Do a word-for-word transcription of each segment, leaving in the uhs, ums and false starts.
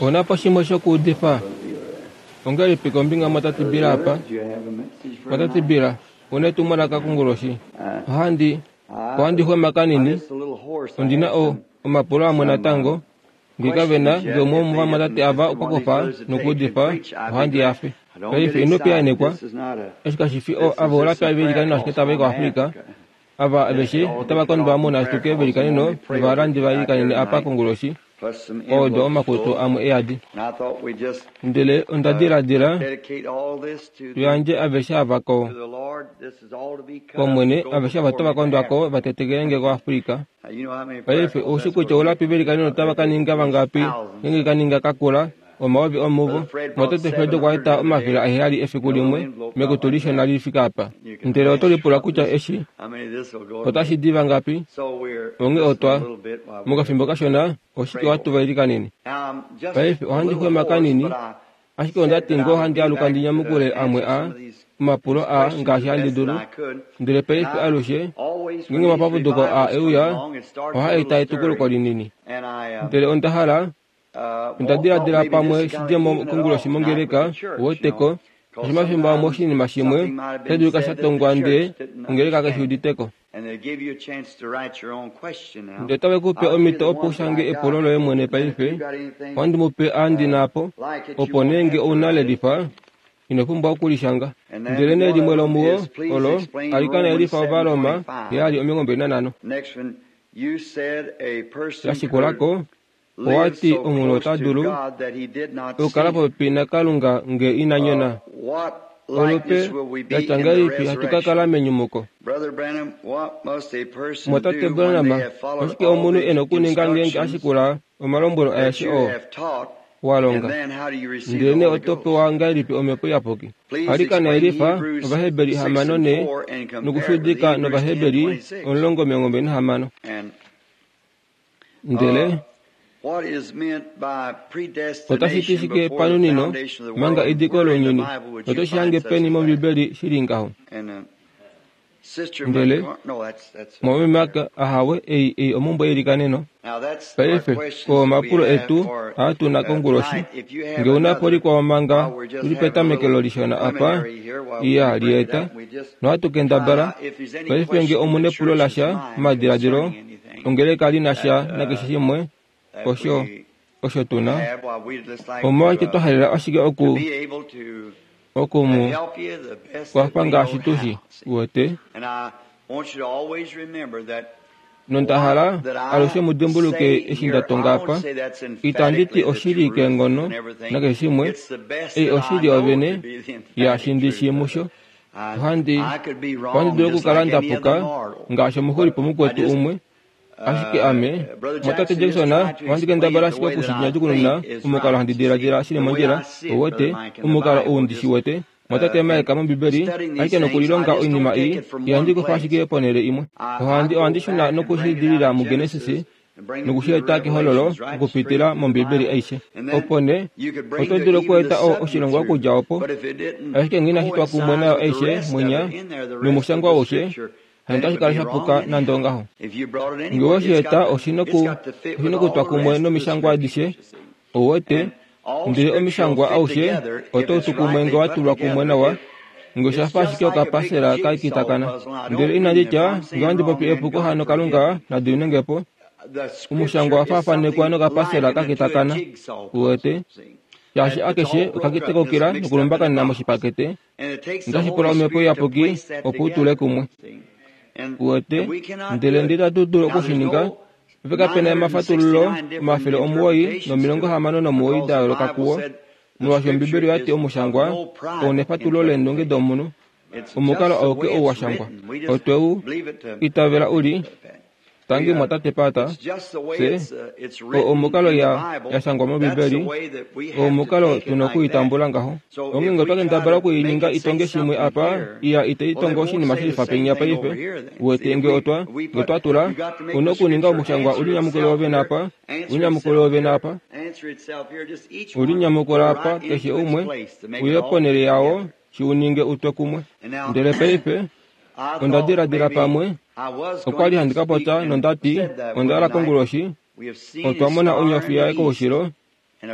Ouna po shimwe shokuudifa? Ongahelipi kombinga mwatate Bill apa? Mwatate Bill, ouna etumwalaka konguloshi? Ohandi, ohandi xwema kanini, ondi na o, omapulo amwe natango. Nge kavena, nge umwe womovamwatate ava okwa kufa nokuudifa, ohandi hafe. Paife ino piyaanekwa, eshi kashifi ava olapi veilikaneno ashike tava i koAfrica. Ava aveshe otava kondwa munashituke veilikaneno novalandi va ilikanene apa konguloshi, kwa wedwa omakutu amwe eyadi. Ndele onda diladila tuyandje aveshe ava ko kOmwene, aveshe ava otava kondwa ko va tetekelenge koAfrica. Paife oushi kutya oulapi veilikaneno otava ka ninga vangapi ngeenge ka ninga kakula, omayovi omuvo. Mwatate Fred okwa eta omafele aheyali efiku limwe mekutu lishona lifike apa. Ndele oto lipula kutya eshi otashi di vangapi? Onghee otwa, mokafimbo kashona, oshike hatu va ilikanene. Paife ohandi xwema kanini, ashike onda ti ngoo handi aluka ndi nyamukule amwe a omapulo aa ngaashi handi dulu. Ndele paife alushe, ngeenge omapapuduko aa euya, ohaa eta etukuluko linini. Ndele onda hala, onda diladila pamwe shidjemo konguloshi mongeleka, uweteko, shaashi omafimbo amwe oshinima shimwe otashi dulika sha tongwa ndee ongeleka kaishi uditeko. Ndele otave ku pe omhito opo ushange epulo loye mwene paife, ohandi mu pe aa ndi na po, opo nee nge ouna lelifa, ino pumbwa okulishanga. Ndele nee limwe lomuwo olo, alikana yelifa Ovaroma heyali omilongo mbali nanhano. Lashikulako, owati omunhu ota dulu okukala popepi naKalunga nge ina nyona. Olupe latya ngahelipi hatu ka kala menyumuko? Mwatate Branham, oshike omunhu e na okuninga ngeenge a shikula omalombwelo aeshe oo wa longa? Ndele nee oto pewa ngahelipi Omhepo Iyapuki? Alikana yelifa Ovaheberi hamano ne nokushudika nOvaheberi omulongo omilongo mbali nahamano. Ndele otashi ti shike panunino manga ediko lounyuni, noto shi hange peni mOmbibeli shili ngaho? Ndele mwameme Mark ahawe ei ei omumbwe yeilikaneno. Paife oo omapulo etu aa tuna konguloshi. Nge ouna po likwao manga tuli petamekelo lishona apa, iya lieta, nohatu kendabala. Paife nge omuna epulo lasha momadiladilo, ongeleka li na sha nakeshe shimwe, osho osho tuna. Omolwashike twa halela ashike oku oku mu kwafa ngaashi tushi, uwete. Nonda hala alushe mu dimbuluke eshi nda tonga apa. Itandi ti oshili keenghono nakeshe shimwe, ei oshili yovene yaashi ndi shii musho. Ohandi ohandi dulu okukala nda puka ngaashi omuxulipo mukwetu umwe. Ashike ame, mwatate Jackson, ohandi kendabala ashike okushinyadjukununa omukalo handi diladila shili mondjila, uwete, omukalo ou ndi shi wete. Mwatate Mike mOmbibeli, ashike nokulilonga oinima ei, ihandi kufa ashike ponhele imwe. Ohandi ohandi shuna nokushidilila muGenesis nokushieta kehololo okupitila mOmbibeli aishe. Opo nee, oto dulu okweeta oshilongwa okudja opo, ashike ngee inashi twa kumwe nayo aishe mwinya nomushangwa aushe, hano otashi kala shapuka nande ongaho. Nge owe shi eta oshi na okutwa kumwe nomishangwa adishe, ouwete, ndele omishangwa aushe otau tu kumwe nge wa tulwa kumwe nawa, nge osha fa ashike okapasela ka kitakana. Ndele inandi tya nge ohandi popi epuko hano Kalunga na diminenge po. Omushangwa owa faafanekwa nokapasela ka kitakana, uwete, shaashi akeshe okakitekukila nokulumbakanena moshipakete, notashi pula Omhepo Iyapuki opo u tule kumwe. Uwete, ndele ndele itatu dulu okushininga, paife kapena omafatululo omafele omuwoi nomilongo hamano nomuwoi da yooloka kuwo, molwaashi Ombibeli oyati omushangwa ouna efatululo leendunge domunhu, omukalo auke ou wa shangwa. Otwe u itavela uli, tangi mwatate Pata, fye, oo omukalo ya, ya shangwa mOmbibeli, oo omukalo tuna okuitambula ngaho. Onghee nge otwa kendabala okuininga itonge shimwe apa, iya itai tongo oshinima shelifa penya paife, uwete nge otwa, nge otwa tula, ouna okuninga omushangwa ulinyamukule wovene apa, ulinyamukule wovene apa, ulinyamukula apa, keshe umwe, uye ponhele yao shi uninge utwe kumwe. Ndele paife, onda diladila pamwe, okwa li handi ka popya nondati, onda hala konguloshi, Otwa mona onyofi yaye koushilo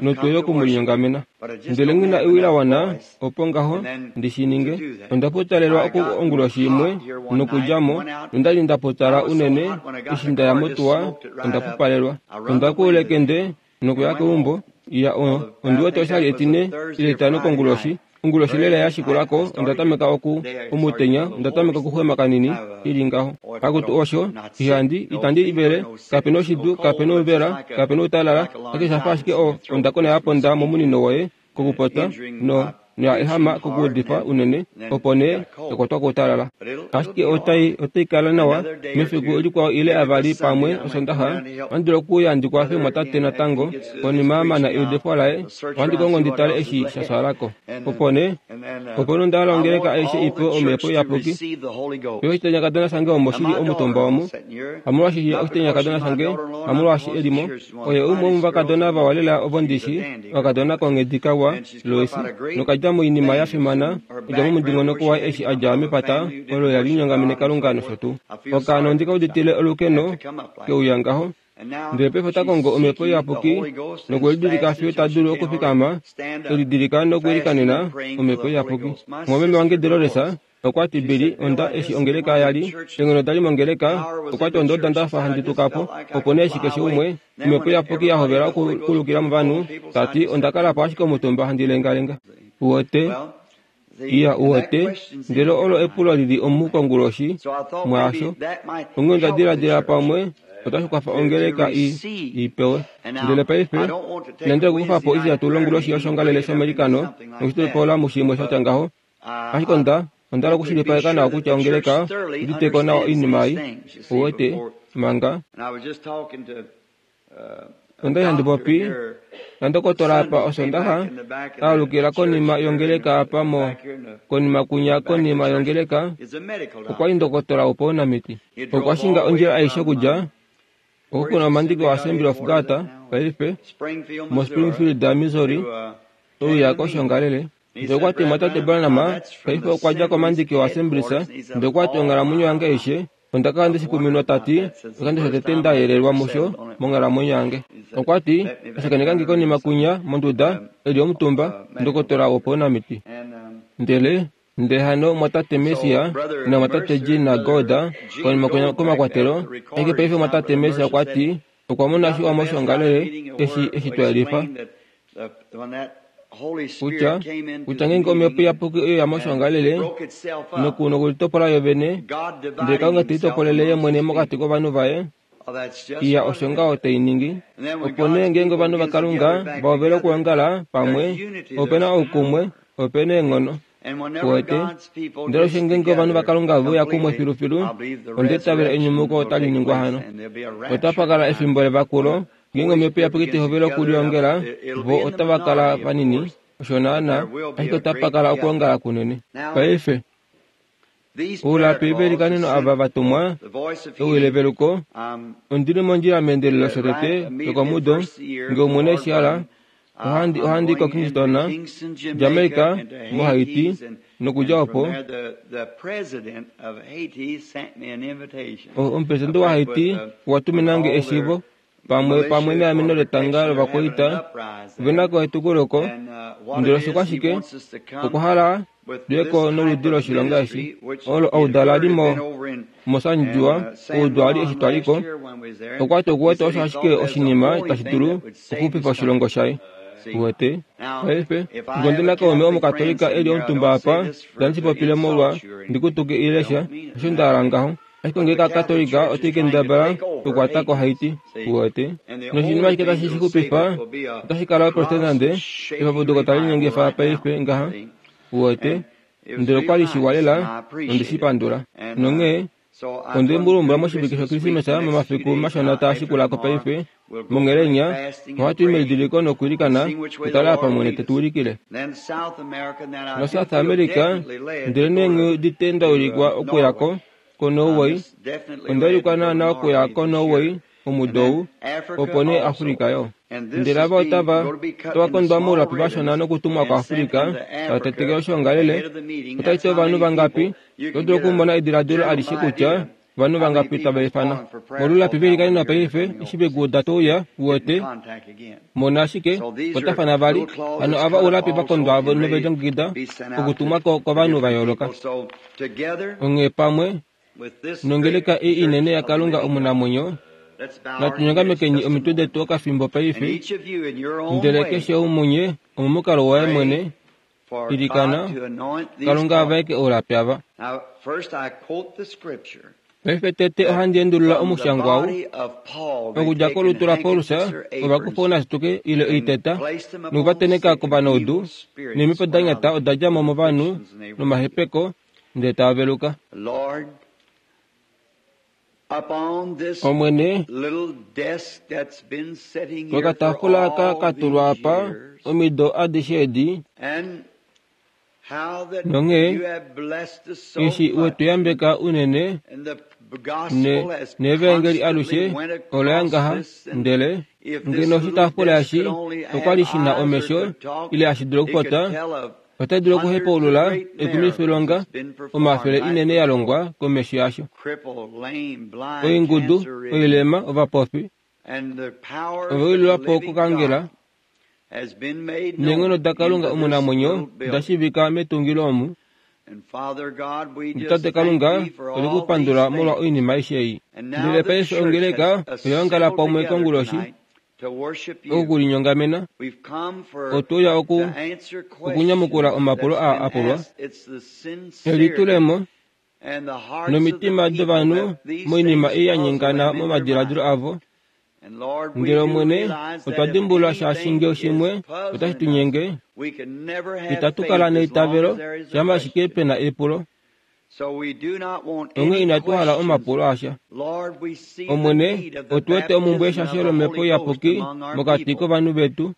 notwe yo okumulinyongamena. Ndele nghi na ewi la wana opo ngaho ndi shi ninge. Onda putalelwa oku onguloshi imwe nokudja mo, nonda li nda putala unene eshi nda ya motuwa onda pupalelwa. Onda kuula ekende nokuya keumbo. Ya ondi wete oshali etine ile etitano konguloshi. Onguloshi lela ya shikulako onda tameka oku omutenya onda tameka okuxwema kanini ili ngaho. Akutu osho ihandi itandi ivele kapena oshidu kapena omvela kapena outalala ashike shafa ashike ondakona ya ponda momunino woye kokupota no noya ehama kokuudifa unene opo nee yakwatwa koutalala. Ashike otai otai kala nawa mefiku likwao ile avali pamwe Osondaxa ohandi dulu okuuya ndi kwafe mwatate natango konima amana eudifo laye ohandi kongo ndi tale eshi sha swalako. Opo nee opo nee onda hala ongeleka aishe ipewe Omhepo Iyapuki. Yo oshitenya shange omo shili omutumba omu hamolwaashi oshitenya shange hamolwaashi elimo oye umwe womovakadona vawa lela ovo ndishi okakadona konghedi kawa Lois nokadja moinima ya fimana okudja momudingonoko waye eshi a dja mepata olo la linyongamene Kalunga nosho tuu. Okaana ondi ka uditile olukeno keuya ngaho ndele paife ota kongo Omhepo Iyapuki nokwelidilika fiyo ta dulu okufikama elidilika nokwiilikanena Omhepo Iyapuki. Mwameme wange Dolores okwa ti Billy onda eshi ongeleka yali eenghono dali mongeleka okwa ti onda ndafa handi tuka po opo nee eshi keshe umwe Omhepo Iyapuki ya hovela okukulukila movanhu ta ti onda kala po ashike omutumba handi lengalenga. Uwete iya uwete ndele olo epulo lili omu konguloshi mwaasho onghee onda diladila pamwe otashi kwafa ongeleka i ipewe. Ndele paife inandi okukufa po eshi longuloshi yoshongalele shomeilikano nokushitopola mushimwe shatya ngaho ashike onda onda hala okushilipaleka nawa kutya ongeleka uditeko nawa oinima ei uwete manga. Onda li handi popi nandokotola apa Osondaxa aalukila konima yongeleka apa mo konima kunya konima yongeleka okwa li ndokotola wopaunamiti. Okwa shinga ondjila aishe okudja oko kuna omandiki wa Assembly of God paife mo Springfield, Missouri ouya koshongalele. Ndele okwa ti mwatate Branham paife okwa dja komandiki wa Assemblies ndele okwa ti onghalamwenyo yange aishe onda kala ndeshikuminwa ta ti oshikando shotete nda yelelwa musho monghalamwenyo yange. Okwa ti ashakeneka nge konima kunya monduda eli omutumba ndokotola wopaunamiti. Ndele ndele hano mwatate Messia na mwatate Jean naGoda konima kunya komakwatelo ashike paife mwatate Messia okwa ti okwa mona shiwa moshongalele eshi eshi twa yelifa kutya kutya ngeenge Omhepo Iyapuki oyo ya moshongalele noku nokulitopola yo vene ndele Kalunga te litopolele ye mwene mokati kovanhu vaye iya osho ngaho tei ningi. Opo nee ngeenge ovanhu vaKalunga va hovele okuongala pamwe opena oukumwe opena eenghono. Uwete ndele osho ngeenge ovanhu vaKalunga ve uya kumwe filufilu onda itavela enyumuko otali ningwa hano. Otapa kala efimbo levakulo ngeenge Omhepo Iyapuki tai hovele okuliongela vo otava kala vanini osho naana ashike otapa kala okwoongala kunene. Paife oulapi veilikaneno ava vatumwa ewi leveluko ondili mondjila meendelelo shotete yokomudo ngee Omwene eshi hala ohandi ohandi ko Kingston, Jamaica, moHaiti nokudja opo omupresidente waHaiti okwa tumina nge eshivo pamwe pamwe neameno letanga lovakwaita ovena ko etukuloko ndele osho ashike okwa hala tuyeko noludi loshilonga eshi olo oudala li mo moSanjua oudwali eshi twaliko okwa ti okuwete osho ashike oshinima tashi dulu okuxupifa oshilongo shaye. Uwete paife ngee ondina kaume omukatolika eli omutumba apa itandi shi popile molwa ndikutuke ile sha osho nda hala ngaho ashike ongeleka yakatolika otai kendabala okukwata ko Haiti. Uwete noshinima ashike tashi shi xupifa otashi kala oprotestante epapuduko tali linyengifa paife ngaha. Uwete ndele okwa li shiwa lela onde shi pandula. Nonghee onde mu lumbula moshivike shOkrismesa momafiku mashona taa shikulako paife mongelenya ohatu i melidiliko nokwiilikana kutala apa Omwene te tu ulikile. NoSouth America ndele nee nghi udite nda ulikwa okuyako koNorway onda ulikwa naana okuya koNorway omudo ou opo nee Afrika yo. Ndele ava otava otava kondwa moulapi vashona nokutumwa kuAfrika tava tetekele oshongalele otashi ti ovanhu vangapi oto dulu okumona ediladilo alishe kutya Ovanhu vangapi tava ifana molulapi veilikanenwa paife eshi vekuuda touya uwete mona ashike kwatafana vali hano ava oulapi vakondwa novelilongekida okutumwa kovanhu va yooloka. Onghee pamwe nongeleka ei inene yaKalunga omunamwenyo, natunyongamekeni omitwe detu okafimbo paife, ndele keshe omunye omomukalo waye mwene ilikana Kalunga avaeke oulapi ava. Paife tete ohandi endulula omushangwa ou okudja kolutu laPaulus ovakufa ounasituke ile oiteta nokuvateneka kovanaudu neemhepo da nyata oda dja mo movanhu nomahepeko ndele tava veluka. Omwene, kokataafula aka ka tulwa apa omido adishe edi, nonghee eshi wetuyambeka unene neevangeli alushe oloya ngaha, ndele ngeno oshitaafula eshi okwali shina omesho ile hashi dulu okupota, otai dulu okuhepaulula ekumifilonga omafele inene ya longwa komesho yasho. Oingudu, oilema, ovapofi ovaililwa po kokangela neenghono daKalunga omunamwenyo da shiivika metungilo omu. Tate Kalunga olikupandula molwa oinima aishe ei. Ndele paife ongeleka oya pamwe konguloshi okulinyongamena otweuya oku okunyamukula omapulo aa apulwa elitulemo nomitima dovanhu moinima ei ya nyengana momadiladilo avo. Ndele Omwene otwa dimbulula shaashi ngee shimwe otashi tu nyenge, itatu kala neitavelo shama ashike pena epulo. Onghee inatu hala omapulo asha. Omwene, otu wete omumbwe yeshasho lomhepo iyapuki mokati kovanhu vetu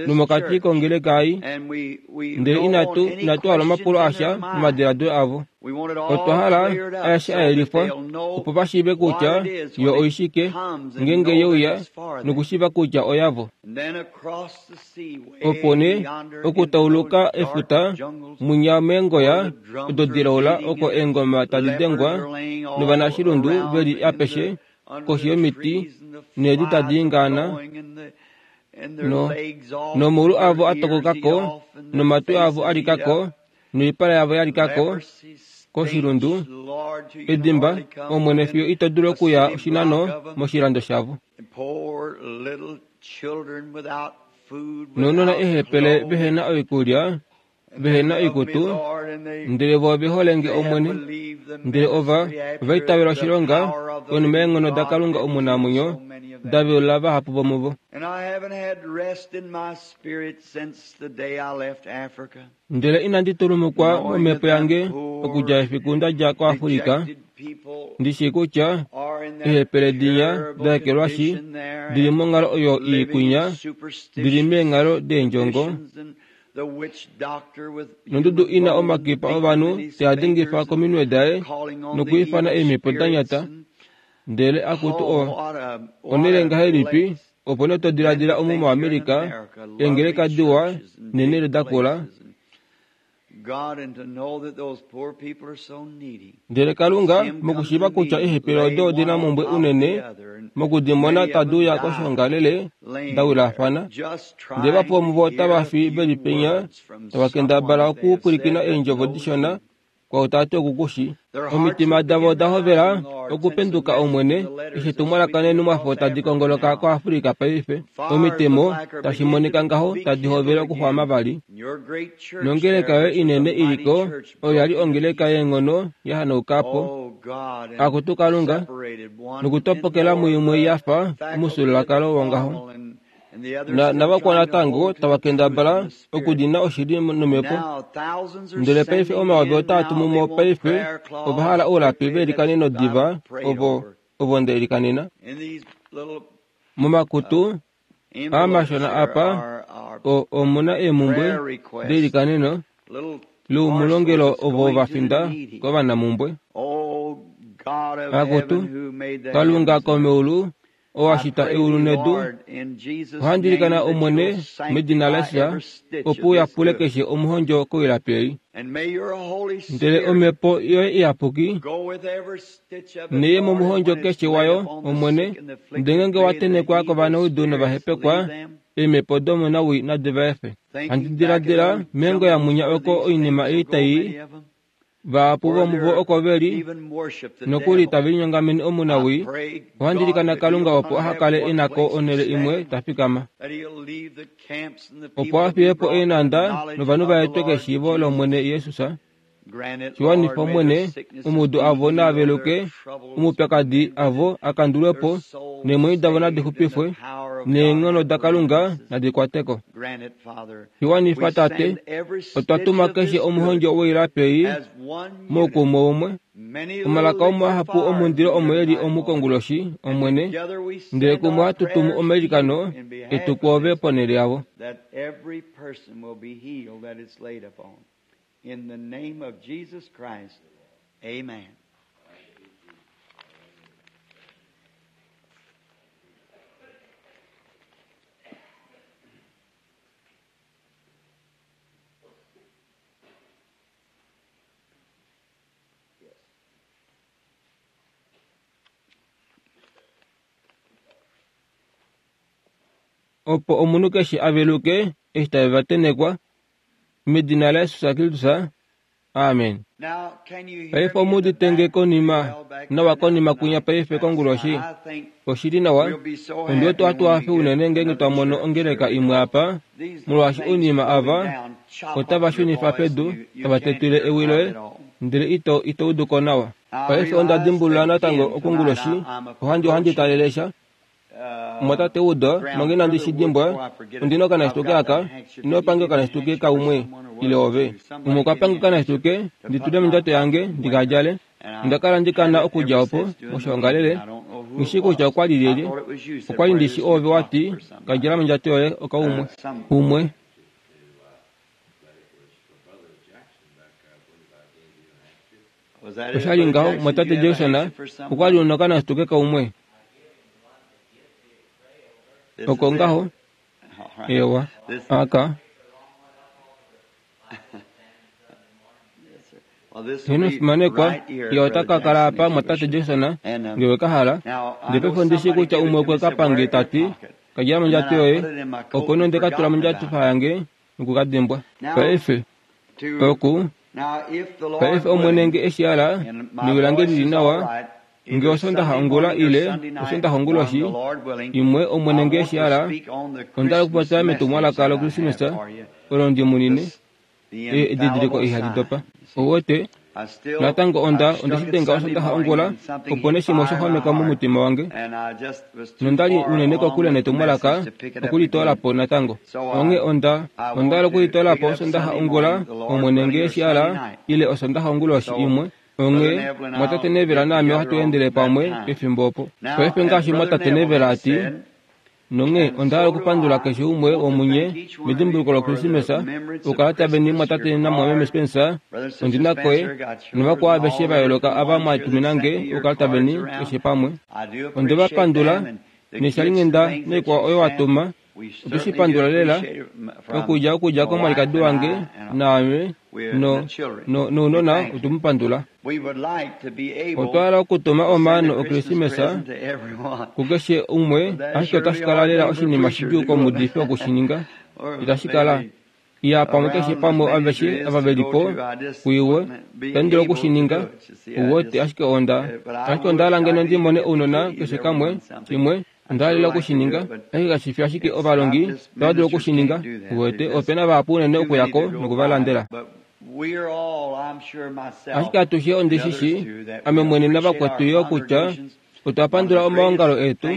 nomokati kongeleka ei, ndele inatu inatu hala omapulo asha momadiladilo avo. Otwa hala aeshe a yelifwa opo va shiive kutya yo oishike ngeenge yeuya nokushiiva kutya oyavo. Opo nee okutauluka efuta mwinya meengoya odo dilaula oko eengoma tadi dengwa novanashilundu veli apeshe koshi yomiti needi tadi ingaana no nomaulu avo atokokako nomatwi avo alikako noipala yavo yalikako koshilundu edimba Omwene fiyo ito dulu okuya oshinano moshilando shavo. Nounona eehepele vehena oikulya vehena oikutu, ndele vo ove hole nge Omwene, ndele ova ova itavela oshilonga konima yeenghono daKalunga omunamwenyo da velula vahapu vomuvo. Ndele inandi tulumukwa momhepo yange okudja efiku nda dja koAfrika, ndi shii kutya eehepele dinya da ekelwashi dili monghalo oyo ii kwinya, dili meenghalo deendjongo, nondudu ina omakipa ovanhu te a dingifa kominwe daye nokwiifana eemhepo da nyata. Ndele akutu o onele ngahelipi opo nee to diladila omu moAmerica eengeleka diwa neenhele dakula. Ndele Kalunga mokushiiva kutya eehepele odo odina omumbwe unene mokudimona tadi uya koshoongalele da wilafana, ndele vahapu vomuvo otava fi veli penya tava kendabala okupwilikina eendjovo dishona kwao tati okukushi. Omitima davo oda hovela okupenduka Omwene eshi etumwalaka neenhumwafo tadi kongoloka koAfrika paife. Omitemo tashi monika ngaho tadi hovele okuxwama vali. Nongeleka yoye inene iliko oyo yali ongeleka yeenghono ya hanauka po. Akutu Kalunga, nokutopokela muimwe ya fa omufyuululwakalo wongaho. Na navakwao natango tava kendabala okudina oshili nomhepo. Ndele paife omayovi otaa tumu mo paife ova hala oulapi veilikaneno diva ovo ovo nda ilikanena. Momakutu aa mashona apa omuna eemumbwe deilikaneno loumulongelo ovo va finda kovanamumbwe. Akutu Kalunga komeulu oo a shita eulu nedu, ohandi ilikana Omwene medina laJesus opo u yapule keshe omuhondjo koilapi ei. Ndele Omhepo yoye Iyapuki neye momuhondjo keshe wayo, Omwene, ndele ngeenge wa tenhekwa kovanaudu novahepekwa, eemhepo domunawii nadi va efe. Handi diladila meengo yamwinya oko oinima ei tai vahapu vomuvo oko ve li nokuli tave linyongamene omunawii, ohandi ilikana Kalunga opo aha kale e nako onhele imwe ta fikama, opo a fiye po eenhanda novanhu va etwe keshiivo lOmwene Jesus. Shiwanifa Omwene, omudo avo naaveluke, omaupyakadi avo a kandulwe po, neemwenyo davo nadi xupifwe, neenghono daKalunga nadi kwate ko. Shiwanifa Tate, otwa tuma keshe omuhondjo woilapi ei moukumwe umwe. Omalaka omahapu omundilo omo e li omu konguloshi, Omwene, ndele kumwe ohatu tumu omailikano etu kwoove ponhele yavo. In the name of Jesus Christ, amen. Opo omunhu keshe a veluke eshi tave va tenhekwa medina laJesus Kristus, amen. Paife omu udite konima nawa konima kwinya paife konguloshi? Oshili nawa, ondi wete ohatu hafe unene ngeenge twa mono ongeleka imwe apa, molwaashi oinima ava otava shunifa pedu tava tetwile ewi loye, ndele ito ito udu ko nawa. Paife onda dimbulula natango okonguloshi, ohandi ohandi talele sha. Mwatate Udo, manga inandi shi dimbwa, ondina okanashituke aka, ino pange okanashituke kaumwe ile ove. Umwe okwa pange okanashituke ndi tule mondjato yange ndi ka djale. Onda kala ndi kana okudja opo moshoongalele, nghi kutya okwa li lyelye. Okwa li ndishi ove wati ka djala mondjato yoye okaumwe. Umwe. Oshali ngaho mwatate Jackson, okwa li una okanashituke kaumwe. Oko ngaho, ewa, aka. Heno fimanekwa, ye ota ka kala apa mwatate Jackson, ngewe ka hala. Ndele paife ondishi kutya umwe okwe ka pange tati, ka djala mondjato yoye, opo nee onde ka tula mondjato yange noku ka dimbwa. Paife, oku, paife Omwene nge eshi hala, newi lange lili nawa, nge osondaxa ongula ile osondaxa onguloshi imwe Omwene nge eshi hala, onda hala okupopya metumwalaka loKrismesa olo ndi munine, edidiliko ihali dopa. Ouwete, natango onda onde shi denga osondaxa ongula, opo nee shimwe osha xwameka momutima wange, nonda li unene kokule netumwalaka okulitoola po natango. Onghee onda onda hala okulitoola po osondaxa ongula, Omwene nge eshi hala, ile osondaxa onguloshi imwe. Onghee mwatate Neville naame ohatu endele pamwe pefimbo opo. Paife ngaashi mwatate Neville ati, nonghee onda hala okupandula keshe umwe womunye medimbuluko loKrismesa, okukala taveni mwatate namwameme Spencer, ondina koye, novakwao aveshe va yooloka ava mwatumina nge okukala taveni keshe pamwe. Onde va pandula neshalinghenda noikwao oyo watuma, otwe shi pandula lela okudja okudja komwalikadi wange naame no no nounona otwe mu pandula. Otwa hala okutuma omaano oKrismesa kukeshe umwe, ashike otashi kala lela oshinima shidjuu komuudifi okushininga. Itashi kala iya pamwe keshe pamwe aveshe ava veli po kuiwe itandi dulu okushininga. Ouwete, ashike onda ashike onda hala ngeno ndi mone ounona keshe kamwe shimwe. Onda hala okushininga, ashike kashi fi ashike ovalongi tava dulu okushininga. Ouwete, opena vahapu unene okuyako nokuvalandela. Ashike atushe ondishi shi, ame mwene navakwetu yo kutya otwa pandula omaongalo etu.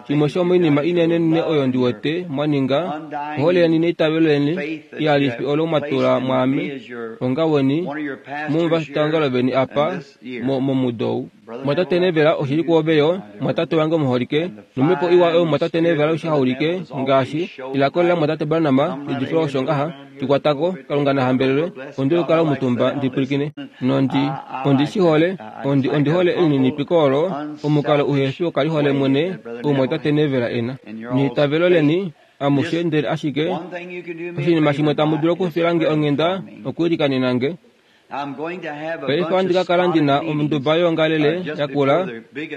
Shimwe shomoinima inenenene oyo ndi wete mwaninga, ohole yeni neitavelo leni ihalifi olo mwatula mwaame onga weni momuvafitaongalo veni apa momudo ou. Mwatate Neville, oshili kwoove yo, mwatate wange omuholike, nomhepo iwa oyo mwatate Neville oshihaulike ngaashi ilako lela mwatate Branham lidifila osho ngaha shikwatako, Kalunga na hambelelwe, ondi okukala omutumba ndi pwilikine. Nondi ondi shi hole, ondi ondi hole elininipiko olo, omukalo omukalo uhefi wokalihole mwene oumwatate Neville ena. Neitavelo leni amushe ndele ashike oshinima shimwe tamu dulu okufila nge onghenda okwiilikanena nge. Paife ohandi ka kala ndi na onduba yoongalele yakula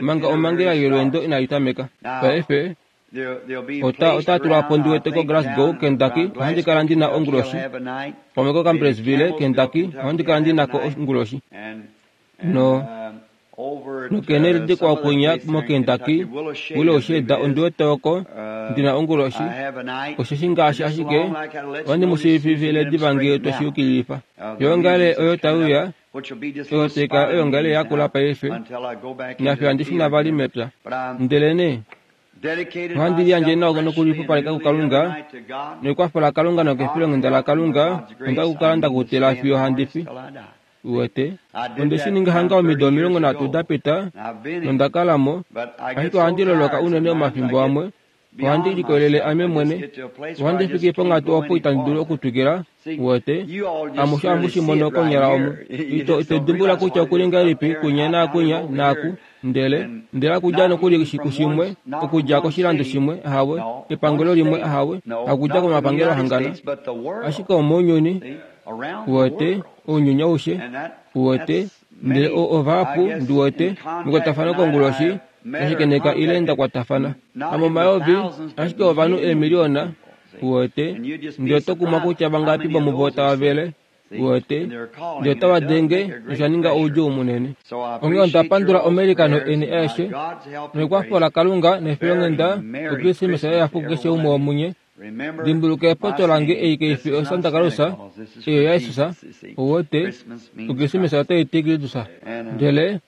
manga omhangela yolweendo inai tameka. Paife ota ota tulwa po ndi wete koGlasgow, Kentucky, ohandi kala ndi na onguloshi. Pamwe koCampbellsville, Kentucky, ohandi kala ndi nako onguloshi. No nokenele dikwao kwinya moKentucky, Willow Shade ondi wete oko ndi na onguloshi. Osheshi ngaashi ashike ohandi mu shiivifile diva ngee tweshi yukililifa. Yoongale oyo taiuya oyo taikala oyoongale yakula paife, nafye handi shuna vali mepya. Ndelenee ohandi liyandje nawa nokulixupaleka kuKalunga, nekwafo laKalunga nokefilonghenda laKalunga, onda kukala ndakutila fiyo handi fi. Uwete, onde shi ninga hanga omido omilongo nhatu dapita, nonda kala mo, ashike ohandi loloka unene omafimbo amwe, ohandi likolele ame mwene, ohandi fiki ponghatu opo itandi dulu okutwikila. Uwete, amushe ohamu shi mono konyala omu. Ito ito dimbuluka kutya okuli ngahelipi kunya naakunya naaku, ndele ndele okudja nokuli kushimwe, okudja koshilando shimwe, ahawe, epangelo limwe, ahawe, hakudja komapangelo ahangana, ashike omounyuni. Uwete, ounyuni aushe, uwete, ndele ovahapu ndiwete mekwatafano konguloshi ndashakeneka ile ndakwatafana hamomayovi, ashike ovanhu eemiliona. Uwete, ndele oto kumwa kutya vangapi vomuvo tava vele. Uwete, ndele otava denge nosha ninga oudjuu munene. Onghee onda pandula omailikano eni aeshe nekwafo laKalunga nefilonghenda Okrismesa yehafu kukeshe umwe womunye. Dimbuluka epoto lange ei kaifi oSanta Claus, eyo yaJesus. Uwete, Okrismesa otai ti Kristus. Ndele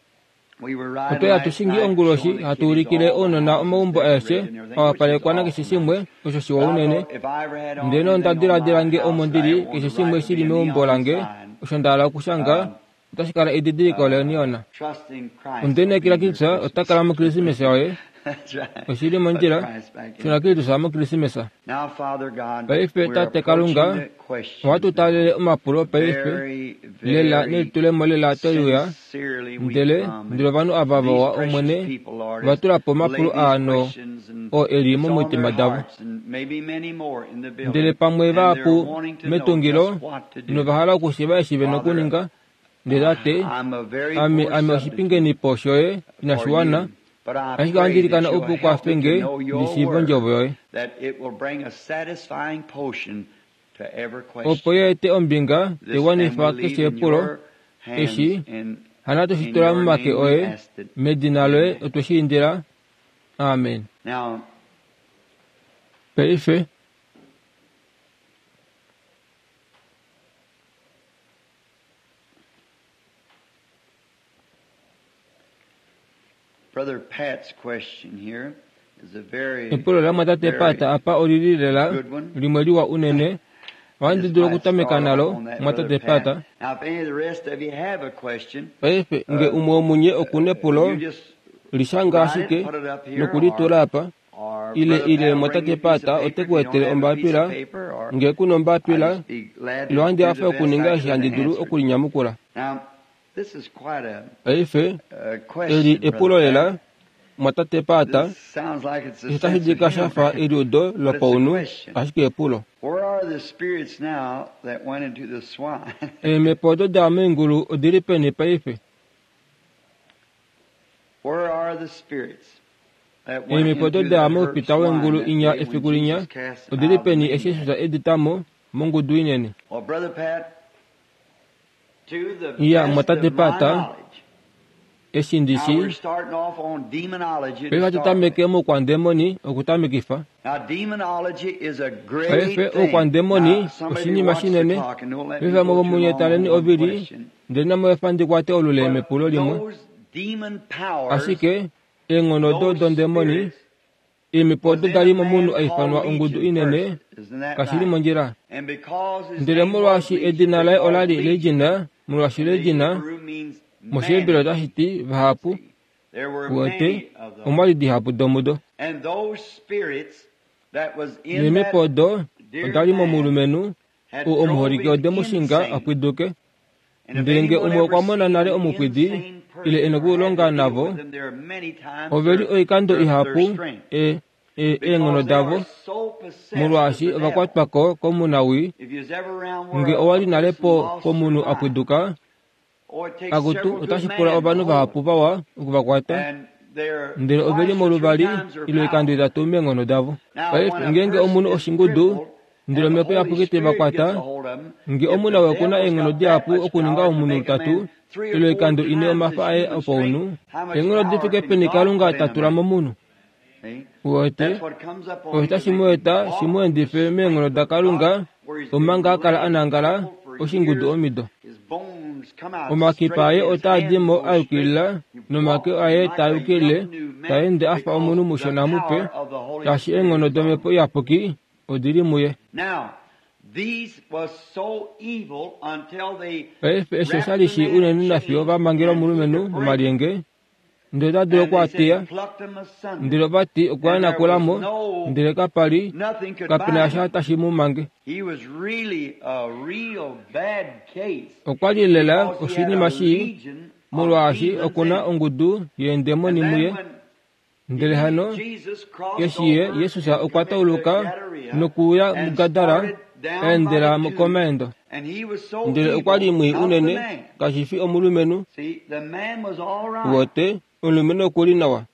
otwa li hatu shingi onguloshi hatu ulikile ounona omaumbo aeshe a wapalekwa nakeshe shimwe osho shiwa unene. Ndele onda diladila nge omo ndili keshe shimwe shili meumbo lange osho nda hala okushanga otashi kala edidiliko leneon. Onde lineekela Kristus ota kala mOkrismesa yoye. Oshili mondjila, shuna Kristus mOkrismesa. Paife Tate Kalunga, ohatu taalele omapulo paife lela nelitulemo lela toliuya, ndele ndele ovanhu ava vawa Omwene ova tula po omapulo aano oo eli momitima davo. Ndele pamwe vahapu metungilo nova hala okushiiva eshi ve nokuninga. Ndele Tate, ame ame oshipingenipo shoye inashi wana, ashike ohandi ilikana opo u kwafe nge ndi shiive ondjovo yoye, opo yeete ombinga taiwanifa keshe epulo eshi hano toshi tula momake oye, medina loye otwe shi indila. Amen. Paife Brother Pat's question here is a very epulo lamwatate Pat apa olili lela limwe liwa unene. Ohandi dulu okutameka nalo mwatate Pat. Now, if any of the rest of you have a question, Paife nge umwe womunye okuna epulo, you just lishanga ashike nokulitula apa, or ile Brother ile Pat will bring mwatate you a piece Pat of paper ote if you ku don't etele have a piece of ombapila. paper, or Nge kuna ombapila, I'd just be glad to ilo ohandi do hafe the best okuninga I eshi could handi to dulu answer. okulinyamukula. Now, this is quite a, Paife a question, eli epulo Brother lela Pat. mwatate Pat, This sounds like it's a eshi otashi sense of dika shafa humor. eliudo But it's a lopaunhu, question. ashike epulo. Where are the spirits now that went into the swine? Eemhepo odo da meengulu odili peni paife? Where are the spirits that went Eemhepo odo into da the herd moupita swine weengulu that inya day when efiku linya Jesus cast them odili out of the peni eshi maniac? Jesus edi mo mongudu inene? Well, Brother Pat, to the Iya, best mwatate of my Pat, knowledge, eshi ndi now we're shi starting off on demonology to paife start with. hatu tameke moukwandemoni okutamekifa. Now, demonology is a great Paife thing. oukwandemoni Now, somebody oshinima watch the shinene. clock and don't let me Paife go vamwe too vomunye long taleni on one ovili, question. ndele namoefa ndi kwate olule But mepulo limwe. those demon powers, Ashike eenghono odo those dondemoni, spirits, eemhepo was odo in dali a momunhu man a ifanwa called ongudu Legion inene, first. Isn't that kashili right? mondjila. And because his Ndele name was molwaashi Legion, edina they laye called ola li Legion. Legion, molwaashi And the Legion Hebrew means moshiheberi many. otashi ti vahapu. See, there were Uwete, many of those. omwa li dihapu domudo. And those spirits that was in Neemhepo that odo dear oda li man momulumenhu had oo drove omuholike him ode mu shinga insane. a pwiduke. Ndele nge umwe okwa mona nale omupwidi ile e nokulonga navo, ove li oikando ihapu e e eenghono davo, molwaashi ova kwatwa ko komunawii. Nge owa li nale po pomunhu a pwiduka, akutu otashi pula ovanhu vahapu vawa okuvakwata, ndele ove li moluvali ile oikando itatu meenghono davo. Paife ngeenge omunhu oshingudu, ndele omhepo iyapuki te va kwata, nge omunawii okuna eenghono dihapu okuninga omunhu lutatu ile oikando ine omafa aye opaunhu, eenghono di fike peni Kalunga ta tula momunhu? Uwete, osho tashi mu eta shi mu endife meenghono daKalunga omanga a kala a nangala oshingudu omido. Omakipa aye otaa di mo a yukilila nomake aye taa yukilile, ta ende a fa omunhu mushona mupe, shaashi eenghono domhepo iyapuki odi li muye. Paife eshi osha li shi unene nafiyo va mangela omulumenhu momalyenge, ndele ota dulu okuatiya, ndele ova ti okwa yanakula mo, ndele kapa li kapena sha tashi mu mange. Okwa li lela oshinima shii, molwaashi okuna ongudu yeendemoni muye. Ndele hano eshi ye Jesus okwa tauluka nokuuya muGadara, a endela komaendo. Ndele okwa li mwii unene, kashi fi omulumenhu. Uwete, omulumenhu oku li nawa.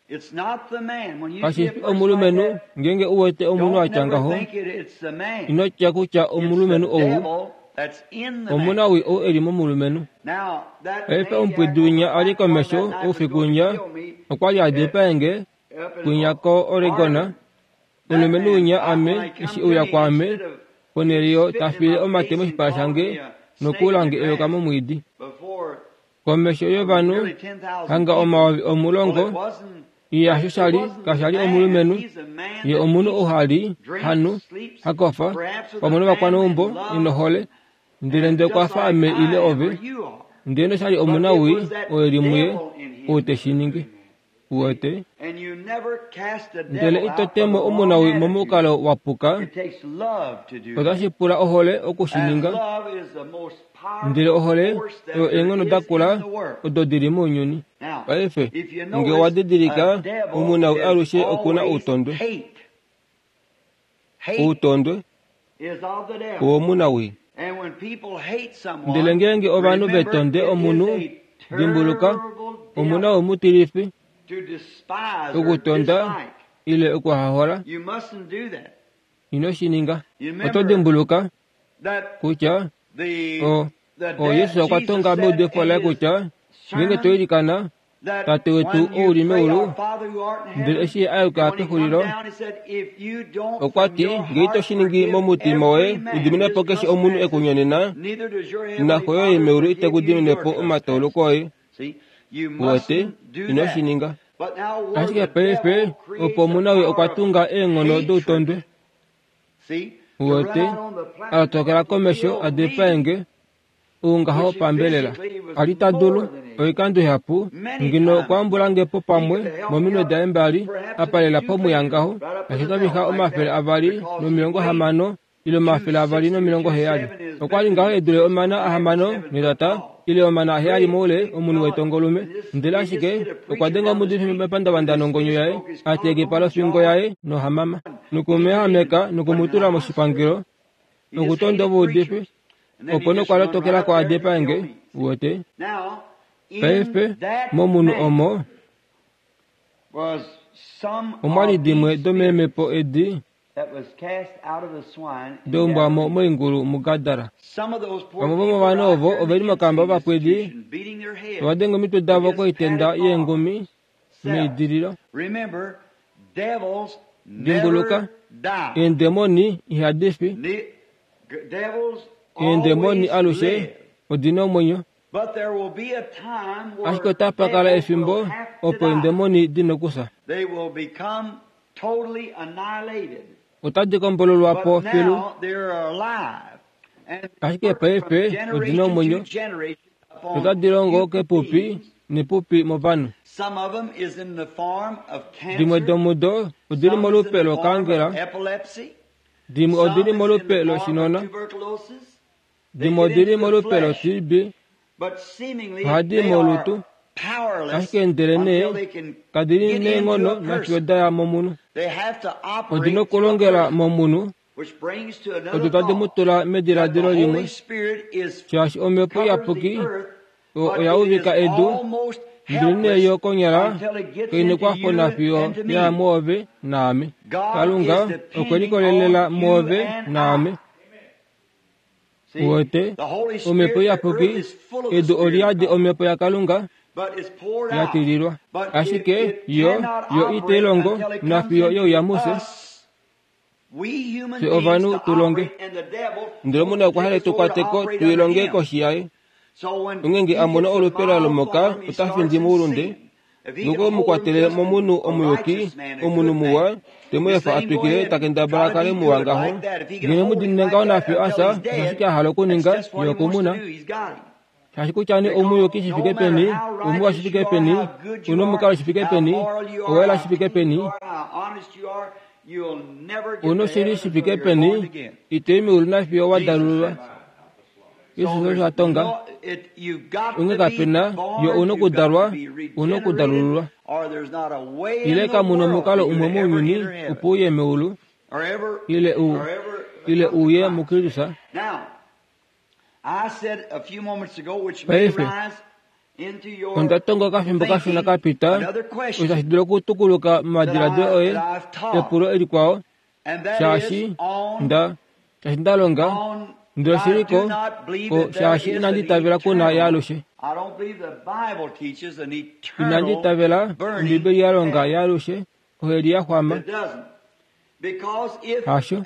Kashi fi omulumenhu ngeenge u wete omunhu a tya ngaho, ino tya kutya omulumenhu ou omunawii ou e li momulumenhu. Paife omupwidi winya a li komesho oufiku winya okwa li a dipaenge kwinya ko-Oregon. Omulumenhu winya ame eshi euya kwaame ponhele yo ta fiile omate moshipala shange nokuulange eyoka momwiidi. Komesho yovanhu hanga omayovi omulongo, ye hasho sha li kasha li omulumenhu, ye omunhu ou ha li, ha nu, ha kofa, pamwe novakwaneumbo, e nohole, ndele ndele okwa fa ame ile ove, ndele noshali omunawii oo e li muye ou te shi ningi. Uwete, ndele ito temo omunawii momukalo wa puka, otashi pula ohole oku shi ninga, ndele ohole oyo eenghono dakula odo di li mounyuni. Paife nge owa didilika, omunawii alushe okuna outondwe. Outondwe owomunawii. Ndele ngeenge ovanhu ve tonde omunhu, dimbuluka, omunawii mutilifi, okutonda ile okuhahola, ino shi ninga. Oto dimbuluka kutya o o Jesus okwa tonga meudifo laye kutya ngeenge to ilikana, Tate wetu ou li meulu, ndele eshi a yuka pexulilo, okwa ti ngee ito shi ningi momutima woye u dimine po keshe omunhu e ku nyonena, naxo yoye meulu ite ku dimine po omatauluko oye. Uwete, ino shi ninga. Ashike paife opo omunawii okwa tunga eenghono doutondwe. Uwete, a tokela komesho a dipaenge oungaho pambelela. A li ta dulu oikando ihapu ngeno okwa ambulange po pamwe mominwe daye mbali a palela pomwiya ngaho, nashi ota vixa omafele avali nomilongo hamano ile omafele avali nomilongo heyali. Okwa li ngaho e dule omana ahamano netata ile omana aheyali moule omunhu wetongolume, ndele ashike okwa denga omuudifi mepandavanda nongonyo yaye, a teya ekipa lofingo yaye nohamama, nokumuyahameka nokumutula moshipangelo nokutonda ovaudifi, opo nokwa lotokela ko a dipaenge. Uwete, paife momunhu omo omwa li dimwe domeemhepo edi daumbwa mo moingulu muGadara. Vamwe vomovanhu ovo ove li mokamba vovapwidi, tava denge omitwe davo koitenda yeengumi meidililo. Dimbuluka, eendemoni ihadi fi. Eendemoni alushe odi na omwenyo. Ashike otapa kala efimbo opo eendemoni di nokufya. Otadi kombololwa po filu. Ashike paife odi na omwenyo, notadi longo kepupi nepupi movanhu. Dimwe domudo odi li molupe lokaangela, dimwe odi li molupe loshinona, dimwe odi li molupe lo-T B, Ohadi molutu, ashike ndelenee kadi li neenghono nafiyo da ya momunhu. Odi nokulongela momunhu, odo tadi mu tula mediladilo limwe, shaashi Omhepo Iyapuki oya uvika edu, ndelenee yo konyala kainekwafo nafiyo ya mwoove naame. Kalunga okwe likolelela mwoove naame. Uwete, Omhepo Iyapuki, edu oliyadi Omhepo yaKalunga ya tililwa. Ashike yo yo itai longo nafiyo youya mufye, fye ovanhu tu longe. Ndele omuna okwa hala tu kwateko tuilonge koshi yaye. Onghee a mona olupe la lomoka ota findi moulunde, nokwe mu kwatele momunhu omuyuki, omunhu muwa, te mu efa a twikile ta kendabala a kale muwa ngaho. Ngeno mu diinine ngaho nafiyo a fya, osho ashike a hala okuninga, ye okumuna. Shaashi kutya nee oumuyuki shi fike peni, oumuwa shi fike peni, una omukalo shi fike peni, owela shi fike peni, una oshili shi fike peni, ito i meulu nafiyo wa dalululwa. Jesus osho a tonga. Onghee kapena yo una okudalwa, una okudalululwa. Ile kamuna omukalo umwe mounyuni opo uye meulu, ile u ile uye muKristus. Paife, onda tonga okafimbo kashona kapita, osho tashi dulu okutukuluka momadiladilo oye, epulo elikwao, shaashi nda shaashi nda longa, ndele oshiliko ko shaashi inandi itavela kuna yaalushe. Inandi itavela Ombibeli ya longa yaalushe, oheli ya xwama. Hasho,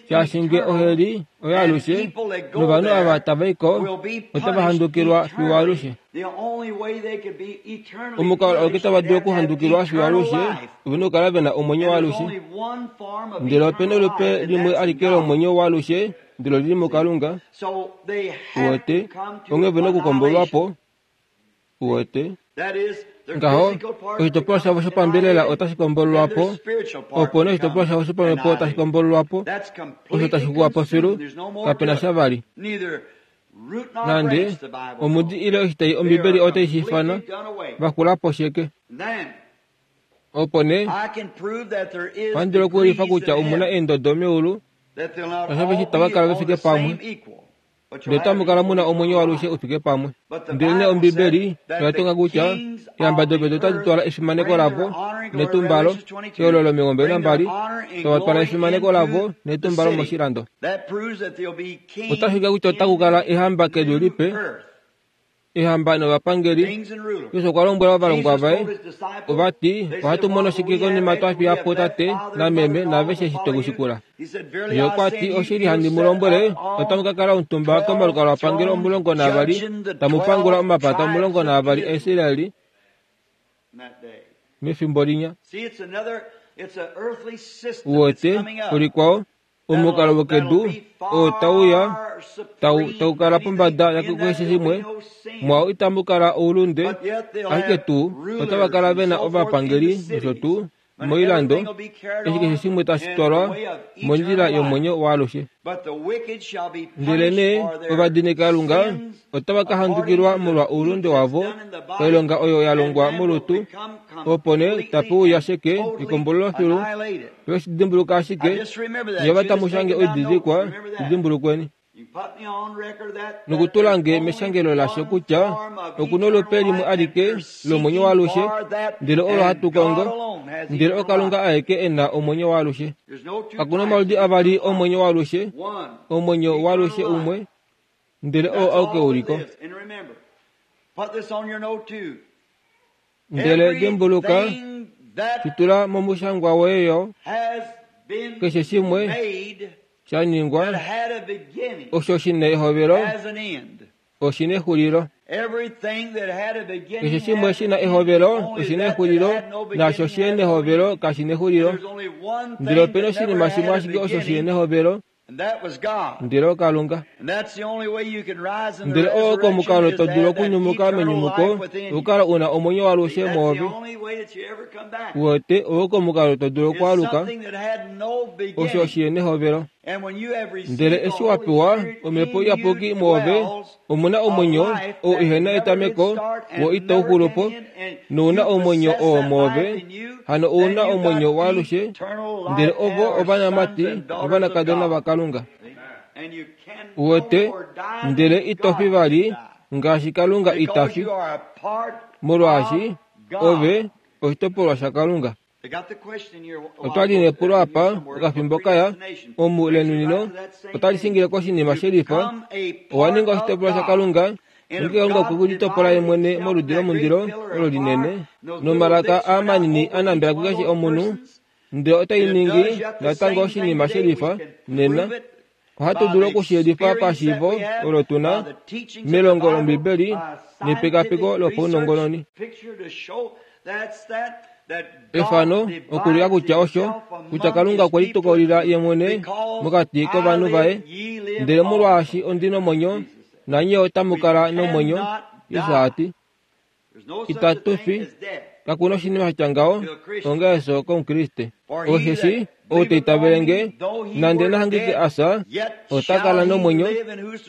shaashi nge oheli oyaalushe, novanhu ava tava i ko otava handukilwa fiyo alushe. Omukalo auke tava dulu okuhandukilwa fiyo alushe, ove na okukala ve na omwenyo waalushe. Ndele ope na olupe limwe alike lomwenyo waalushe, ndele olili muKalunga. Uwete, onghee ve na okukombolwa po. Uwete, ngaho oshitopolwa shavo shopambelela otashi kombololwa po, opo nee oshitopolwa shavo shopamhepo tashi kombololwa po, osho tashi xuwa po filu, kapena sha vali. Nande omudi ile oshitai Ombibeli otai shi ifana, va xula po sheke. Opo nee, ohandi dulu okuulifa kutya omuna eendodo meulu, nosho eshi tava kala ve fike pamwe, ndele otamu kala muna omwenyo waalushe u fike pamwe. Ndelenee Ombibeli oya tonga kutya eehamba dopedu otadi twala efimaneko lavo netumbalo, ehololo omilongo nambali, tava twala efimaneko lavo netumbalo moshilando. Otashi ulike kutya otaku kala eehamba kedu lipe, eehamba novapangeli. Jesus okwa lombwela ovalongwa vaye, ova ti, ohatu mono shike konima twa fiya po tate nameme naaveshe eshi twe kushikula. Ye okwa ti, oshili handi mu lombwele, otamu ka kala omutumba komalukalwapangelo omulongo naavali, tamu pangula omapata omulongo naavali aIsraeli mefimbo linya. Uwete, ulikwao, omukalo wokedu oo tau ya tau tau kala pombada yakeshe shimwe, mwao itamu kala oulunde, ashike tuu otava kala ve na ovapangeli nosho tuu moilando, eshi keshe shimwe tashi twalwa mondjila yomwenyo waalushe. Ndelenee ovadinikalunga otava ka handukilwa molwa oulunde wavo, oilonga oyo ya longwa molutu, opo nee tape uya sheke ekombololo filu, ve shi dimbuluka ashike, nye ova tamu shange oididilikwa, shi dimbulukweni. Nokutula nge meshangelo lasho kutya okuna olupe limwe alike lomwenyo waalushe, ndele olo hatu kongo, ndele oKalunga aeke e na omwenyo waalushe. Kakuna omaludi avali omwenyo waalushe, omwenyo waalushe umwe, ndele oo auke uliko. Ndele dimbuluka, shitula momushangwa woye yo, keshe shimwe sha ningwa osho shina ehovelo oshina exulilo. Keshe shimwe shina ehovelo oshina exulilo, naasho shihena ehovelo kashina exulilo. Ndele opena oshinima shimwe ashike osho shihena ehovelo, ndele oKalunga. Ndele oo oko omukalo to dulu okunyumuka menyumuko, okukala una omwenyo waalushe mwoove. Uwete, oo oko omukalo to dulu okwaaluka, osho shihena ehovelo. Ndele eshi wa pewa Omhepo Iyapuki mwoove, omu na omwenyo oo ihena etameko wo itau xulu po, nouna omwenyo oo mwoove, hano ouna omwenyo waalushe, ndele ovo ovanamati novanakadona vaKalunga. Uwete, ndele ito fi vali ngaashi Kalunga ita fi, molwaashi ove oshitopolwa shaKalunga. Otwali nepulo apa okafimbo kaya omu lenunino otali shingile koshinima shelifa. Owa ninga oshitopolwa shaKalunga, nonge Kalunga okwe kulitopola ye mwene moludi lomundilo olo linene nomalaka aamanini a nambela kukeshe omunhu, ndele otai ningi natango oshinima shelifa nena. Ohatu dulu okushiyelifa pashiivo olo tuna melongo lOmbibeli nepekapeko lopaunongononi. Efano okulika kutya osho kutya Kalunga okwe litokolila ye mwene mokati kovanhu vaye, ndele molwaashi ondi nomwenyo nanye otamu kala nomwenyo. Jesus a ti, itatu fi, kakuna oshinima sha tya ngaho onga efyo kOmukriste. Osheshi ou ta itavele nge, nande nahangike a fya, ota kala nomwenyo,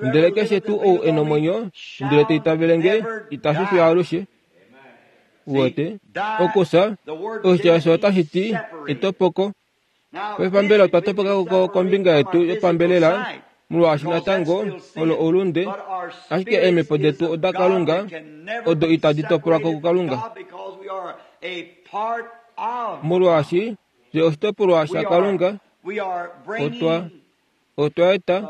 ndele keshe tuu ou e nomwenyo, ndele ta itavele nge, ita fi fiyo alushe. Uwete, okufya, oshitya osho otashi ti etopoko. Paife mbela otwa topoka ko kombinga yetu yopambelela, molwaashi natango olo oulunde, ashike eemhepo detu odaKalunga, odo itadi topolwa ko kuKalunga. Molwaashi fye oshitopolwa shaKalunga, otwa otwa eta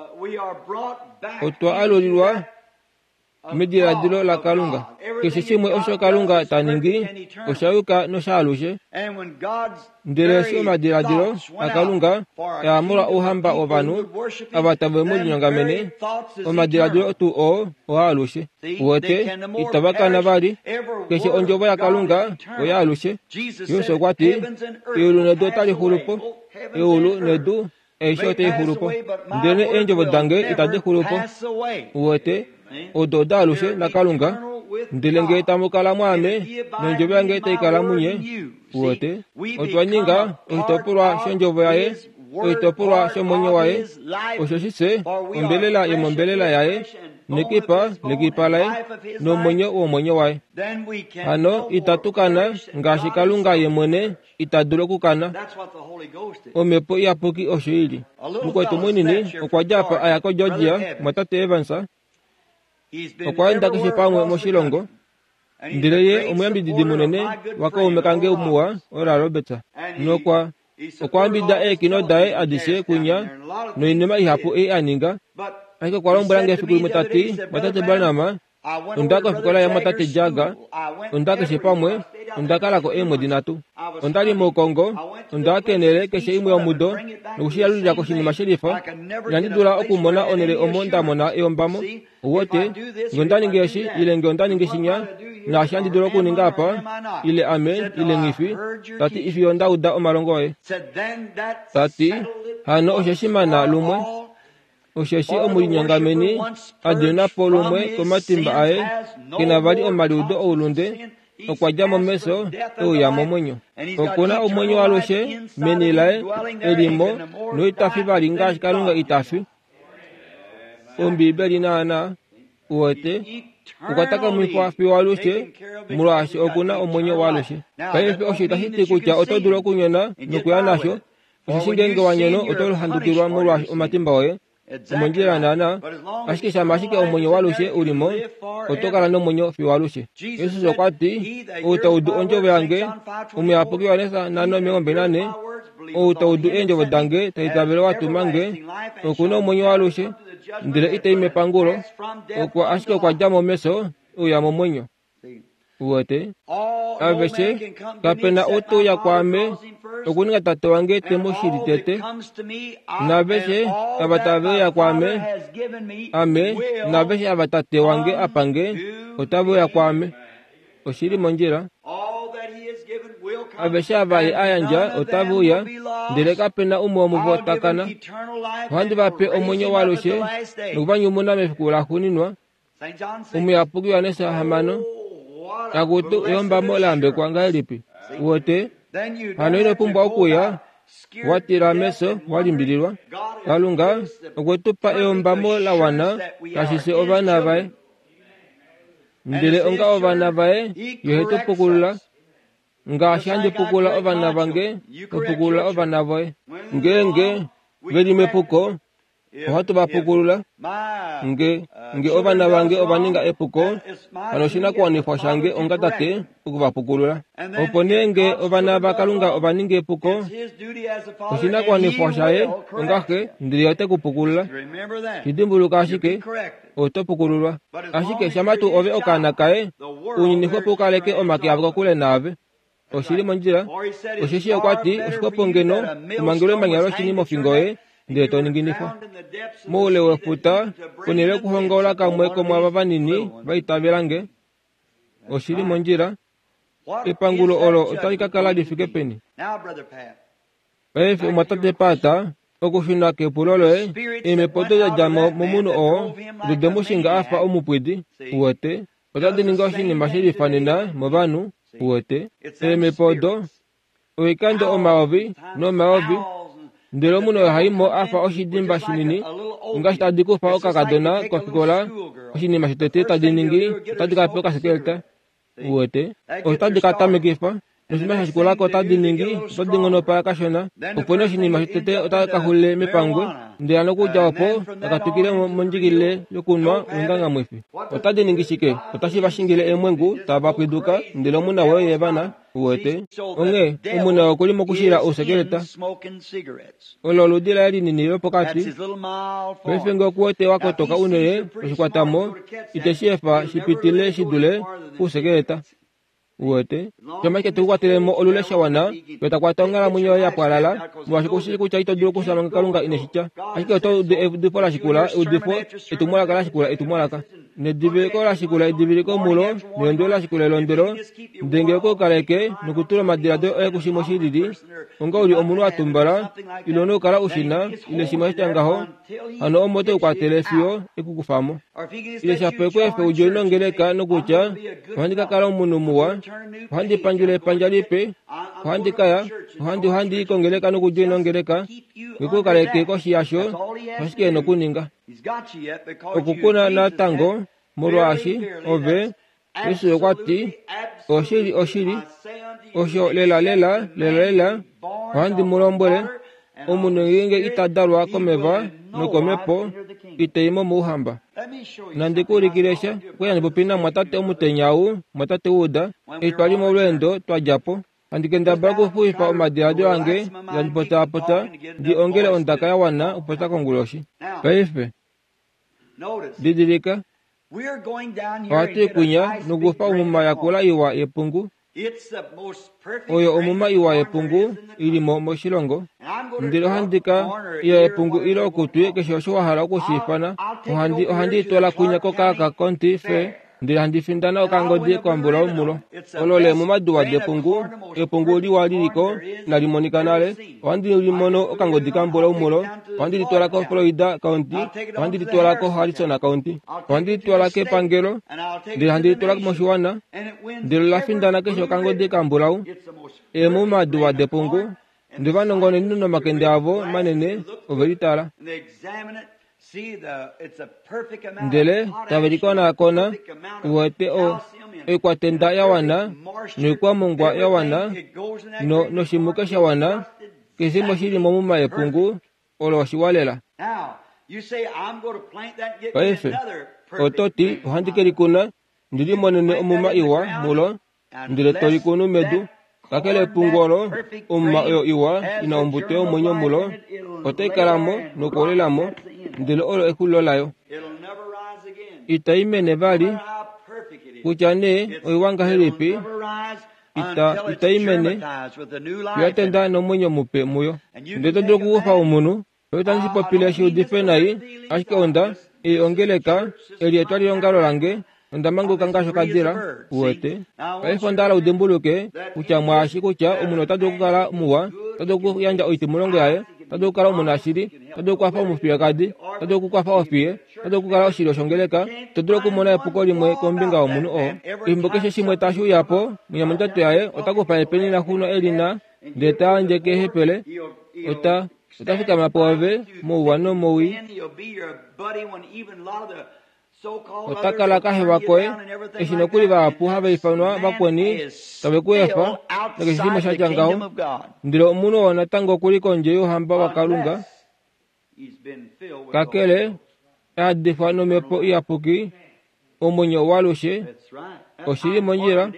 otwa alulilwa mediladilo laKalunga. Keshe shimwe osho Kalunga ta ningi osha yuka noshaalushe. Ndele eshi omadiladilo aKalunga aa molwa ouhamba wovanhu ava tave mu linyongamene, omadiladilo tuu oo oaalushe. Uwete, itava kana vali. Keshe ondjovo yaKalunga oyaalushe. Jesus okwa ti, eulu nedu otali xulu po, eulu nedu aishe otai xulu po, ndele eendjovo dange itadi xulu po. Uwete, odo odaalushe naKalunga, ndele ngee tamu kala mwaame nondjovo yange tai kala munye. Uwete, otwa ninga oshitopolwa shondjovo yaye, oshitopolwa shomwenyo waye, osho shise ombelela yomombelela yaye, nekipa lekipa laye, nomwenyo womwenyo waye. Hano itatu kana ngaashi Kalunga ye mwene ita dulu okukana. Omhepo Iyapuki osho ili. Mukwetu munini okwa dja apa aya koGeorgia, mwatate Evans, okwa enda keshe pamwe moshilongo, ndele ye omuyambididi munene wakaume kange muwa Oral Roberts, nokwa okwa ambida eekino daye adishe kunya noinima ihapu ei a ninga. Ashike okwa lombwela nge efiku limwe ta ti, mwatate Branham, onda kofikola yamwatate Jagger, onda keshe pamwe, onda kalako eemwedi nhatu. Onda li moukongo, onda kenele keshe imwe yomudo nokushiyalulila koshinima shelifa. Inandi dula okumona onhele omo nda mona eyombamo. Uwete, nge onda ningi eshi ile nge onda ningi shinya, naashi handi dulu okuninga apa, ile ame ile nghifi, ta ti ifiyo nda uda omalongo oye. Ta ti, hano oshe shimana lumwe, osheshi omulinyongameni a dina po lumwe komatimba aye, kena vali omaliudo oulunde, okwa dja momesho euya momwenyo. Okuna omwenyo waalushe meni laye elimo noita fi vali ngaashi Kalunga ita fi. Ombibeli naana uwete, okwa takamifwa fiyo alushe molwaashi okuna omwenyo waalushe. Paife osho itashi ti kutya oto dulu okunyona nokuya nasho, osheshi ngeenge wa nyono oto handukilwa molwaashi omatimba oye. Omondjila naana, ashike shama ashike omwenyo waalushe ulimo, oto kala nomwenyo fiyo alushe. Jesus okwa ti, ou ta udu ondjovo yange, omuyapuki Johannes nhano omilongo mbali nane, ou ta udu eendjovo dange ta itavele watuma nge, okuna omwenyo waalushe, ndele itai mepangulo, okwa ashike okwa dja momesho euya momwenyo. Uwete, aveshe kapena ou te uya kwaame okuninga tate wange te mu shili tete, naveshe ava tave uya kwaame, ame naveshe ava tate wange apa nge, otave uya kwaame. Oshili mondjila. Aveshe ava ye a yandja otave uya, ndele kapena umwe womuvo ta kana. Ohandi va pe omwenyo waalushe nokuvanyumuna mefiku laxuuninwa. Omuyapuki Johannes hamano. Takutu eyombamo la yambekwa ngahelipi? Uwete, hano ino pumbwa okuya Watila meso walimbililwa. Kalunga okwe tu pa eyombamo la wana kashise ovana vaye. Ndele onga ovana vaye ye tu pukulula. Ngaashi handi pukula ovana vange, to pukula ovana voye. Ngeenge veli mepuko, ohatu va pukulula. Nge, nge ovana vange ova ninga epuko, hano oshinakuwanifwa shange onga tate okuvapukulula. Opo nee nge ovana vaKalunga ova ninga epuko, oshinakuwanifwa shaye onga xe, ndele ote ku pukulula. Shidimbuluka ashike, oto pukululwa. Ashike shama tuu ove okaana kaye, ounyuni xwepo u kaleke omake avo kokule naave. Oshili mondjila, osheshi okwa ti oshixwepo ngeno umangelwe emanya loshini mofingo yoye ndele to ninginifwa moule wefuta ponhele yokuhongaula kamwe komwaava vanini va itavela nge. Oshili mondjila, epangulo olo otali ka kala li fike peni? Paife omwatate Pata, okushuna kepulo loye, eemhepo odo da dja mo momunhu oo odo de mu shinga a fa omupwidi, uwete, otadi ningi oshinima she lifanena movanhu, uwete, eemhepo odo oikando omayovi nomayovi, ndele omunhu ohai mo a fa oshidimba shinini, ngaashi tadi kufa okakadona kofikola, oshinima shotete tadi ningi otadi ka pe okasekeleta, uwete, otadi ka tamekifa, noshinima sha shikulako otadi ningi otadi ngonopala kashona, opo nee oshinima shotete otaka kaxulile mepangwe, ndele hano okudja opo taka twikile mondjikilile yokunwa oingangamwifi. Otadi ningi shike? Otashi va shingile eemwengu tava pwiduka, ndele omuna woye ye vana, uwete. Onghee omuna okuli mokushila ousekeleta. Olo oludi laye linini lopokati. Paife nge okuwete wa kotoka unene oshikwatamo, iteshi efa shi pitile shi dule pousekeleta. Uwete, shama ashike tekukwatelemo olule sha wana, yo takwata onghalamwenyo yoye ya pwalala, molwaashi kushi kutya ito dulu okufya manga Kalunga ine shi tya. Ashike oto udu eudifo la shikula eudifo, etumwalaka la shikula etumwalaka, nediviliko la shikula ediviliko mulo, nelondwelo la shikula elondwelo, ndele ngee okwe ku kaleke nokutula omadiladilo oye kushimwe shi lili, onga uli omunhu a tumbala, ile ouna okukala u shi na, ile shimwe sha tya ngaho, hano omo te ku kwatele fiyo ekukufa mo. Ile shapo ekweefe udje nongeleka nokutya, ohandi ka kala omunhu muwa, ohandi pandjula epandja lipe, ohandi kaya, ohandi ohandi i kongeleka nokudja nongeleka, ngee ku kaleke koshi yasho, oshike ena okuninga? Okukuna natango, molwaashi ove, Jesus okwa ti, oshili oshili, osho lela lela lela lela, ohandi mu lombwele, omunhu ngeenge ita dalwa komeva nokomhepo, ita i mo mouhamba. Nandi ku ulikile sha, okwali handi popi namwatate omutenya ou, mwatate Wood, eshi twali molweendo twa dja po. Handi kendabala okufuwifa omadiladilo ange, handi potaapota, ndi ongele ondaka ya wana okupopya konguloshi. Paife, didilika, ohatu i kwinya nokukufa omuma yakula iwa yepungu, oyo omuma iwa yepungu ili mo moshilongo, ndele ohandi ka iya epungu ile okutwi keshe osho wa hala okushi ifana, ohandi ohandi i twala kwinya koKaaka County Fair, ndele handi findana okangodi kambulawu mulo. Olo leemuma diwa depungu, epungu liwa liliko inali monika nale, ohandi limono okangodi kambulawu mulo, ohandi litwala koFloyd County, ohandi litwala koHarrison County, ohandi litwala kepangelo, ndele handi litwala moshiwana, ndele ola findana keshe okangodi kambulawu. Eemuma diwa depungu, ndele ovanongononi nomakende avo manene ove litala. Ndele tave likonakona, uwete o oikwatenda ya wana, noikwamongwa ya wana, no noshimuke sha wana, keshe shimwe shili momuma yepungu, olo oshiwa lela. Paife, oto ti, ohandi ke likuna, ndi limonene omuma iwa mulo, ndele to likunu medu, kakele epungu olo, omuma oyo iwa ina ombuto yomwenyo mulo, otai kala mo nokuolela mo, ndele olo exulilo layo. Itai mene vali, kutya nee oiwa ngahelipi, ita, itai mene, fiyo tenda nomwenyo mupe muyo. Ndele to dulu okukufa omunhu, itandi shi popile shi udife nai, ashike onda, ei ongeleka, eli etwalilongalo lange, onda manguluka ngaashi okadila, uwete. Paife onda hala udimbuluke kutya mwaashi kutya omunhu ota dulu okukala muwa, ota dulu okuyandja oitimulongo yaye, ota dulu okukala omunashili, ota dulu okukwafa omufiyekadi, ota dulu okukwafa ofiye, ota dulu okukala oshilyo shongeleka, ito dulu okumona epuko limwe kombinga yomunhu oo. Efimbo keshe shimwe tashi uya po, mwinya mondjato yaye ota kufa epeni laxuno e li na, ndele ta yandje keehepele, Ota ota fikama pwoove mouwa nomowii. Ota kala kahewa koye eshi nokuli vahapu hava ifanwa vakweni tave ku efa nakeshe shimwe sha tya ngaho. Ndele omunhu oo natango okuli kondje youhamba waKalunga, kakele ayadifwa nomhepo iyapuki, omwenyo waalushe. Oshili mondjila,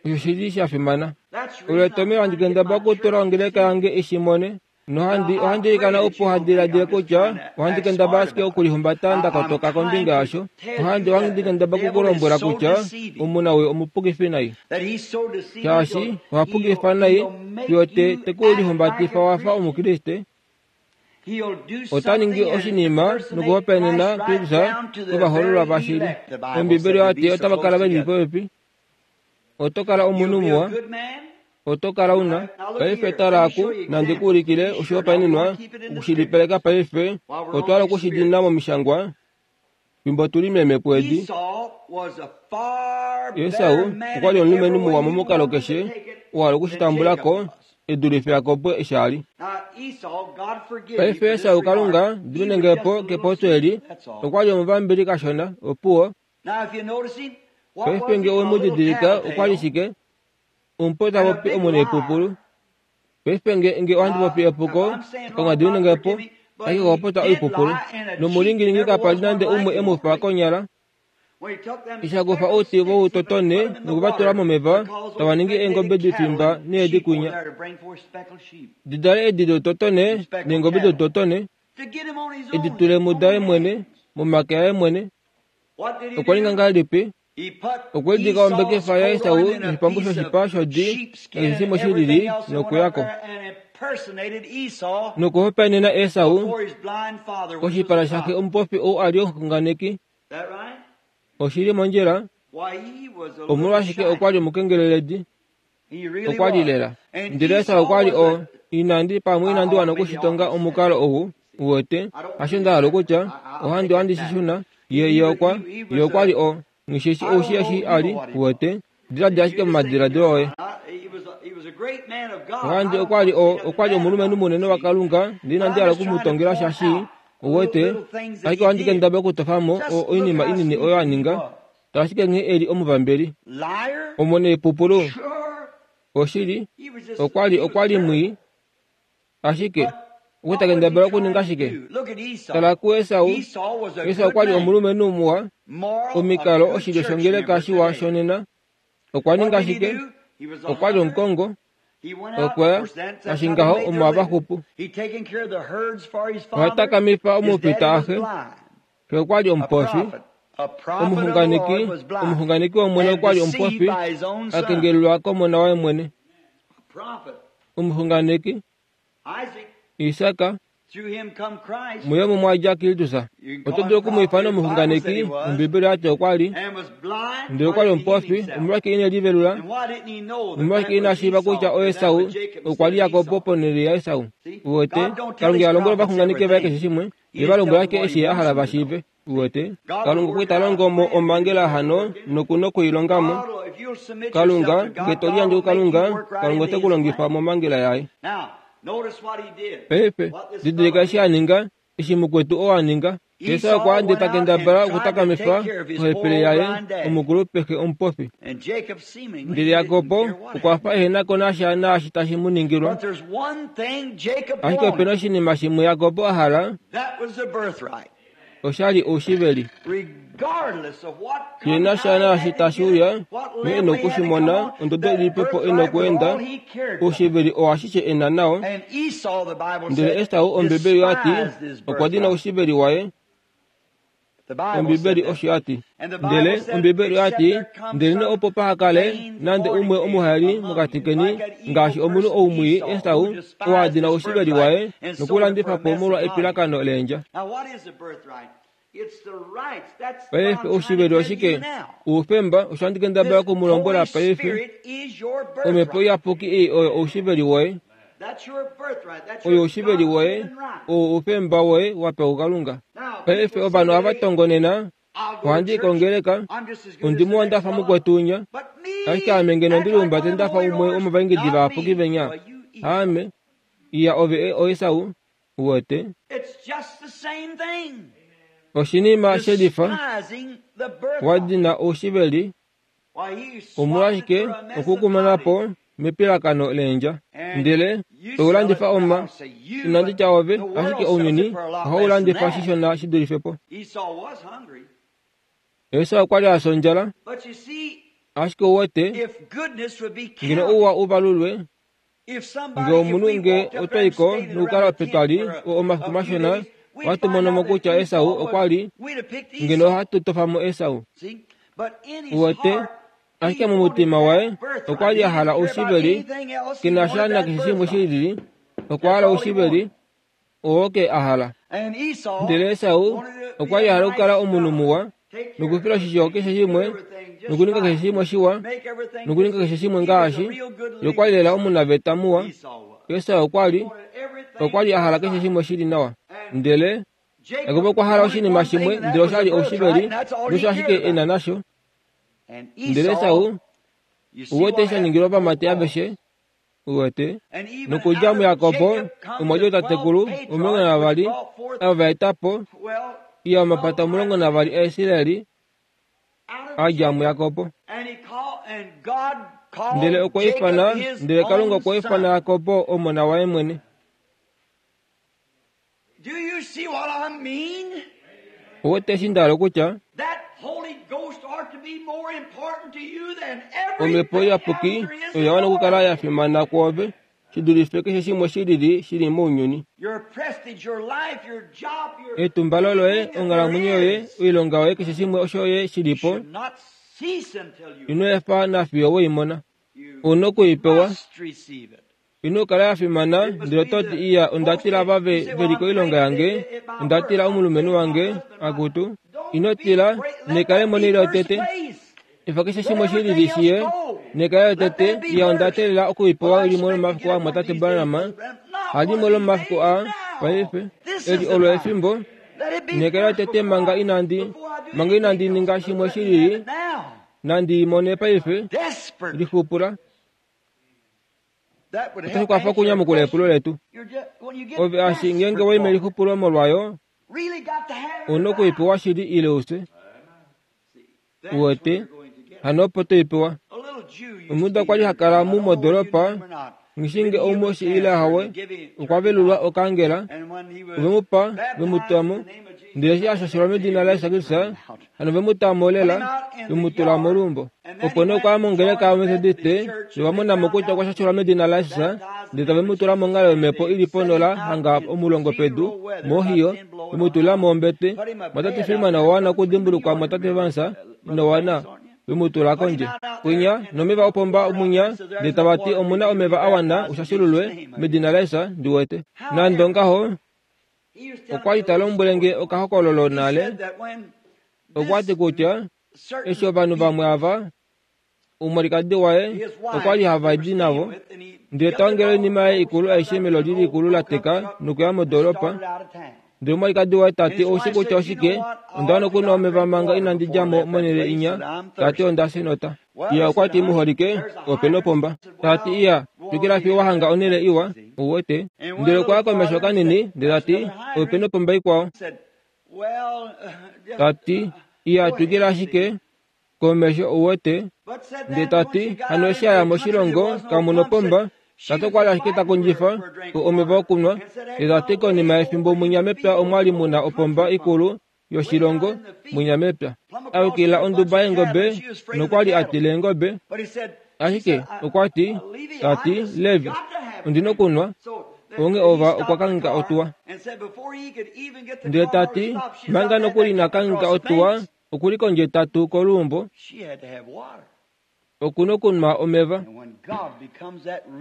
osho shili sha fimana. Olo etomhelo handi kendabala okutula ongeleka yange i shi mone. Nohandi ohandi ilikana opo hadiladile kutya ohandi kendabala ashike okulihumbata nda kotoka kombinga yasho. Ohandi ohandi kendabala okukulombwela kutya omunawii omupukifi nai. Shaashi oha pukifa nai fiyo te te ku lihumbatifa wa fa Omukriste. Ota ningi oshinima nokuhopaenena Kristus kovahoololwa vashili. Ombibeli oya ti otava kala ve li popepi. Oto kala omunhu muwa. Oto kala una paife tala aku nandi ku ulikile oshihopaenenwa okushilipaleka paife. Otwa hala okushidina momishangwa fimbo tuli meemhepo edi. Esau okwa li omulumenhu muwa momukalo keshe oo a hala okushitambula ko e dulife Jakob eshi a li. Paife Esau, Kalunga diminenge po kepopyo eli, okwa li omuvambili kashona, opuwo. Paife ngee owe mu didilika, okwa li shike? Omupo ta popi omunaipupulu. Paife nge nge ohandi popi epuko, Kalunga diminenge po, ashike okwa popya oipupulu. Nomulingilingi kapa li nande umwe e mu fa konyala. Eshi a kufa outi voutotone nokuvatula momeva, tava ningi eengobe difimba needi kwinya. Di dale eedi doutotone neengobe doutotone, edi tule mudaye mwene, momake aye mwene. Okwa ninga ngahelipi? Okwe lidika ombekefa yaEsau noshipambu shoshipa shodi nakeshe shimwe shi lili nokuya ko. Nokuhopaenena Esau koshipala shaxe omupofi ou a li omuxunganeki. Oshili mondjila, omolwashike okwa li omukengeleledi. Okwa li lela. Ndele Esau okwa li o inandi pamwe inandi wana okushitonga omukalo ou uwete, hasho nda hala okutya, ohandi ohandi shi shuna. Ye ye okwa ye okwa li o nghishishi oushi eshi a li uwete, diladila ashike momadiladilo oye. Ohandi okwa li o okwa li omulumenhu munene waKalunga, ndele inandi hala okumutongela sha shii. Uwete, ashike ohandi kendabala okutofa mo oinima inini oyo a ninga, tala ashike nghee e li omuvambeli. Omunaipupulu. Oshili, okwa li okwa li mwii. Ashike okwa ta kendabala okuninga shike? Tala kuEsau. Esau okwa li omulumenhu muwa, omikalo oshilyo shongeleka shiwa shonena. Okwa ninga shike? Okwa li omukongo. Okwa ya, ngaashi ngaho omo hava xupu. Oha takamifa omufita axe. Xe okwa li omupofi. Omuxunganeki, omuxunganeki wOmwene okwa li omupofi, a kengelelwa komona waye mwene. Omuxunganeki Isak, muye omo mwa dja Kristus. Oto dulu oku mu ifana omuxunganeki, Ombibeli oya ti okwa li. Ndele okwa li omupofi, omolwashike ine livelula? Omolwashike ina shiiva kutya oEsau okwa li Jakob ponhele yaEsau? Uwete, Kalunga iha lombwele ovaxunganeki vaye keshe shimwe, ye va lombwela ashike eshi a hala va shiive. Uwete, Kalunga okwa ita longo mo omhangela hano noku nokuilonga mo. Kalunga, nge to liyandje kuKalunga, Kalunga ote ku longifa momhangela yaye. Paife, didilika eshi a ninga, eshi mukwetu oo a ninga. Esau okwa ande ta kendabala okutakamifa ohepele yaye omukulupe xe omupofi. Ndele Jakob okwa fa ehena ko nasha naashi tashi mu ningilwa. Ashike opena oshinima shimwe Jakob a hala, osha li oushiveli. Shi na sha naashi tashi uya, nghee e na okushimona, ondodo ilipipo e na okuenda, oushiveli oo ashishe e na nao. Ndele Esau, Ombibeli oya ti, okwa dina oushiveli waye. Ombibeli osho ya ti. Ndele Ombibeli oya ti, ndelenee opo paha kale nande umwe omuhaeli mokati keni, ngaashi omunhu ou mwii Esau, oo a dina oushiveli waye nokulandifa po molwa epilakano leendja. Paife oushiveli oshike? Oufemba, osho handi kendabala oku mu lombwela paife. Omhepo Iyapuki ei oyo oushiveli woye. Oyo oushiveli woye, oo oufemba woye wa pewa kuKalunga. Paife ovanhu ohava tongonena, ohandi i kongeleka, ondi muwa nda fa mukwetu unya, ashike ame ngeno ondi lihumbate nda fa umwe womovaingidi vayapuki venya. Aame. Iya ove oEsau, uwete. Oshinima shelifa wadina oushiveli omolwashike okukumana po mepilakano leendja. Ndele toulandifa oma, inandi tya ove, ashike ounyuni ohaulandifa shishona shidulife po. Esau okwa li a fya ondjala, ashike uwete, ngeno ouwa uvalulwe, nge omunhu nge otwaiko nokukala petwali omafiku mashona, ohatu mono mo kutya Esau okwa li, ngeno ohatu tofa mo Esau. Uwete, ashike momutima waye okwa li a hala oushiveli, kena sha nakeshe shimwe shilili, okwa hala oushiveli, oo ke a hala. Ndele Esau okwa li a hala okukala omunhu muwa, nokufila oshisho keshe shimwe, nokuninga keshe shimwe shiwa, nokuninga keshe shimwe ngaashi ye okwa li lela omunaveta muwa. Esau okwa li okwa li a hala keshe shimwe shili nawa. Ndele Jakob okwa hala oshinima shimwe, ndele osha li oushiveli, nosho ashike e na nasho. Ndele Esau uwete sha ningilwa ovamati aveshe, uwete. Nokudja muJakob omwa dja ootatekulu omulongo navavali ava va eta po iya omapata omulongo navali aIsraeli a dja muJakob. Ndele okwa ifana, ndele Kalunga okwa ifana Jakob omona waye mwene. Uwete eshi nda hala okutya? Omhepo Iyapuki oya wana okukala ya fimana kwoove shidulife keshe shimwe shilili shili mounyuni. Etumbalo loye, onghalamwenyo yoye, oilonga yoye, keshe shimwe osho ye shili po, ino efa nafiyo weimona. Ouna okuipewa. Ino kala ya fimana, ndele oto ti iya onda tila ava ve li koilonga yange, onda tila omulumenhu wange, akutu. Ino tila, nekale monhele yotete. Efa keshe shimwe shilili shiye, nekale yotete, iya onda teelela okuipewa limwe lomomafiku a mumwatate Branham, halimwe lomomafiku a paife, eli olo efimbo, nekale yotete manga inandi, manga inandi ninga shimwe shilili, nandi mone paife, lixupula. Otashi kwafa okunyamukula epulo letu. Ove ashi ngeenge waime lixupulo molwayo, ouna okuipewa shili ile ufye. Uwete, hano opo toipewa. Omujuda okwa li ha kala mu modoropa, ngishi nge oumoshi ile hawe, okwa velulwa okaangela, ove mu pa, ve mu tula mo, ndele eshi a shashelwa medina laJesus Kristus, hano ve mu ta mo lela, ve mu tula moluumbo. Opo nee okwa ya mongeleka yoMethodiste, nova mona mo kutya okwa shashelwa medina laJesus, ndele tave mu tula monghalo yomhepo ili ponola hanga omulongo pedu, moHohio, ve mu tula mombete. Mwatate Freeman owa wana okudimbulukwa mwatate Vance, ino wana, ve mu tula kondje. Kwinya, nomeva opomba munya, ndele tava ti omuna omeva a wana ushashululwe medina laJesus, ndi wete. Nande ongaho, okwa li ta lombwele nge okahokololo nale, okwa ti kutya eshi ovanhu vamwe ava, omwalikadi waye okwa li hava di navo, ndele ta ongele oinima yaye ikulu aishe meloli likulu la teka nokuya modoropa. Ndele omwalikadi waye ta ti oushi kutya oshike, onda wana okunwa omeva manga inandi dja mo monhele inya, ta ti onda fya Iya okwa ti muholike, opena opomba. Ta ti iya, twikila fiyo wa hanga onhele iwa, uwete. Ndele okwa ya komesho kanini, ndele ta ti, opena opomba ikwao. Ta ti, iya twikila ashike komesho uwete. Ndele ta ti, hano eshi a ya moshilongo, kamu nopomba, tate okwa li ashike ta kondjifa omeva okunwa. Ndele ta ti konima yefimbo mwinya mepya omwa li muna opomba ikulu yoshilongo mwinya mepya. A yukilila onduba yeengobe nokwa li a tila eengobe. Ashike okwa ti, ta ti, Levi, ondina okunwa, onghee ova okwa kangheka otuwa. Ndele ta ti, manga nokuli ina kangheka otuwa, okuli kondje tatu koluumbo, okuna okunwa omeva.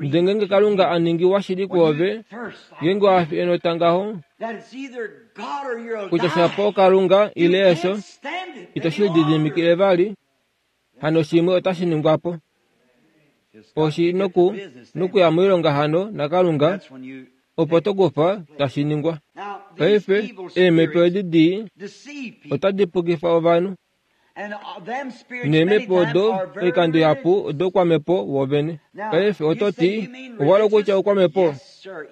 Ndele ngeenge Kalunga a ningi washili kwoove, ngeenge wa fi enota ngaho, kutya shapo Kalunga ile efyo, ito shi lididimikile vali, hano shimwe otashi ningwa po. Oshi noku nokuya moilonga hano naKalunga, opo tokufa tashi ningwa. Paife, eemhepo edi dii otadi pukifa ovanhu. Neemhepo odo oikando ihapu odoukwamepo woovene. Paife oto ti, owa kutya oukwamhepo?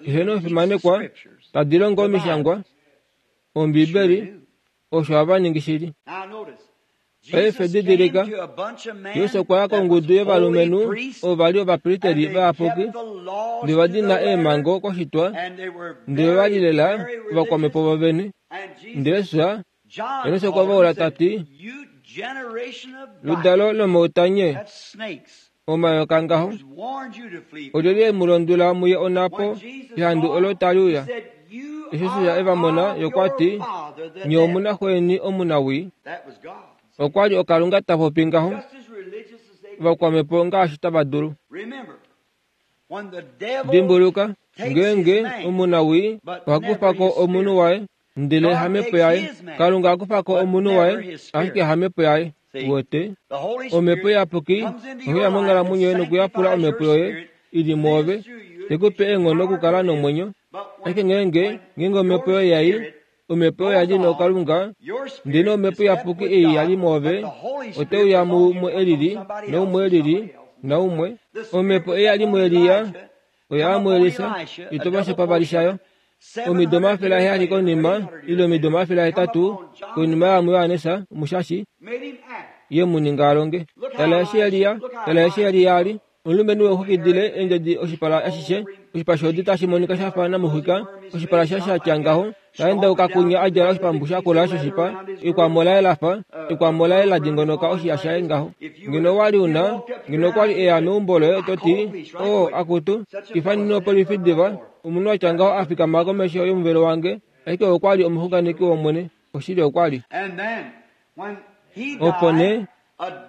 Eheno omufimanekwa, tadi longo omishangwa, Ombibeli, osho hava ningi shili. Paife didilika, Jesus okwa ya kongudu yovalumenhu ovo va li ovapristeli vayapuki, ndele va dina eemhango koshitwa, ndele va li lela ovakwamhepo vovene. Ndele Jesus, Johannes okwa vaula ta ti, ludalo lomoutanye, omayoka ngaho, olyelye mu londwela muye onhapo ehandu olo tali uya? Eshi Jesus e va mona, ye okwa ti, nye omu na xweni omunawii. Okwa li okalunga ta popi ngaho, vakwamhepo ngaashi tava dulu. Dimbuluka, ngeenge omunawii oha kufa ko omunhu waye, ndele hamhepo yaye. Kalunga akufa ko omunhu waye, ashike hamhepo yaye. Wote, omhepo iyapuki ohe ya monghalamwenyo yoye nokuyapula omhepo yoye ili mwoove, tekupe eenghono okukala nomwenyo. Ashike ngeenge ngeenge omhepo yoye yai, omhepo yoye yali nokalunga, ndele omhepo iyapuki ei yali mwoove, oteuya muumwe elili, naumwe elili, naumwe. Omhepo ei yali muEliya, oya muElisa, ito shopavali shayo. Omido omafele aheyali konima, ile omido omafele ahetatu konima yamuJohannes Omushashi, ye mu ninga alonge. Tala eshi Eliya, tala eshi Eliya ali, omulumenhu wexukidile eendjedi oshipala ashishe, oshipa shodi tashi monika shafa namuxwika, oshipala sha shatya ngaho, taendauka kunya a djala oshipambu shakula shoshipa, ekwamo laye lafa, ekwamo laye la dingonoka oshiya shaye ngaho. Ngeno wali una, ngeno okwali eya meumbo loye oto ti, oo akutu, ifanene opolifi diva, omunhu atya ngaho a fikama komesho yomuvelo wange, ashike okwali omuxunganeki wOmwene, oshili okwali. Opo nee,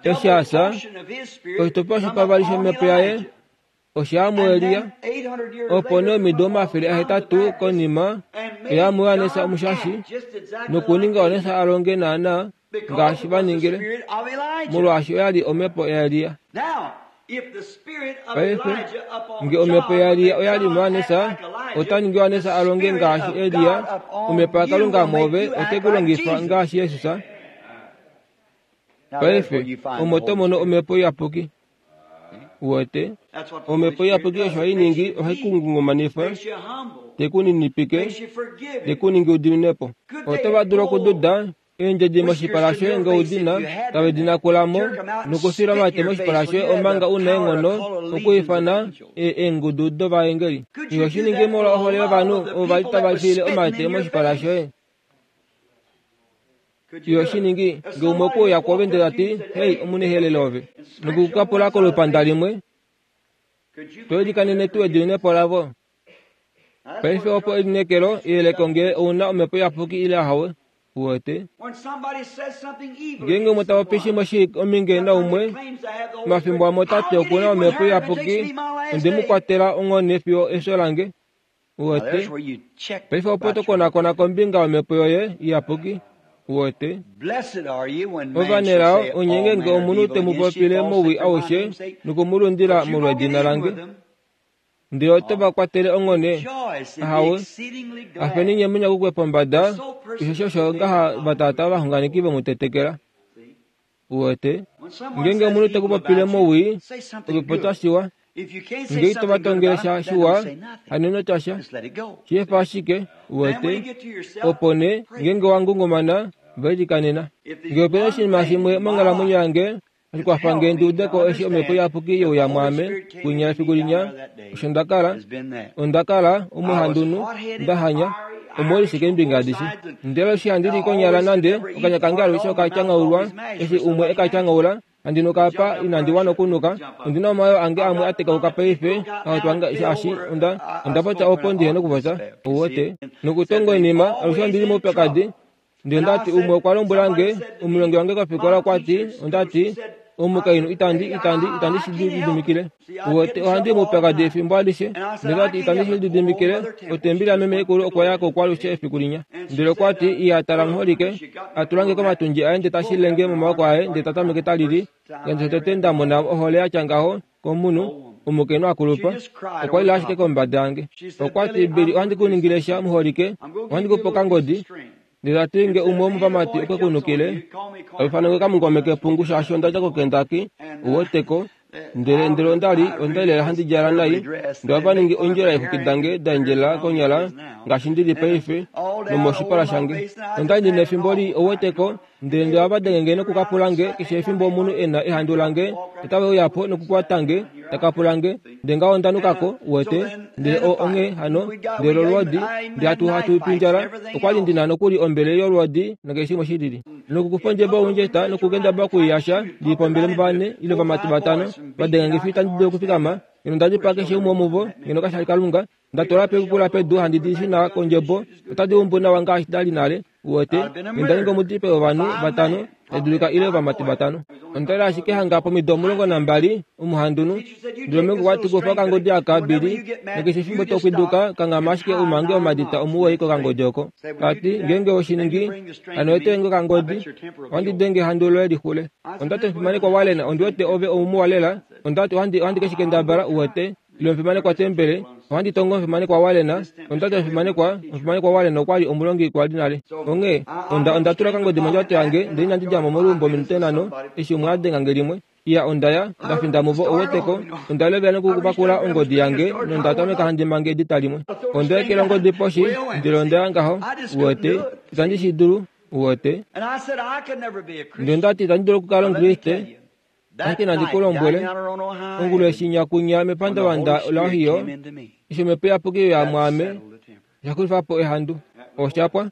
eshi a fya, oshitukulwa shopavali shomhepo yaye osha ya muEliya. Opo nee omido omafele ahetatu konima oya muJohannes Omushashi, nokuninga Johannes a longe naana ngaashi va ningile, molwaashi oya li omhepo yaEliya. Paife, nge omhepo yaEliya oya li muJohannes, ota ningi Johannes a longe ngaashi Eliya. Omhepo yaKalunga mwoove ote ku longifa ngaashi Jesus. Paife, omo to mono omhepo iyapuki. Uwete, omhepo iyapuki osho hai ningi, ohai ku ngungumanifa, te ku ninipike, te ku ningi udiminepo. Oto va dulu okududa eendjedi moshipala shoye nge udina, tave di nakulamo nokufila omate moshipala shoye omanga una eenghono okwiifana eengudu dovaengeli. Iho shi ningi molwa ohole yovanhu ovo vali tava file omate moshipala shoye. Iho shi ningi nge umwe okuuya kwoove ndele tati, hei, omunehelele ove, nokukukapula kolupanda limwe, to ilikanene tuu ediminepo lavo? Paife opo elineekelo iyeleko ngee ouna omhepo iyapuki ile ahawe. Uwete, ngeenge umwe ta popi shimwe shii ominge naumwe, omafimbo amwe otati okuna omhepo iyapuki, onde mu kwatela onghone fiyo efyo lange. Uwete, paife opo to konakona kombinga yomhepo yoye iyapuki. Uwete, ovanelao onye ngeenge omunhu te mu popile mowii aushe nokumulundila molwedina lange, ndele oto va kwatele onghone. Ahawe, afeni nye munyakukwe pombada, osho osho ngaha vatata ovaxunganeki vomutetekela. Uwete, ngeenge omunhu te ku popile mowii, okupopya shiwa, nge ito va tongele sha shiwa, haneno tya sha, sheefa ashike. Uwete, opo nee ngeenge wa ngungumana, va ilikanena. Nge opena oshinima shimwe monghalamwenyo yange oshikwafa nge ndi udeko eshi omhepo iyapuki yeuya mwaame kwinya efiku linya, osho nda kala, onda kala omuhandunhu, nda hanya, omolwashike keembinga adishe. Ndele eshi handi li konyala nande okanya kange alushe okatyangaulwa, eshi umwe ekatyangaula, handi nuka apa inandi wana okunuka, ondina omayoo ange amwe a tekauka paife, ahotwanga shaashi onda onda popya opo ndihena okupopya. Uwete, nokutonga oinima alushe ondili moupyakadi. Ndele ndati umwe okwa lombwela nge, omulongi wange kofikola okwa ti, ondati, omukainhu itandi itandi itandi shi lididimikile. Uwete, ohandi i moupyakadi efimbo alishe. Ndele ndati itandi shi lididimikile, otembeli yameme ikulu okwa ya ko kwalushe efiku linya. Ndele okwa ti, iya tala muholike, a tula nge komatundji aye ndele tashi lenge momaoko aye ndele ta tameke ta lili. Ngaashi tete nda mona ohole yatya ngaho komunhu, omukainhu akulupa, okwa lila ashike kombada yange. Okwa ti, Billy, ohandi ku ningile sha muholike, ohandi ku pe okangodi. Ndele tati nge umwe womuvamati okwe kunukile, oifanange kamungome kepungu shaashi onda dja koKentucky, uweteko. Ndele ndele onda li onda li lela handi djala nai, ndele ova ningi ondjila yeexwiki dange da endjelela konyala ngaashi ndili paife nomoshipala shange. Onda li ndina efimbo lii ouweteko, ndele ndele ohava denge nge nokukapula nge keshe efimbo omunhu e na ehandu lange, otave uya po nokukwata nge, takapula nge, ndele ngaho onda nukako, uwete. Ndele o onghee hano, ndele olwoodi, ndele hatu hatu pindjala, okwali ndina nokuli ombele yolwoodi nakeshe shimwe shilili. Nokukufa ondjebo youndjeta nokukendabala okuiyasha, ndili pombele muvane ile vamati vatano, vadenga nge fiyo itandi dulu okufikama, ngeno nda dipaa keshe umwe womuvo, ngeno kasha li Kalunga, nda twala pekukula pedu handi di shuna kondjebo, otadi umbu nawa ngaashi dali nale, uwete, ngeno nda ninga omudipei wovanhu vatano, tadulika ile ovamati vatano. Onda li ashike hanga pomido omulongo nambali, omuhandunhu, ndele omeme okwa ti kufa okangodi aka, Billy, nakeshe efimbo tokwiduka, kanghama ashike umange omadita omuwoi kokangodi oko. Tati, ngeenge oshiningi, hano etenge okangodi, ohandi denge ehandu loye lixule. Ondati omufimanekwa Warren, ondi wete ove omuwa lela, ondati ohandi ohandi keshikendabala, uwete, ile omufimanekwa Tembele, ohandi tongo omufimanekwa Warren, ondati omufimanekwa, omufimanekwa Warren okwali omulongi kwali nale. Onghee, onda onda tula okangodi mondjato yange, ndele inandi dja mo moluumbo ominute nhano, eshi umwe a denga nge limwe. Iya onda ya, nda finda muvo ouweteko, onda levela nokupakula ongodi yange, nonda tameka handi mange edita limwe. Onda ekela ongodi poshi, ndele onda ya ngaho, uwete, itandi shi dulu, uwete. Ndele ondati itandi dulu okukala Omukriste, ashike nandi ku lombwele, ongulu eshi nyakunya mepandavanda laOhio, eshi omhepo iyapuki ya mwaame, osha xulifa po ehandu. Oshapwa.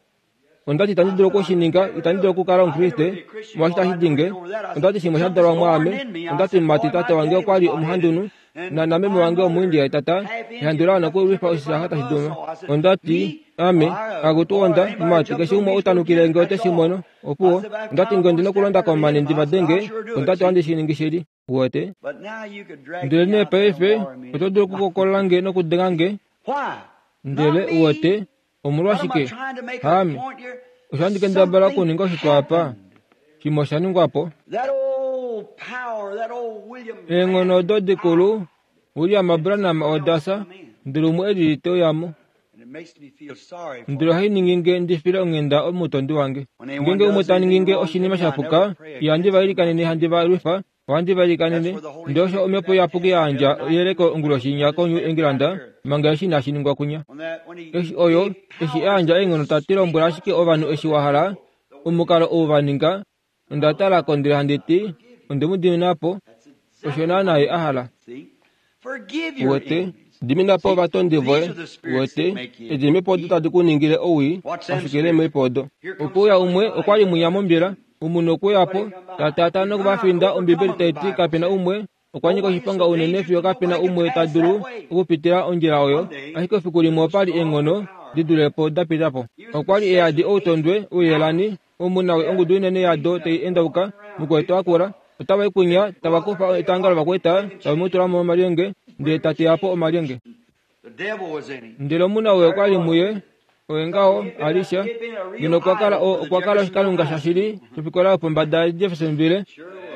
Ondati itandi dulu okushininga, itandi dulu okukala Omukriste, molwaashi itashi dinge. Ondati shimwe sha dalwa mwaame, ondati mumati tate wange okwali omuhandunhu, na nameme wange omuindia tata, ehandu la wana okulwifa oshisaha tashi duma. Ondati, ame, akutu onda, mumati, keshe umwe utanukile nge ote shi mono, opuwo. Ondati nge ondina okulonda komane ndi vadenge, ondati ohandi shi ningi shili, uwete. Ndele nee paife, oto dulu okukokola nge nokudenga nge, ndele uwete, omolwashike? Haame. Osho handi kendabala okuninga oshitwa apa, shimwe osha ningwa po. Eenghono odo dikulu, William Branham odasa, ndele umwe elili te uya mo. Ndele ohai ningi nge ndi file onghenda omutondi wange. Ngeenge umwe ta ningi nge oshinima sha puka, ihandi va ilikanene handi va lwifa, ohandi va ilikanene. Ndele osho omhepo iyapuki ya yandja eyeleko onguloshi koNew England, manga eshi inashi ningwa kunya. Eshi oyo, eshi a yandja eenghono ta ti lombwela ashike ovanhu eshi wa hala, omukalo ou va ninga, onda tala ko ndele handi ti, onde mu dimina po, osho naana ye a hala. Uwete, dimina po ovatondi voye, uwete, edimipo odo tadi ku ningile owii, pashukile eemhepo odo. Okuuya umwe okwali mwinya mombila, omunhu okuya po, ta taataa nokuvafinda. Ombibeli tai ti kapena umwe, okwa nyika oshiponga unene fiyo kapena umwe ta dulu okupitila ondjila oyo, ashike efiku limwe opali eenghono di dule po da pita po. Okwali eyadi outondwe, ouyelani, omunawe ongudu inene yado tai endauka, mukwetu akula, otava i kunya, tava kufa etanga lovakwaita, tave mu tula momalyenge, ndele ta teya po omalyenge. Ndele omunawe okwali muye, oye ngaho, Alisha, ngeno okwa kala okwa kala oshikalunga shashili shofikola yopombada yaJeffersonville,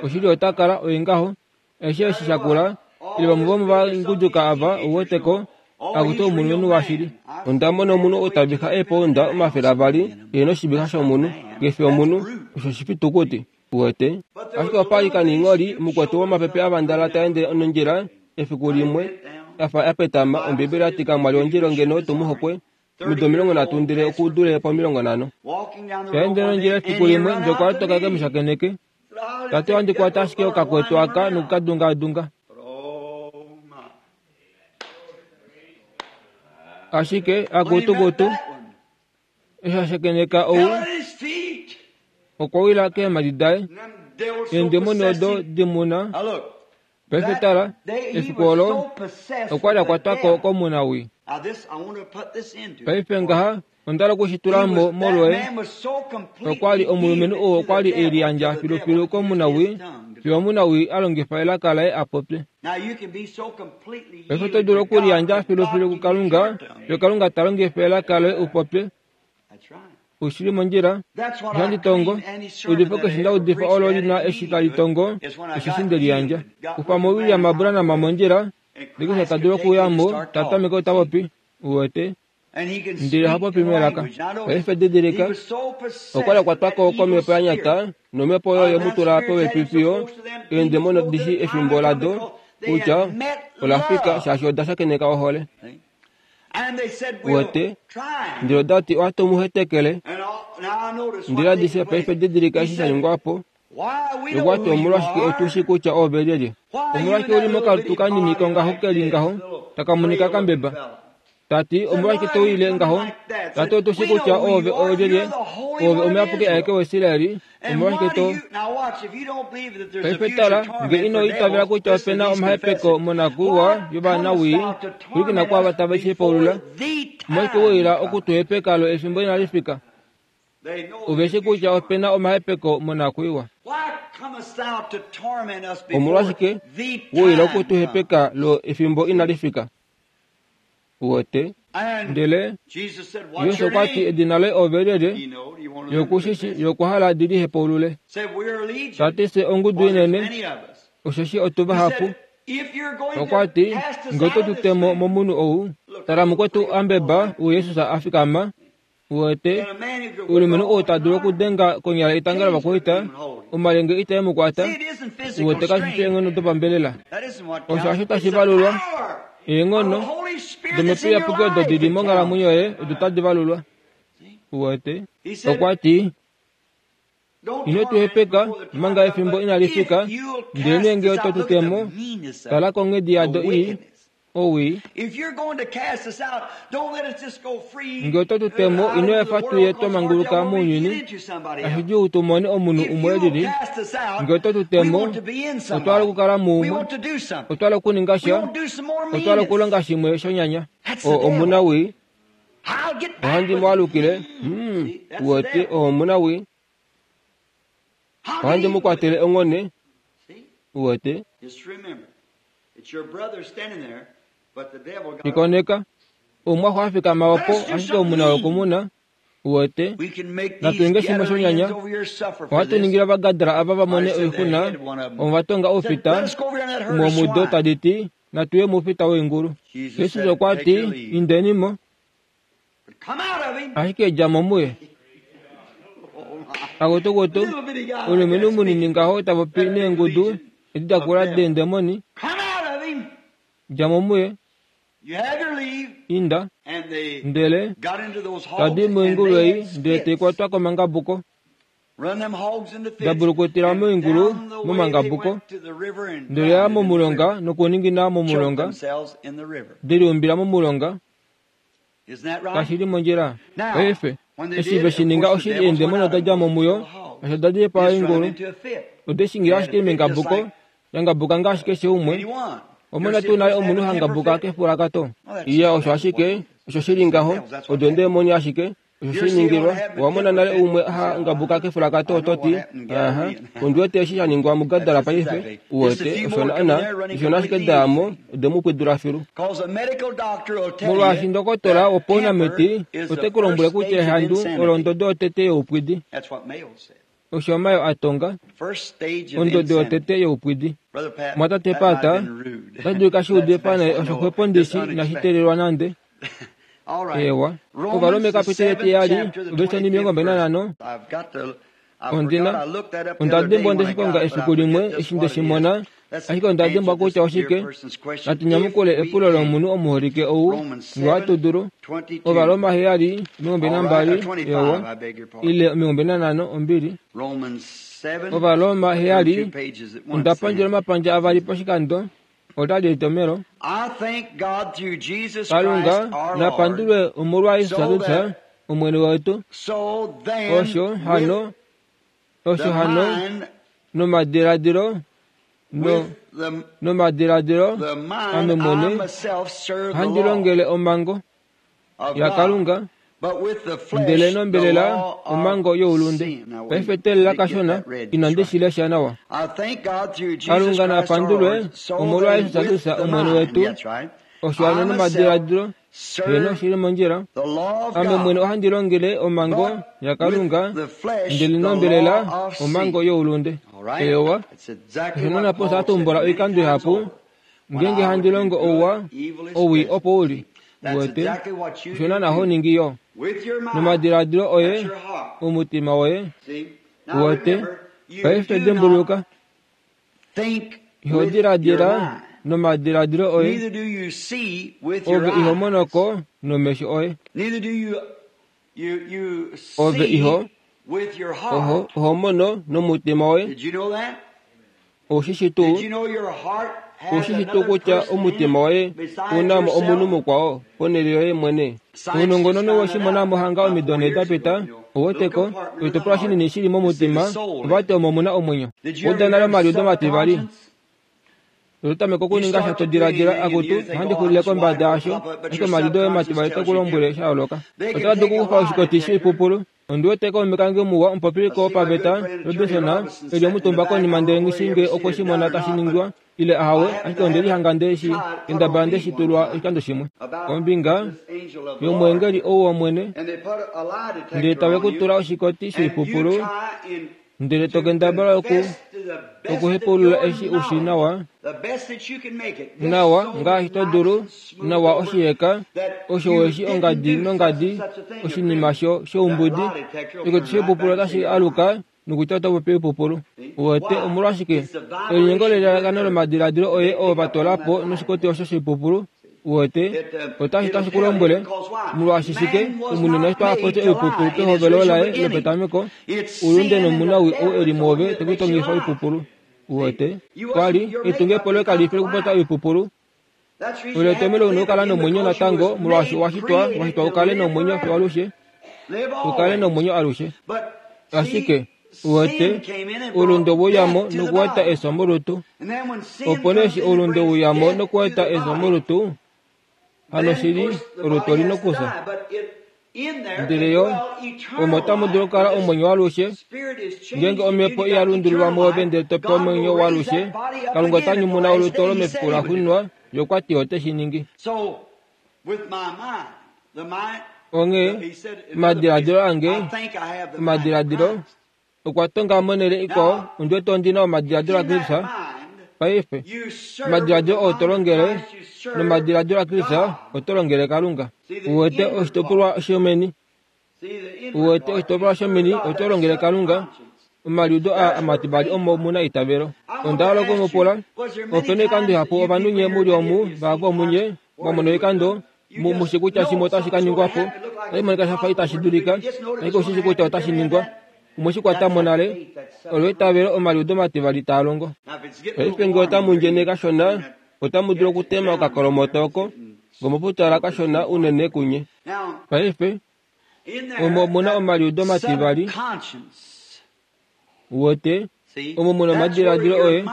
oshili ota kala oye ngaho, aishe eshi shakula, ile vamwe vomovaguduka ava ouweteko, akutu omulumenhu washili. Onda mona omunhu ou ta vixa eepounda omafele avali, e noshivixa shomunhu, kefi omunhu, osho oshifitukuti, uwete. Ashike opali kaniingholi, mukwetu womapepe avandala ta ende nondjila, efiku limwe, afa apetama, Ombibeli yati kamwali ondjila ngeno tumuhokwe, omido omilongo nhatu ndele okudule pomilongo nhano. Ta ende nondjila efiku limwe, ndele okwa toka ke mu shakeneke. Tate ohandi kwata ashike okakwetu aka nokukadungaadunga. Ashike, akutukutu, eshi a shakeneka ou, okwa wila keemhadi daye, eendemoni odo dimuna. Paife tala, efiku olo, okwa li a kwatwa ko komunawii. Paife ngaha, onda hala okushitula mo molwoye. Okwa li omulumenhu oo okwa li e liyandja filufilu komunawii, fiyo omunawii a longifa elaka laye a popye. Paife oto dulu okuliyandja filufilu kuKalunga, fiyo Kalunga ta longifa elaka loye u popye. Ushili mondjila, ohandi tongo, eudifo keshe nda udifa olo lina eshi tali tongo, osheshi nde liyandja. Kufa mo William Branham mondjila, ndele keshe ta dulu okuya mo, ta tameke ta popi, uwete, Ndele oha popi melaka. Paife didilika, okwa li a kwatwa ko komhepo ya nyata, nomhepo oyo ye mu tula popepi fiyo eendemoni odishi efimbo lado kutya ola fika shaashi oda shakeneka ohole. Wete, ndele oda ti ohatu mu hetekele. Ndele adishe paife didilika eshi sha ningwa po. Okwa ti omolwashike otushi kutya ove lyelye? Omolwashike uli mokalutu kanini kongaho keli ngaho, taka monika kambeba? Tati omolwashike to wile ngaho? Tati otushi kutya ove olyelye, ove omuyapuki aeke waIsraeli. Omolwashike to paife tala, nge ino itavela kutya opena omahepeko monakuiwa yovanawii, pwilikina kwaava tave shi hepaulula. Omolwashike weila okutuhepeka lo efimbo inali fika? Oveshi kutya opena omahepeko monakuiwa. Omolwashike weila okutuhepeka lo efimbo inali fika? Uwete, ndele Jesus okwa ti edina loye ove lyelye, yokushishi yokuhala di lihepaulule. Tati fye ongudu inene, osheshi otu vahapu. Okwa ti nge oto tu temo momunhu ou, tala mukwetu ambeba ou Jesus a fikama. Uwete, ulumenhu ou ta dulu okudenga konyala etanga lovakwaita, omalyenge itae mu kwata. Uwete kashi fi eenghono dopambelela. Osho hasho tashi valulwa. Eenghono domhepo iyapuki odo di li monghalamwenyo yoye odo tadi valulwa. Uwete, okwa ti ino tu hepeka manga efimbo inali fika, ndele nge oto tu temo, tala konghedi yado ii, owii. Nge oto tu temo, ino efa tuye twa manguluka mounyuni, ashidjuu tu mone omunhu umwe elili. Nge oto tu temo, otwa hala okukala muumwe, otwa hala okuninga sha, otwa hala okulonga shimwe shonyanya. O omunawii, ohandi mu alukile. Hmm, uwete, o omunawii, ohandi mu kwatele onghone. Uwete, ikoneka omwaxo a fikama opo ashike omuna wokumuna. Uwete, natu ninge shimwe shonyanya. Ohatu ningile Ovagadara ava va mone oixuna, ovo va tonga oufita umwe womudo tadi ti natu ye moufita woingulu. Jesus okwa ti indeni mo, ashike dja mo muye. Akutukutu, ulumenhu munini ngaho ta popi neengudu edi da kula deendemoni, dja mo muye, inda. Ndele tadi moingulu ei ndele tai kwatwa komangabuko, dabulukutila moingulu momangabuko, ndele ya momulonga nokuningina momulonga, deliumbila momulonga. Kashi li mondjila. Paife eshi ve shi ninga oshili eendemoni oda dja mo muyo, osho oda dipaa oingulu. Ode shi ningila ashike mengabuko, yangabuka ngaashi keshe umwe. Omona tuu nale omunhu hangabuka kefulakato? Iya, osho ashike osho shili ngaho, odo eendemoni ashike osho shi ningilwa. Owa mona nale umwe ha ngabuka kefulakato oto ti, aha, ondi wete eshi sha ningwa muGadara paife. Uwete, osho naana, osho ashike daamo ode mu pwidula filu. Molwaashi ndokotola wopaunamiti ote ku lombwele kutya ehandu olo ondodo yotete youpwidi. Osho Mayo a tonga, ondodo yotete youpwidi. Mwatate Pata, otashi dulika shi udife naye osho xwepo ndishi inashi teelelwa nande. Ewa, Ovarome kapiteli etiyali, overseni omilongo mbali nanhano. Ondina, onda dimbwa nde shi konga efiku limwe eshi nde shi mona, ashike onda dimbwa kutya oshike. Natu nyamukule epulo lomunhu omuholike ou nge ohatu dulu. Ovaroma heyali omilongo mbali nambali, ewa, ile omilongo mbali nanhano, ombili. Ovaroma heyali, onda pandjela omapandja avali poshikando, otali etomelo. Kalunga napandulwe omolwa Jesus Kristus Omwene wetu. Osho hano, osho hano nomadiladilo no nomadiladilo ame mwene ohandi longele omhango yaKalunga, ndele nombelela omhango youlunde. Paife teelela kashona, inandi shi lesha nawa. Kalunga napandulwe omolwa Jesus Kristus Omwene wetu. Osho hano nomadiladilo heno shili mondjila. Ame mwene ohandi longele omhango yaKalunga, ndele nombelela omhango youlunde. Ewa, osho napo sha tumbula oikando ihapu, ngeenge handi longo ouwa, owii opo uli. Uwete osho naana ho ningi yo nomadiladilo oye omutima woye. Uwete paife dimbuluka, iho diladila nomadiladilo oye, ove iho monoko nomesho oye, ove iho oho oho mono nomutima woye. Oushi tuu oushi tuu kutya omutima woye unamo omunhu mukwao ponhele yoye mwene. Ounongononi woshimona mohanga omido nhee dapita oweteko oshitopolwa shinini shili momutima ovati omo muna omwenyo. Uda nale omaliudo mativali ototameke okuninga sha todiladila akutu ohandi xulile kombada yasho, ashike omaliudo oye mativali ote sha yooloka. Otava dulu okukufa oshikoti shoipupulu. Ondi wete kaume kange muwa omupopiliko wopaveta Robinson eli omutumba konima ndele nghi ngee okwe shi mona tashi ningwa ile ahawe, ashike onde lihanga nde shi kendabala nde shi tulwa oshikando shimwe kombinga yomweengeli ou wOmwene, ndele tave ku tula oshikoti shoipupulu ndele tokendabala oku okuhepaulula eshi ushi nawa nawa ngaashi to dulu nawa oshiheka osho weshi ongadi nongadi oshinima sho shoumbudi. Oshikoti shoipupulu otashi aluka nokutya oto popi oipupulu. Uwete omolwashike elinyengo lelalakano lomadiladilo oye oo vatolapo noshikoti osho shoipupulu. Uwete otashi tashi kulombwele molwaashi shike omunhu neshito apopye oipupulu pehovelo laye lopetameko oulunde nomunawi ou eli mwoove tekutongifa oipupulu. Uwete kwali etungepo loye kalifi lokupopya oipupulu. Oletomelo una okukala nomwenyo natango molwaashi owashitwa washitwa ukale nomwenyo fiyo alushe, ukale nomwenyo alushe. Ashike uwete oulunde wouyamo nokueta efyo molutu. Opo nee eshi oulunde wouyamo nokueta efyo molutu, hano shili olutu olina okufya. Ndele yo omo otamu dulu okukala omwenyo waalushe ngeenge omhepo iyalundululwa mwoove ndele topewa omwenyo waalushe. Kalunga ota nyumuna olutu olo mefiku laxuuninwa, ye okwa ti ote shi ningi. Onghee omadiladilo ange omadiladilo okwa tonga monhele ikwao. Ondi wete ondi na omadiladilo aKristus paife. Omadiladilo oo to longele nomadiladilo aKristus oto longele Kalunga. Uwete oshitopolwa shomeni, uwete oshitopolwa shomeni oto longele Kalunga. Omaliudo aa amativali omo muna eitavelo. Onda hala okumupula opena oikando ihapu ovanhu nye muli omu vahapu omunye mwamona oikando mushi kutya shimwe otashi ka ningwapo otashi monika shafa itashi dulika, ashike oushi kutya otashi ningwa. Omweshi kwatamo nale olo eitavelo omaliudo mativali taa longo. Paife ngee otamu ndjene kashona otamu dulu okutema okakolomoto oko ngomoputala kashona unene kunye. Paife omo omuna omaliudo mativali. Uwete omo muna omadiladilo oye.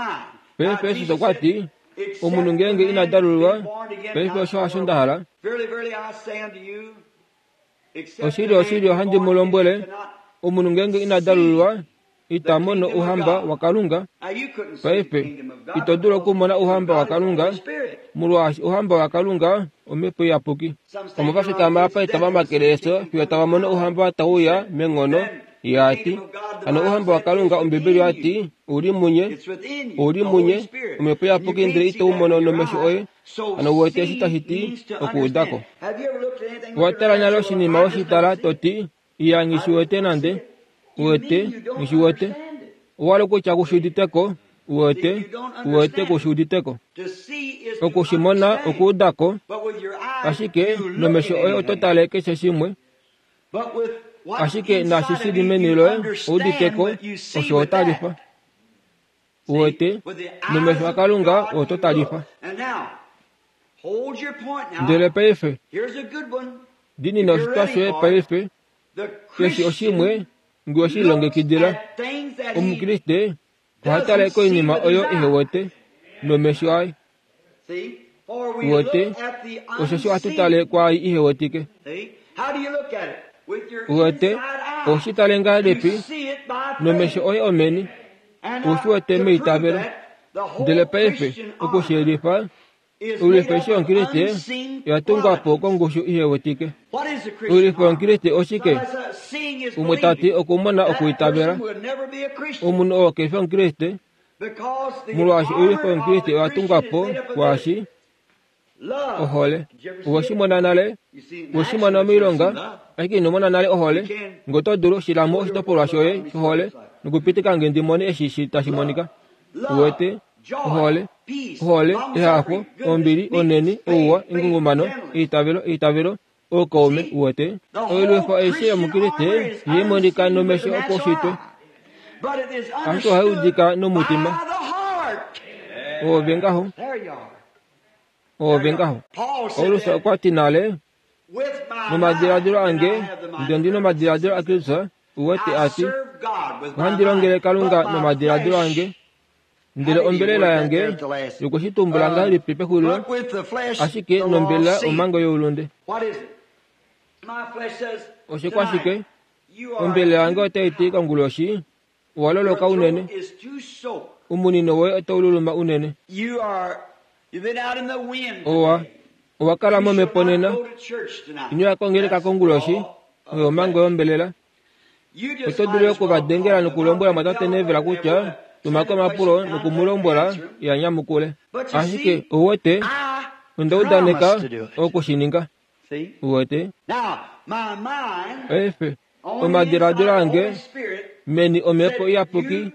Paife Jesus okwa ti omunhu ngeenge ina dalululwa, paife osho hasho nda hala. Oshili oshili ohandi mu lombwele, omunhu ngeenge ina dalululwa ita mono ouhamba waKalunga. Paife ito dulu okumona ouhamba waKalunga molwaashi ouhamba waKalunga omhepo iyapuki. Omo va fikama apa itava makele efyo fiyo tava mono ouhamba tauya menghono. Yaati hano ouhamba waKalunga Ombibeli oyati ouli munye, ouli munye omhepo iyapuki ndele ito u mono nomesho oye. Hano uwete eshi tashi ti okuudako. Owatala nale oshinima weshitala toti iya nghi shiwete nande. Uwete nghi shiwete owali kutya kushuuditeko. Uwete uwete kushuuditeko. Okushimona okuudako, ashike nomesho oye oto tale keshe shimwe, ashike naashi shili meni loye ouditeko osho otalifa. Uwete nomesho aKalunga oto talifa. Ndele paife dinina oshitwa shoye paife keshe oshimwe ngee oshilongekidila. Omukriste oha tale koinima oyo ehewete nomesho aye. Uwete oshoshi ohatu tale kwaai ihewetike. Uwete oushi tale ngahelipi nomesho oye omeni, oushi wete meitavelo. Ndele paife okushiyelifa, oilwifo yomukriste oya tungwa po kongushu ihewetike. Oilwifo yomukriste oshike? Umwe tati okumona okuitavela. Omunhu oo kefi omukriste molwaashi oilwifo yomukriste oya tungwa po kwaashi Ohole. Owe mona nale, we shi mona moilonga, ashike ino mona nale ohole. Ngee oto dulu shilamo oshitopolwa shoye shohole nokupitika nge ndi mone eshi tashi monika. Uwete, ohole, ohole, ehafo, ombili, oneni, ouwa, engungumano, eitavelo, eitavelo, oukaume, uwete. Oilwifo aishe yomukriste ihai monika nomesho opaushitwe, ashike ohai udika nomutima. Oove ngaho, oove ngaho. Paulus okwa ti nale, nomadiladilo ange ndele ndi nomadiladilo aKristus, uwete ati, ohandi longele Kalunga nomadiladilo ange, ndele ombelela yange yokushitumbula ngahelipi pexulilo, ashike nombelela omhango youlunde. Oshikwashike? Ombelela yange otai ti konguloshi, owa loloka unene, omunino woye otau luluma unene. Owa owa kala momhepo nena, ino ya kongeleka konguloshi, oyo omhango yombelela. Oto dulu okuvadengela nokulombwela mwatate Neville kutya tumako omapulo nokumulombwela ya nyamukule. Ashike ouwete, onda udaneka okushininga. Uwete? Paife, omadiladilo ange meni omhepo iyapuki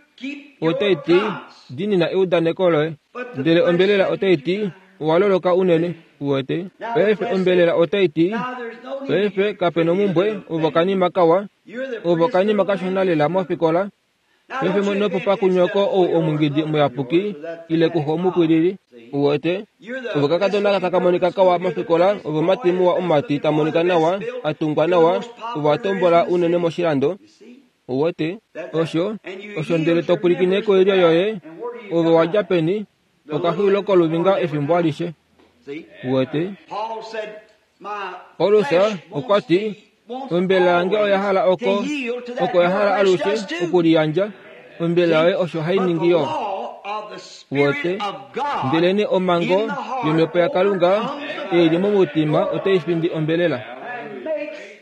otai ti diinina eudaneko loye, ndele ombelela otai ti owa loloka unene. Uwete? Paife ombelela otai ti paife kape nomumbwe ovo kanima kawa, ovo kanima kashona lela mofikola. Paife nopopa kunyoko ou omungidi muyapuki ile kuxo omupwilili. Uwete? Ovo kakadona taka monika kawa mofikola, ovo mati muwa omumati ta monika nawa, atungwa nawa, ovo atombola unene moshilando. Uwete? Osho, osho ndele to pwilikine koilyo yoye, ove wadja peni, okaxwilo koluvinga efimbo alishe. Uwete? Paulus okwa ti, ombelela yange oya hala oko, oko ya hala alushe okuliyandja, ombelela yoye osho hai ningi yo. Uwete? Ndelene omhango yomhepo yaKalunga ei li momutima otai findi ombelela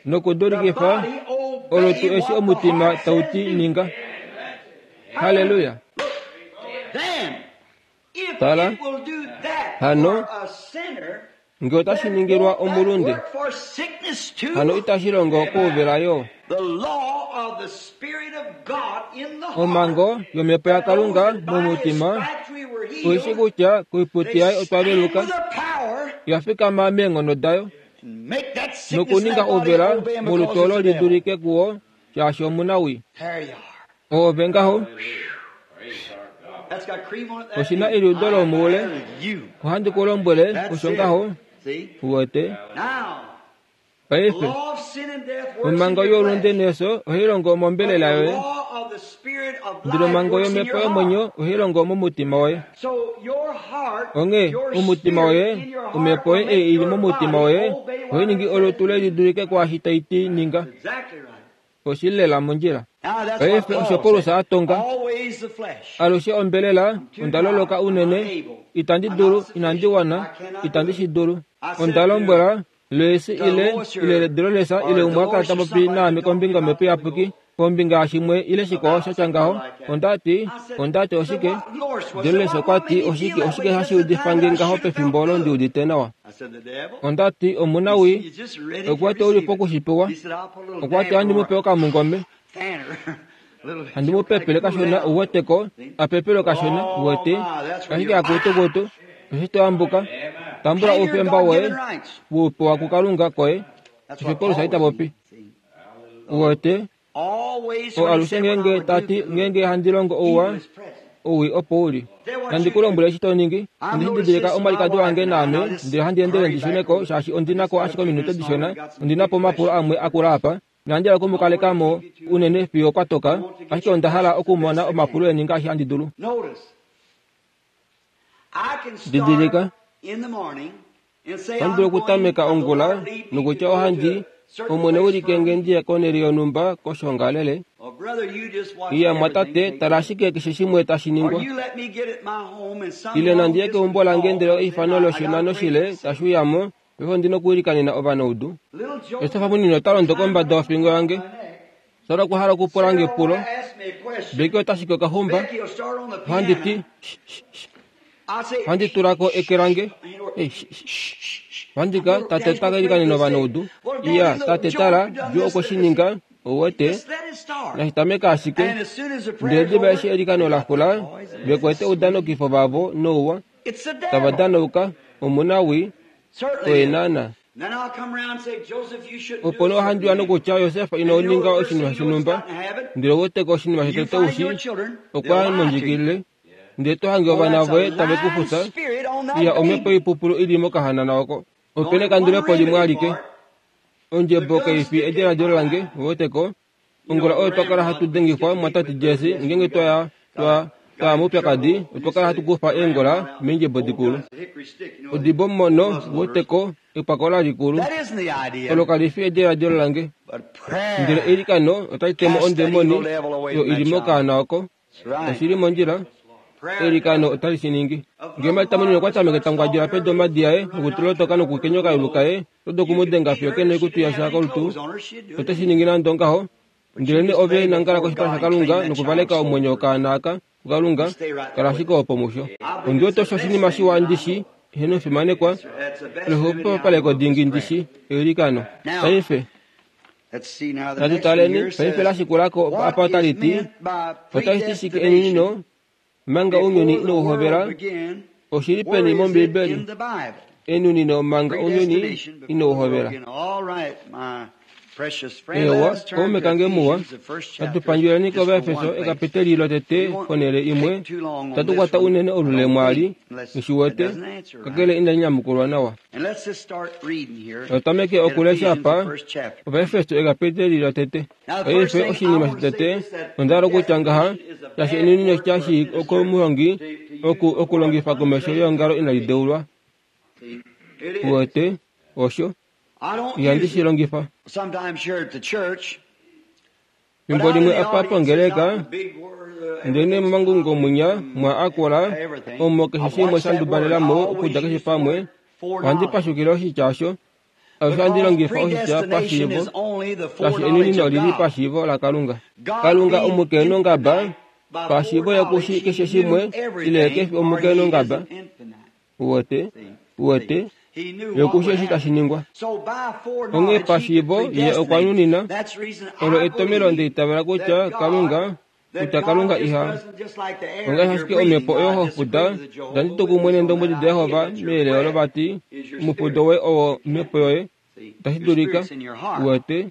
nokudulikifa olutu eshi omutima tau ti ninga. Halleluya! Tala, hano ngee otashi ningilwa omulunde, hano itashi longo kouvela yo. Omhango yomhepo yaKalunga momutima oishi kutya koiputi yaye otwa veluka, oya fikama meenghono dayo nokuninga ouvela molutu olo li dulike kuwo shaashi omunawii. Oove ngaho, oshina eliudo lomoule, ohandi ku lombwele osho ngaho. Uwete? Paife, omhango youlunde nefyo ohai longo mombelela yoye, ndele omhango yomhepo yomwenyo ohai longo momutima woye. Onghee omutima woye, omhepo yoye ei ili momutima woye, ohai ningi olutu le lidulike kwaashi tai ti ninga. Oshili lela mondjila. Paife osho Paulus a tonga, alushe ombelela, onda loloka unene, itandi dulu, inandi wana, itandi shi dulu. Onda lombwela Loisi ile ile Dolores ile umwe a kala ta popi naame kombinga yomhepo iyapuki, kombinga yashimwe ile shikwao sha tya ngaho. Onda ti, onda ti oshike? Dolores okwa ti oshike oshike hashi udifa nge ngaho pefimbo olo ndi udite nawa. Onda ti omunawii, okwa ti ouli pokushipewa. Okwa ti handi mu pe okamungome, handi mu pepele kashona uweteko, apepelwe kashona uwete, ashike akutukutu, eshi to ambuka, tambula oufemba woye wuupewa kuKalunga koye. Osho Paulus ita popi. Uwete? O alushe ngeenge tati ngeenge handi longo ouwa, owii opo uli. Nandi ku lombwele eshi to ningi, ondi shi didilika omwalikadi wange naame, ndele handi endele ndi shune ko shaashi ondi nako ashike ominute dishona, ondi na po omapulo amwe akula apa, inandi hala okumukaleka mo unene fiyo kwa toka, ashike onda hala okumona omapulo eni ngaashi handi dulu. Didilika, ohandi dulu okutameka ongula nokutya ohandi Omwene wilike nge ndiye konhele yonhumba koshoongalele. Iya mwatate, tala ashike keshe shimwe tashi ningwa. Ile nandi ye keumbo lange ndele eifano loshinano shile tashi uya mo, paife ondi nokuilikanena ovanaudu. Josefa munini ota londo kombada yofingo yange. Sara okwa hala okupula nge epulo. Becky ota shiki okaxumba. Ohandi ti, Shh, shh, shh. Ohandi tulako eke lange. Ohandi ka tate ota ka ilikanena ovanaudu. Iya, tate tala, Jo okwe shi ninga, ouwete, nashitameka ashike. Ndele diva eshi eilikano la xula, ve kwete oudanokifo vavo nouwa, tava danauka, omunawii, oye naana. Opo nee ohandi uya nokutya, Josef ino ninga oshinima shonhumba, ndele ouweteko oshinima shotete ushi, okwa ya mondjikilile, ndele to hange ovana voye tave ku fusa, iya omhepo yoipupulu ili mokahanana oko. Opena ekandulepo limwe alike. Ondjebo kaifi ediladilo lange, ouweteko. Ongula oyo twa kala hatu dengifwa mwatate Jesse ngeenge twaya twa twaya moupyakadi, otwa kala hatu kufa eengola meendjebo dikulu. Odibo mono, ouweteko, epakola likulu. Olo kali fi ediladilo lange. Ndele eilikano otali temo ondemoni oyo ili mokaana oko. Oshili mondjila. Eilikano otali shi ningi. Ngee Marta munene okwa tameke tangwadjula pedu omadi aye nokutulotoka nokukenya okayulu kaye, oto dulu okumudenga fiyo kena oikutu yasha kolutu, ote shi ningi nande ongaho. Ndele nee ove nangala koshipala shaKalunga nokuvaleka omwenyo wokaana aka kuKalunga, kala ashike opo musho. Ondi wete osho oshinima shiwa ndishi, eheno fimanekwa, lexupopaleko dingi ndishi, eilikano. Paife, natu taleni, paife lashikulako apa otali ti, otashi ti shike enunino, manga ounyuni inauhovela, oshili peni mOmbiibeli, enunino manga ounyuni inauhovela. Ewa, kaume kange muwa, natu pandjuleni kOvaefeso ekapiteli lotete ponhele imwe, tatu kwata unene olule mwaali, ngishiwete, kakele inali nyamukulwa nawa. Otameke okulesha apa, Ovaefeso ekapiteli lotete. Paife oshinima shotete, onda hala okutya ngaha, shaashi enunino shashi komuhongi oku okulongifa komesho yeongalo inali deulwa. Uwete, osho. Ihandi shi longifa. Fimbo limwe apa pongeleka, ndele momangungo mwinya mwa akula, omo keshe shimwe sha ndubalela mo okudja keshe pamwe, ohandi pashukile oshitya osho. Alushe ohandi longifa oshitya pashiivo, shaashi enunino olili pashiivo laKalunga. Kalunga omukenongaba, pashiivo yokushi keshe shimwe, ile kefi omukenongaba. Uwete, uwete, yokushi eshi tashi ningwa. Onghee pashiivo ye okwa nunina, olo etomelo ndeitavela kutya Kalunga, kutya Kalunga iha ongaashi ashike omhepo oyo hofuda, itandi tu kumwe neendombwedi daJehova meyele olo vati, omufudo woye owo omhepo yoye, itashi dulika, uwete,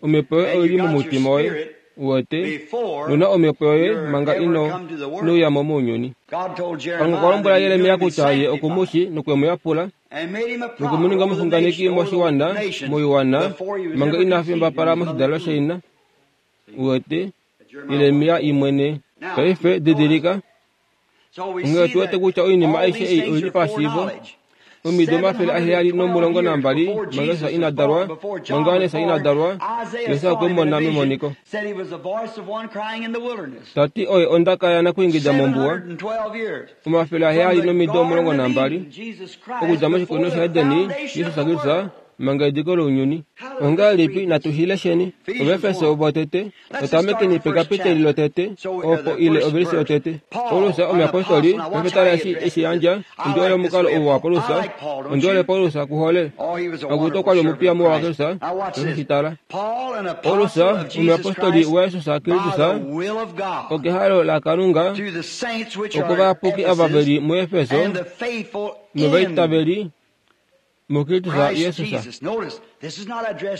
omhepo yoye oili momutima woye, uwete, nuna omhepo yoye manga ino nouyamo mounyuni. Kalunga okwa lombwela Jeremia kutya ye okumushi nokwemuyapula, nokumuninga omuxunganeki moshiwana, moiwana, manga ina fimbapala moshidalelo shaina. Uwete, Jeremia imwene. Paife didilika, onghee otu wete kutya oinima aishe ei oili pashiivo. Omido omafele aheyali nomulongo nambali manga Jesus ina dalwa, manga Johannes ina dalwa, Jesus okwe mu mona memoniko. Tati oye ondaka yanakuingida mombuwa, omafele aheyali nomido omulongo nambali, okudja moshikunino shaEdeni, Jesus Kristus, manga ediko lounyuni. Ongahelipi natu shi lesheni? Ovaefeso votete, otamekeni pekapiteli lotete, opo ile ovelise yotete. Paulus omuyapostoli, paife tala eshi eshi yandja, ondi hole omukalo ou waPaulus, ondi hole Paulus kuhole. Akutu okwa li omupiya muwa waKristus, paife shi tala. Paulus omuyapostoli waJesus Kristus, okehalo laKalunga, okovayapuki ava veli muEfeso, novaitaveli muKristus Jesus.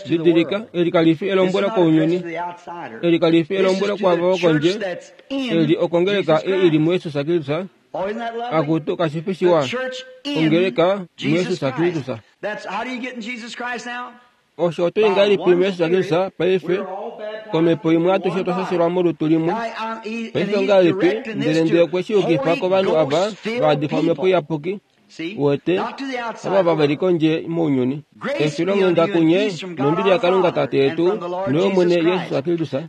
Didilika, eli kali fi elombwelo kounyuni, eli kali fi elombwelo kwaavo vokondje, eli okongeleka ei ili muJesus Kristus. Akutu kashi fi shiwa, ongeleka muJesus Kristus. Osho oto i ngahelipi muJesus Kristus paife, komhepo imwe atushe otwa shashelwa molutu limwe. Paife ongahelipi, ndele ndee okwe shi yukifa kovanhu ava vaadifwa omhepo iyapuki, uwete, ava veli kondje mounyuni. Efilonghenda kunye nombili yaKalunga Tate yetu noyOmwene Jesus Kristus.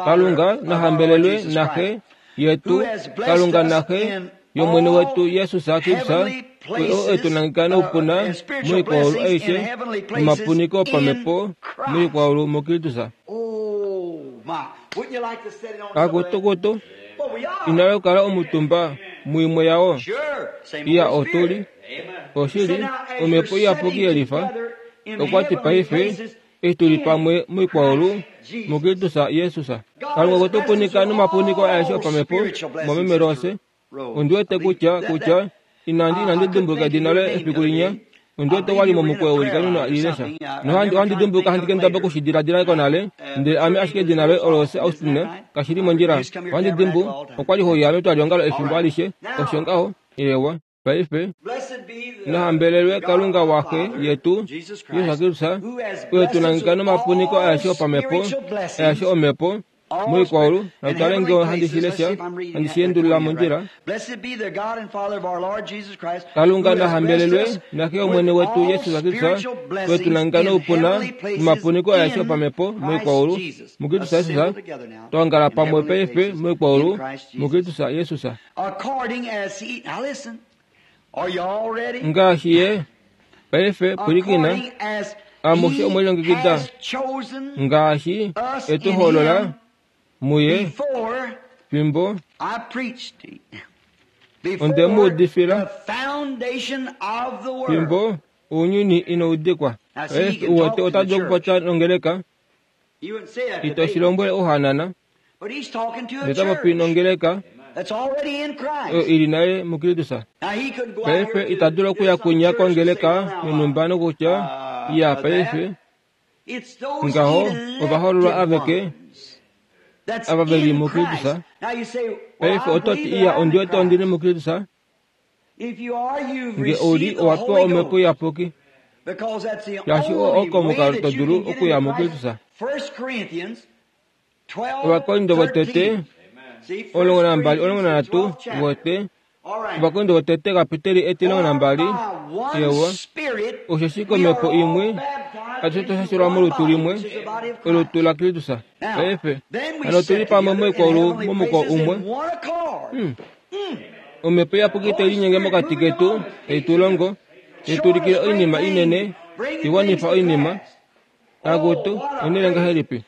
Kalunga nahambelelwe naXe yetu, Kalunga naXe yOmwene wetu Jesus Kristus, oye oo e tu nangeka noupuna moikwaulu aishe nomapuniko opamhepo moikwaulu muKristus. Akutukutu, Ina okukala omutumba muimwe yawo. Iya otuli. Oshili, omhepo iyapuki yelifa. Okwati paife, eshi tuli pamwe moikwaulu muKristus Jesus. Kalunga okwe tu punika nomapuniko aeshe opamhepo momeme Rose. Ondi wete kutya kutya inandi inandi dimbuluka edina loye efiku linya. Ondi wete wali momukweyo welikanino lilesha. Nohandi ohandi dimbuluka handi kendaba okushidiladila konale, ndele ame ashike edina loye Rose Austin kashili mondjila. Ohandi dimbu okwali hoya metwaliongalo efimbo alishe. Osho ngaho ewa. Paife nahambelelwe Kalunga waxe yetu Jesus Kristus, oye tu nangeka nomapuniko aeshe opamhepo, aeshe omhepo moikwaulu. Natutale ngee handi shi lesha, handi shi endulula mondjila. Kalunga nahambelelwe naxe Omwene wetu Jesus Kristus, oye tu nangeka noupuna nomapuniko aeshe opamhepo moikwaulu muKristus Jesus. Twaongala pamwe paife moikwaulu muKristus Jesus. Ngaashi ye paife pwilikina, amushe omwelilongekida ngaashi etu hoolola muye fimbo onde mu udifila fimbo ounyuni inoudikwa. Paife uwete ota dulu okupopya nongeleka, ito shi lombwele ohanana, ndele ota popi nongeleka oyo ili nale muKristus. Paife ita dulu okuya kunya kongeleka yonhumba nokutya iya paife ngaho ovahoololwa aveke ava veli muKristus. Paife ototi iya ondi wete ondili muKristus. Nge ouli owa pewa omhepo iyapuki, shaashi oo oko omukalo to dulu okuya muKristus. Ovakorinto votete omulongo nambali omulongo nanhatu vote. Ovakorinto votete kapiteli etilongo nambali ewa. Osheshi komhepo imwe atushe twa shashelwa molutu limwe, olutu laKristus. Paife hano otuli pamwe moikwaulu momukwao umwe. Hmm. Omhepo iyapuki tai linyenge mokati ketu, tai tu longo, tai tu ulikile oinima inene, tai wanifa oinima. Akutu, onene ngahelipi?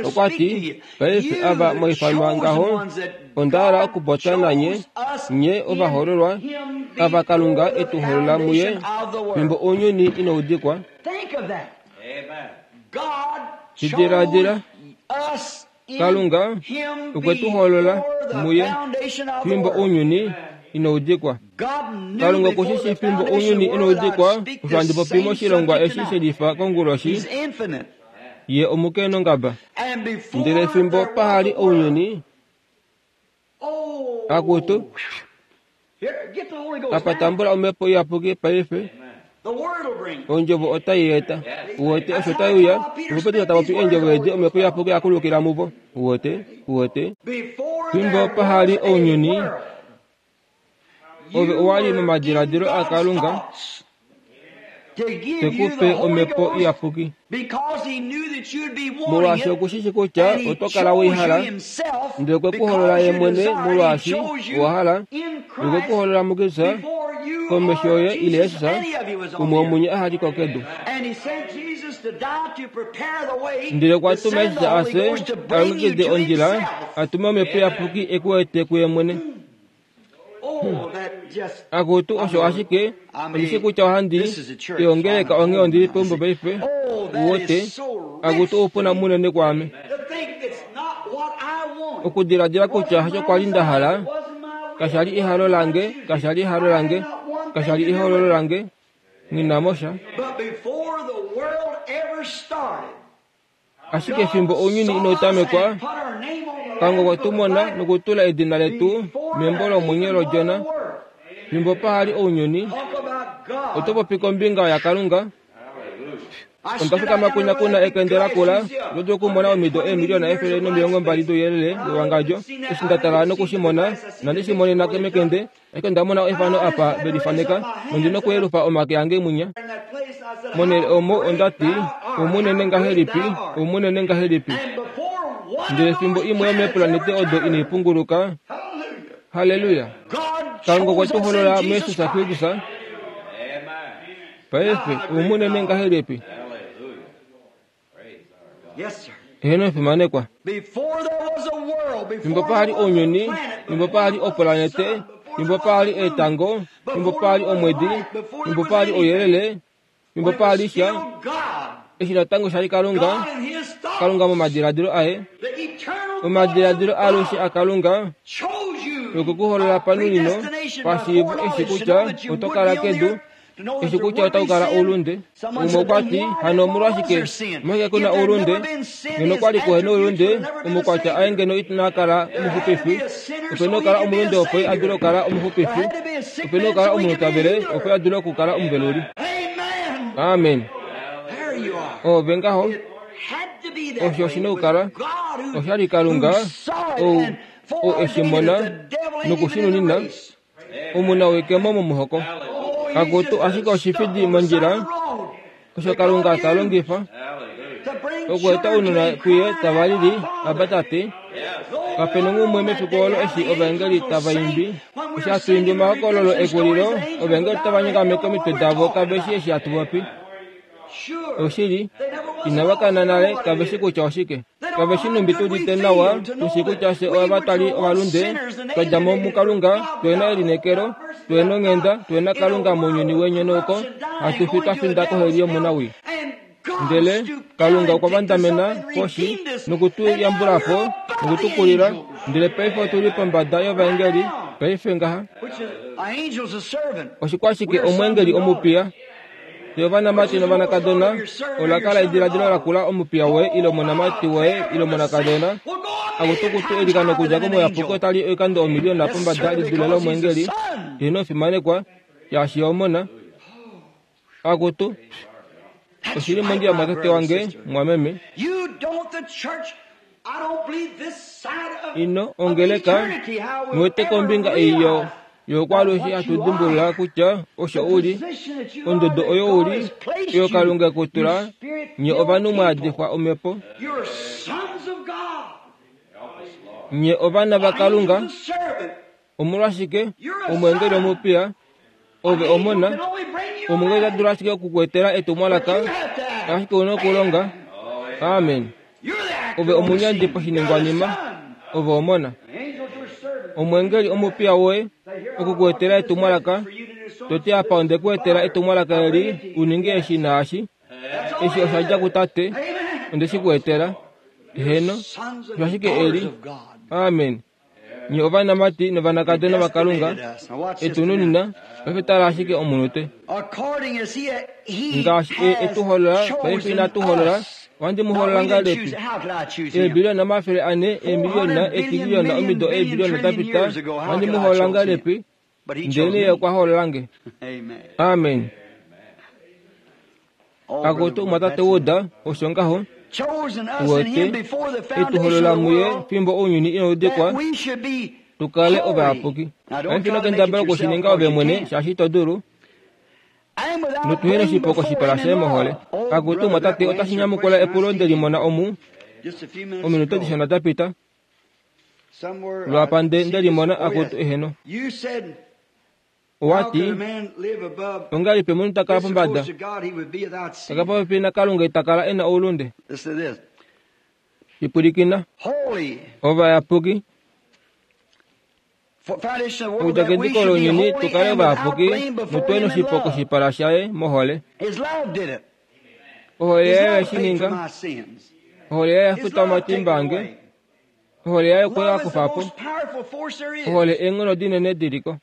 Okwati, paife ava mwaifanwa ngaho, onda hala okupopya nanye, nye ovahoololwa, ava Kalunga etu hoolola muye, fimbo ounyuni inoudikwa. Shidiladila, Kalunga okwe tu hoolola muye, fimbo ounyuni inoudikwa. Kalunga okushishi fimbo ounyuni inoudikwa, osho handi popi moshilongwa eshi shelifa konguloshi, ye omukenongaba. Ndele fimbo pahali ounyuni, akutu, apa tambula omhepo iyapuki paife, ondjovo otai eta. Uwete osho tai uya, opo Petrus ta popi eendjovo edi, omhepo iyapuki yakulukila muvo. Uwete, uwete. Fimbo pahali ounyuni, ove owali momadiladilo aKalunga tekupe omhepo iyapuki. Molwaashi okushishi kutya oto kala weihala, ndele okwe ku holola ye mwene molwaashi owa hala, okwe ku holola muKristus komesho yoye ile Jesus, umwe womunye aha li ko kedu. Ndele okwa tuma Jesus ase alongekide ondjila, atume omhepo iyapuki e ku ete kuye mwene. Akutu osho ashike, ondishi kutya ohandi iongeleka onghee ondili peumbo paife. Uwete, akutu oupuna munene kwaame. Okudiladila kutya hasho kwali nda hala, kashali ehalo lange, kashali ehalo lange, kashali ehoololo lange, nghi mosha. Ashike fimbo ounyuni inautamekwa, Kalunga okwe tu mona nokutula edina letu membo lomwenyo lOdjona. Fimbo pahali ounyuni, oto popi kombinga yaKalunga. Onda fikama kunya kuna ekende lakula, oto dulu okumona omido eemiliona efele nomilongo mbali douyelele wewangadjo. Eshi nda tala nokushimona, inandi shi monena mekende, ashike onda mona efano apa velifaneka, nondi nokuyelufa omake ange mwinya. Monhele omo ondati, oumunene ngahelipi, oumunene ngahelipi. Ndele fimbo imwe yomeepulanete odo inaipunguluka. Halleluya! Kalunga okwe tu holola muJesus Kristus. Paife oumunene ngahelipi? Eheno fimanekwa. Fimbo pa li ounyuni, fimbo pa li opulanete, fimbo pa li etango, fimbo pa li omwedi, fimbo pa li ouyelele, fimbo pa li sha, eshi natango sha li Kalunga, Kalunga momadiladilo aye, omadiladilo alushe aKalunga, nokukuholola panunino, pashiivo eshi kutya oto kala kedu, eshi kutya otau kala oulunde. Umwe okwa ti, hano omolwashike omolwashike kuna oulunde? Ngeno okwa li kuhe noulunde, omukwatya aye ngeno ina kala omuxupifi. Ope na okukala omulunde opo a dule okukala omuxupifi. Ope na okukala omunhu ta vele opo a dule okukala omuveluli. Amen. Ove ngaho, osho oshi na okukala. Osha li Kalunga ou ou eshi mona nokushinunina omunawekemo momuhoko. Kakutu ashike oshifidi mondjila osho Kalunga ta longifa okueta ounona kuye tava lili Abba Tate. Kapena umwe mefiku olo eshi ovaengeli tava imbi, eshi hatu imbi omahokololo ekulilo, ovaengeli otava nyongameke omitwe davo kave shi eshi hatu popi. Oshili, inava kana nale kave shi kutya oshike. Kave shi numbi tu udite nawa, tushi kutya fye ova twali ovalunde, twa dja mo muKalunga, tuhe elineekelo, tuhe onghenda, tuhe Kalunga mounyuni wenyonauko, hatu fi twa finda koheli yomunawii. Ndele Kalunga okwa vandamena poshi nokutu yambula po nokutukulila, ndele paife otu li pombada yovaengeli, paife ngaha. Oshikwashike omweengeli omupiya? Fye ovanamati novanakadona, ola kala ediladilo lakula omupiya woye ile omonamati woye ile omonakadona. Akutukutu elikano okudja komuyapuki otali oikando omiliyona pombada li dule lomweengeli. Ino fimanekwa, shaashi omona. Akutu, oshili mondjila mwatate wange, mwameme. Ino ongeleka, niwete kombinga ei yo yokwaalushe hatu dimbulula kutya osho u li, ondodo oyo u li, oyo Kalunga ekutula, nye ovanhu mwaadifwa omhepo. Nye ovana vaKalunga. Omolwashike omweengeli omupiya, ove omona, omweengeli ota dulu ashike okukuetela etumwalaka, ashike una okulonga. Amen. Ove omunyandi poshiningwanima, ove omona. Omweengeli omupiya woye okukuetela etumwalaka, toti apa onde kuetela etumwalaka eli uninge eshi naashi. Eshi osha dja kutate, onde shi kuetela. Heno, osho ashike eli. Amen. Nye ovanamati novanakadona vaKalunga, etununina, paife tala ashike omunute. Ngaashi e etuholola, paife inatu holola, ohandi mu holola ngahelipi? Eebiliyona omafele ane, eemiliyona, eetiliyona, omido eebiliyona da pita, ohandi mu holola ngahelipi? Ndele ye okwa holola nge. Amen. Akutu mwatate Wood, osho ngaho. Uwete, etuholola muye fimbo ounyuni inaudikwa, tukale ovayapuki. Paife ino kendabala okushininga ove mwene, shaashi ito dulu. Notuhe noshipo koshipala shaye mohole. Akutu mwatate, otashi nyamukula epulo nde limona omu ominute dishona da pita. Lwapa nde limona akutu eheno. Owati, ongahelipi omunhu ta kala pombada? Ta kala popepi naKalunga ita kala e na oulunde. Ipwilikina, ovayapuki. Okudja kediko lounyuni tukale ovayapuki notuhe noshipo koshipala shaye mohole. Ohole yaye oye shi ninga. Ohole yaye oya futa omatimba ange. Ohole yaye okwe a kufa po. Ohole eenghono dinene diliko.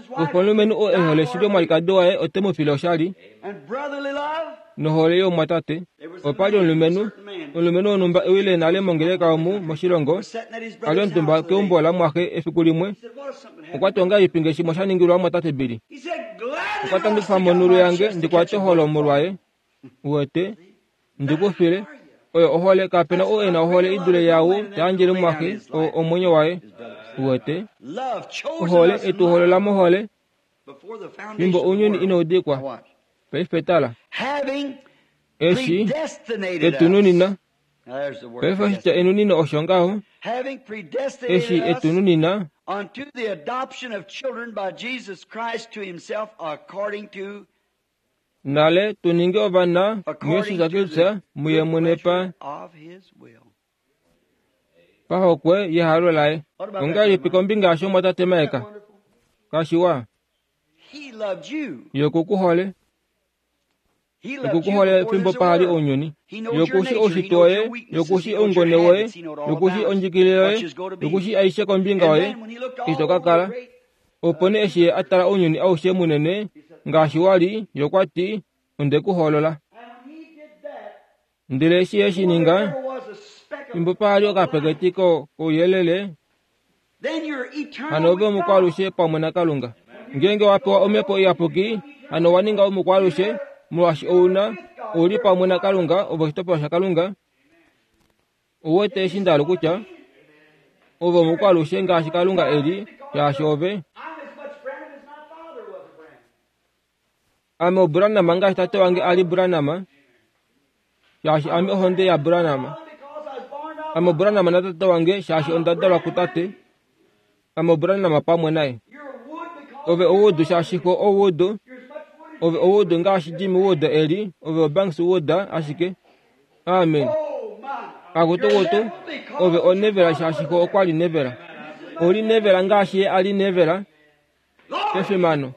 Kufa omulumenhu oo e hole shili omwalikadi waye ote mu file oshali. Nohole youmwatate. Opa li omulumenhu, omulumenhu wonhumba e wile nale mongeleka omu moshilongo, a li omutumba keumbo lamwaxe efiku limwe. Okwa ti ongahelipi nge shimwe sha ningilwa mwatate Billy? Okwa ti ohandi kufa monhulu yange ndi kwate oholo molwaye. Uwete, ndi ku file. Oyo ohole, kapena ou e na ohole idule yaau ta yandjele mwaxe omwenyo waye. Uwete, ohole etuholola mohole fimbo ounyuni inaudikwa. Paife tala, eshi etununina. Paife oshitya enunino osho ngaho, eshi etununina Nale tuninge ovana muYesus Kristus muye mwene pa pahokwe yehalo laye. Ongahelipi kombinga yasho mwatate Maeka? Kashiwa. Ye okukuhole. Okukuhole fimbo pahali ounyuni. Ye okushi oushitwe woye, ye okushi oungone woye, ye okushi ondjikilile yoye, ye okushi aishe kombinga yoye, eshi to ka kala. Opo nee eshi ye a tala ounyuni aushe munene ngaashi wa li, ye okwa ti, onde ku hoolola. Ndele eshi ye shi ninga, fimbo pahali okapeketi kouyelele, hano ove omukwaalushe pamwe naKalunga. Ngeenge wa pewa Omhepo Iyapuki, hano wa ninga omukwaalushe, molwaashi ouna ouli pamwe naKalunga, ove oshitopolwa shaKalunga. Ouwete eshi nda hala kutya, ove omukwaalushe ngaashi Kalunga e li, shaashi ove. Ame oBranham ngaashi tate wange a li Branham, shaashi ame ohonde yaBranham. Ame oBranham natate wange shaashi onda dalwa kutate. Ame oBranham pamwe naye. Ove oWood shaashi xo oWood. Ove oWood ngaashi Jimmy Wood e li, ove oBanks Wood ashike. Amen. Akutukutu, ove oNevela shaashi xo okwa li Nevela. Ouli Nevela ngaashi ye a li Nevela. Kefimano.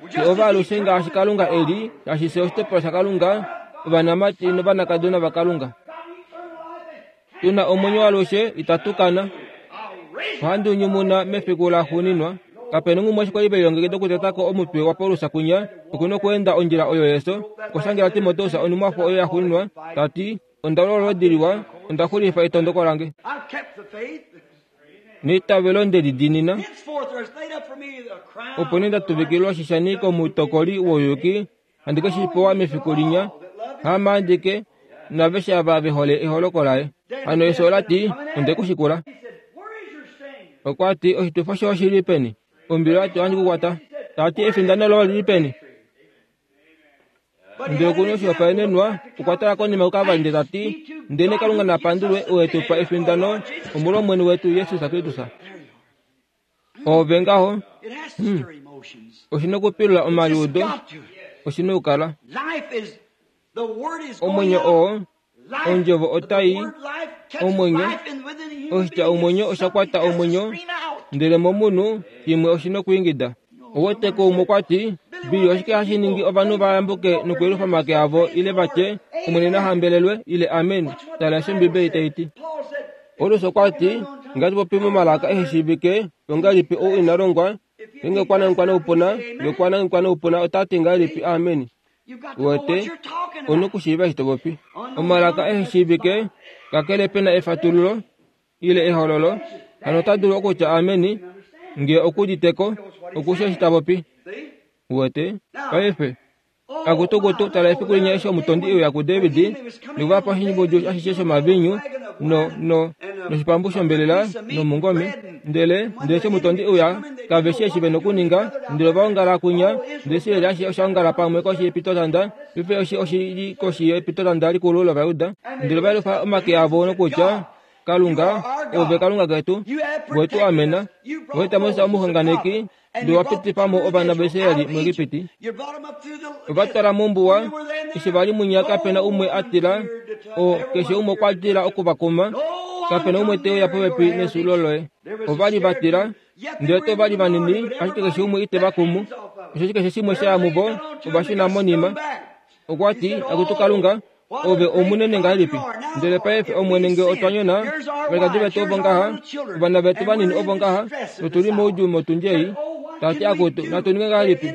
Fye ovaalushe ngaashi Kalunga e li, shaashi fye oshitopolwa shaKalunga, ovanamati novanakadona vaKalunga. Tuna omwenyo waalushe itatu kana. Ohandi unyumuna mefiku laxuuninwa. Kapena umwe eshi kwali velilongekida okutetako omutwe waPaulus kunya, okuna okweenda ondjila oyo yeso. Okushangela Timoteus onhumwafo oyo yaxuuninwa, ta ti, onda lolodi liwa, onda xulifa etondoko lange. Neitavelo nde li diinina. Opo nee nda tuvikilwa oshishani komutokoli wouyuki, handi ke shi pewa mefiku linya, haame andike, naaveshe ava ve hole eholoko laye. Hano efyo ola ti, onde ku shikula. Okwa ti, oshitufo shoye oshi li peni? Ombili oya ti, ohandi ku kwata. Ta ti, efindano loye oli li peni? Ndele okuna oshihopaenenwa, okwa tala konima kuKalvari ndele ta ti, ndele Kalunga na pandulwe ou e tu pa efindano omolwOmwene wetu Jesus Kristus. Ove ngaho, hmm, oshi na okupilula omaliudo, oshi na okukala. Omwenyo oo, ondjovo otai, omwenyo, oshitya omwenyo osha kwata omwenyo, ndele momunhu shimwe oshi na okwiingida. Ouwete ko umwe okwa ti, Billy, oshike hashi ningi ovanhu va yambuke nokuyelufa omake avo ile va tye, Omwene na hambelelwe, ile amen, tala eshi Ombibeli tai ti. Paulus okwa ti, ngaashi popi momalaka ehe shiivike, ongahelipi ou ina longwa, ngeenge okwa nangekwa noupuna, nge okwa nangekwa noupuna ota ti ngahelipi amen. Uwete, ou na okushiiva eshi to popi. Omalaka ehe shiivike, kakele pe na efatululo, ile ehololo, hano ota dulu okutya amen, nge okuuditeko, okushi eshi ta popi. Uwete, paife, akutukutu, tala efiku linya eshi omutondi e uya kuDavid, nokuvapa oshimbudju ashishe shomaviinyu, no, no, noshipambu shombelela nomungome. Ndele, ndele eshi omutondi e uya, kave shi eshi ve nokuninga, ndele ova ongala kunya, ndele Israel ashishe osha ongala pamwe koshi yepitotanda, paife eshi oshi li koshi yepitotanda likulu lOvajuda, ndele ova yelufa omake avo nokutya, Kalunga, ove Kalunga ketu, we tu amena, we eta Moses omuxunganeki, ndele wa pitifa mo ovana vaIsraeli muEgipiti. Ova twala mombuwa, eshi va li munya kapena umwe a tila, o keshe umwe okwa tila oku va kuma, kapena umwe te uya popepi nesulo loye. Ova li va tila, ndele to va li vanini, ashike keshe umwe ite va kumu, osheshi keshe shimwe sha ya muvo, ova shuna monima. Okwa ti, Akutu Kalunga, ove omunene ngahelipi? Ndele paife Omwene nge otwa nyona, ovalikadi vetu ovo ngaha, ovana vetu vanini ovo ngaha, notu li moudjuu motundi ei. Ta ti, Akutu, natu ninge ngahelipi?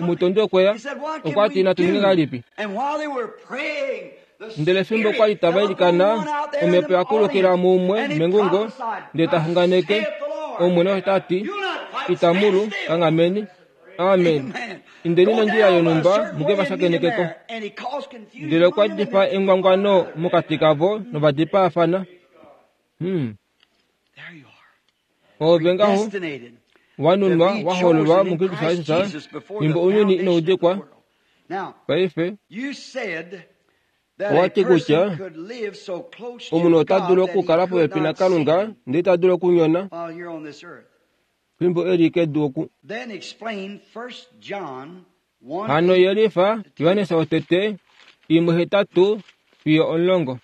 Omutondi okwe ya. Okwa ti, natu ninge ngahelipi? Ndele fimbo kwa li tava ilikana, Omhepo ya kulukila muumwe mengungo, ndele ta xunganeke, Omwene osho ta ti, itamu lu, kanghameni. Amen. Indeni nondjila yonhumba muke va shakeneke ko. Ndele okwa difa engwangwano mokati kavo nova dipaafana. Hmm. Ove ngaho wanunwa wa hoololwa muKristus Jesus fimbo ounyuni inau dikwa. Paife owa ti kutya omunhu ota dulu okukala popepi naKalunga ndele ita dulu okunyona fimbo e li kedu oku. Hano yelifa Johannes wotete imwe hetatu fiyo omulongo.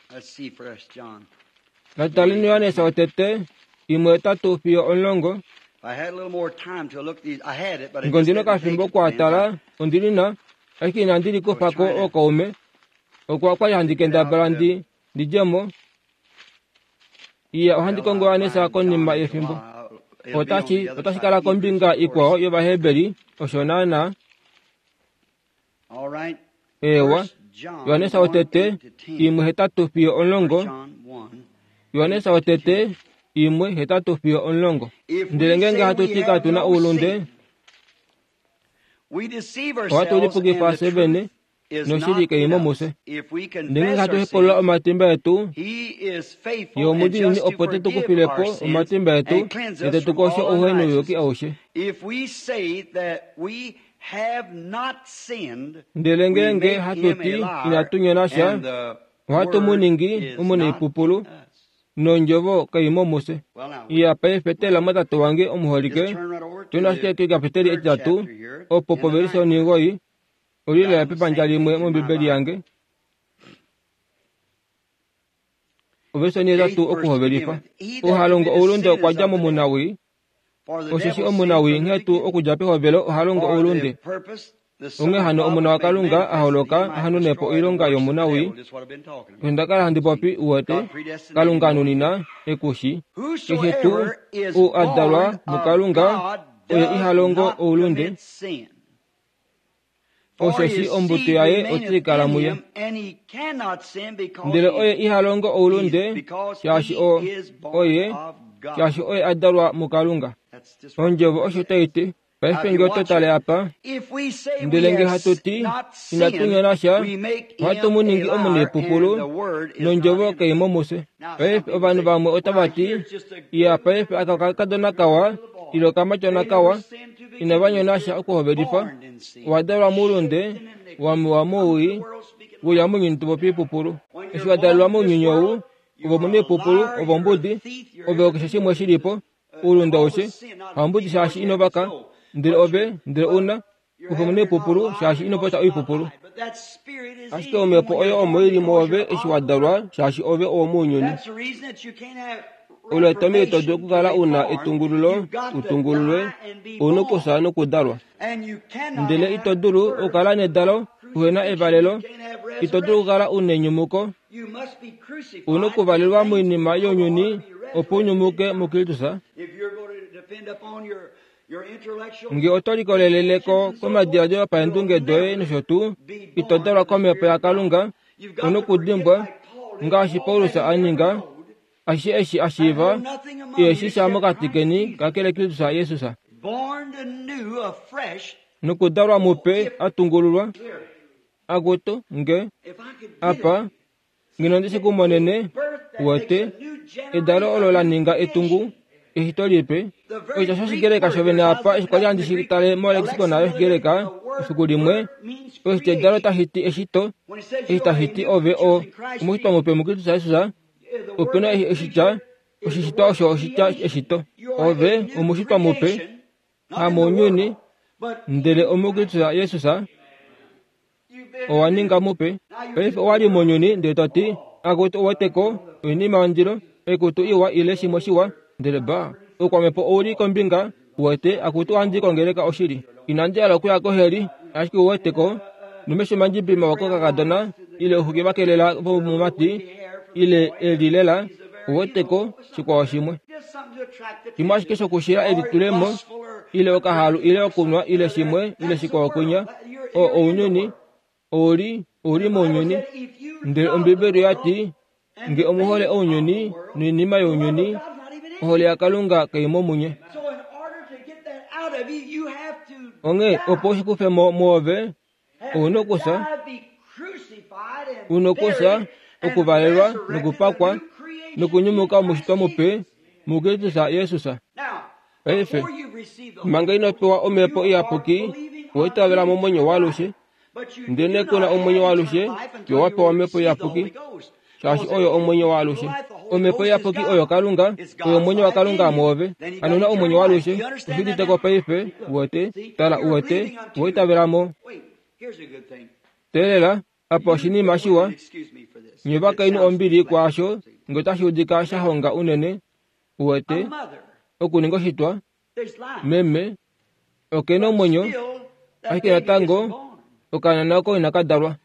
Nataleni Johannes wotete imwe hetatu fiyo omulongo. Ngondino kafimbo kwatala ondilina ashike inandi likufako okaume okwa kwali handi kendabala ndi ndidjemo iya ohandi kongo Johannes konima yefimbo. Otashi otashi kala kombinga ikwao yOvaheberi osho naana. Ewa Johannes wotete imwe hetatu fiyo omulongo. Johannes wotete imwe hetatu fiyo omulongo. Ndele ngeenge hatu ti katuna oulunde, ohatu lipukifa fye vene noshili kaimo mufye. Ndele ngeenge hatu hepulula omatimba etu, ye omudiinini opo te tu kufile po omatimba etu ndele te tu koshe ouhenouyuki aushe. Ndele ngeenge hatu ti inatu nyona sha, ohatu mu ningi omunaipupulu nondjovo kaimo mufye. Iya paife tela mwatate wange omuholike, tuna ashike kekapiteli etitatu opo povelise oningoi olile pepandja limwe mOmbibeli yange. Ovelise onitatu okuhovelifa. Ohalongo oulunde okwa dja momunawii, osheshi omunawii nghee tuu okudja pehovelo ohalongo oulunde. Onghee hano Omona waKalunga a holoka a hanune po oilonga yomunawii. Osho nda kala handi popi uwete, Kalunga anunina ekushi. Keshe tuu ou a dalwa muKalunga oye iha longo oulunde, osheshi ombuto yaye otai kala muye. Ndele oye iha longo oulunde, shaashi o oye shaashi oye a dalwa muKalunga. Ondjovo osho tai ti. Paife nge oto tale apa, ndele nge hatu ti inatu nyona sha, ohatu mu ningi omunaipupulu nondjovo kaimo mufye. Paife ovanhu vamwe otava ti, iya paife aka okakadona kawa ile okamatyona kawa, inava nyona sha okuhovelifa, owa dalwa moulunde, wamewa mowii, weuya mounyuni topopi oipupulu. Eshi wa dalelwa mounyuni ou, ove omunaipupulu, ove ombudi, ove okeshe shimwe shilipo, oulunde aushe, hambudi shaashi ino vaka, ndele ove ndele una kufa omunaipupulu shaashi ino popya oipupulu. Ashike omhepo oyo omo ili mwoove eshi wa dalwa shaashi ove owomounyuni. Olo etomhelo ito dulu okukala una etungululo utungululwe, ouna okufya nokudalwa. Ndele ito dulu okukala nedalo uhena evalelo, ito dulu okukala una enyumuko, ouna okuvalelwa moinima younyuni opo unyumuke muKristus. Nge oto likoleleleko komadiladilo opaendunge doye nosho tuu, ito dalwa komhepo yaKalunga, ouna okudimbwa ngaashi Paulus a ninga, ashishe eshi a shiiva iheshi sha mokati keni kakele Kristus Jesus. Nokudalwa mupe a tungululwa. Akutu nge apa ngeno ndi shi kumonene uwete edalo olo la ninga etungu eshito lipe. Oshitya shOshigreka shovene apa eshi kwali handi shi tale molexicon yOshigreka efiku limwe, oshitya edalo tashi ti eshito, eshi tashi ti ove o omushitwa mupe muKristus Jesus. Opena oshitya oshishitwa osho oshitya eshito. Ove omushitwa mupe hamounyuni, ndele omuKristus Jesus owa ninga mupe. Paife owa li mounyuni ndele to ti akutu uweteko oinima yondilo, oikutu iwa ile shimwe shiwa, ndele ba oukwamhepo ouli kombinga uwete akutu ohandi kongeleka oshili. Inandi hala okuya koheli, ashike uweteko nomesho mandjibi mawa kokakadona ile ouxuki vakelela vomumati ile eli lela uweteko shikwao shimwe. Shimwe ashike shokushila elitulemo ile okahalu ile okunwa ile shimwe ile shikwao kwinya, o ounyuni ouli ouli mounyuni. Ndele Ombibeli oya ti nge omuhole ounyuni noinima younyuni, ohole yaKalunga kaimo munye. Onghee opo ushi kufe mo mwoove, ouna okufya, una okufya, okuvalelwa nokupakwa nokunyumuka omushitwa mupe muKristus Jesus. Paife manga ino pewa omhepo iyapuki, owa itavela momwenyo waalushe, ndele kuna omwenyo waalushe yo wa pewa omhepo iyapuki, shaashi oyo omwenyo waalushe. Omhepo iyapuki oyo Kalunga, oyo omwenyo waKalunga mwoove. Hano una omwenyo waalushe, oshi uditeko paife, uwete, tala uwete, owa itavelamo. Teelela, apa oshinima shiwa. Nye vakainhu ombili kwaasho nge otashi udika sha honga unene. Uwete, okuninga oshitwa, meme, okena omwenyo, ashike natango okahanana oko inaka dalwa.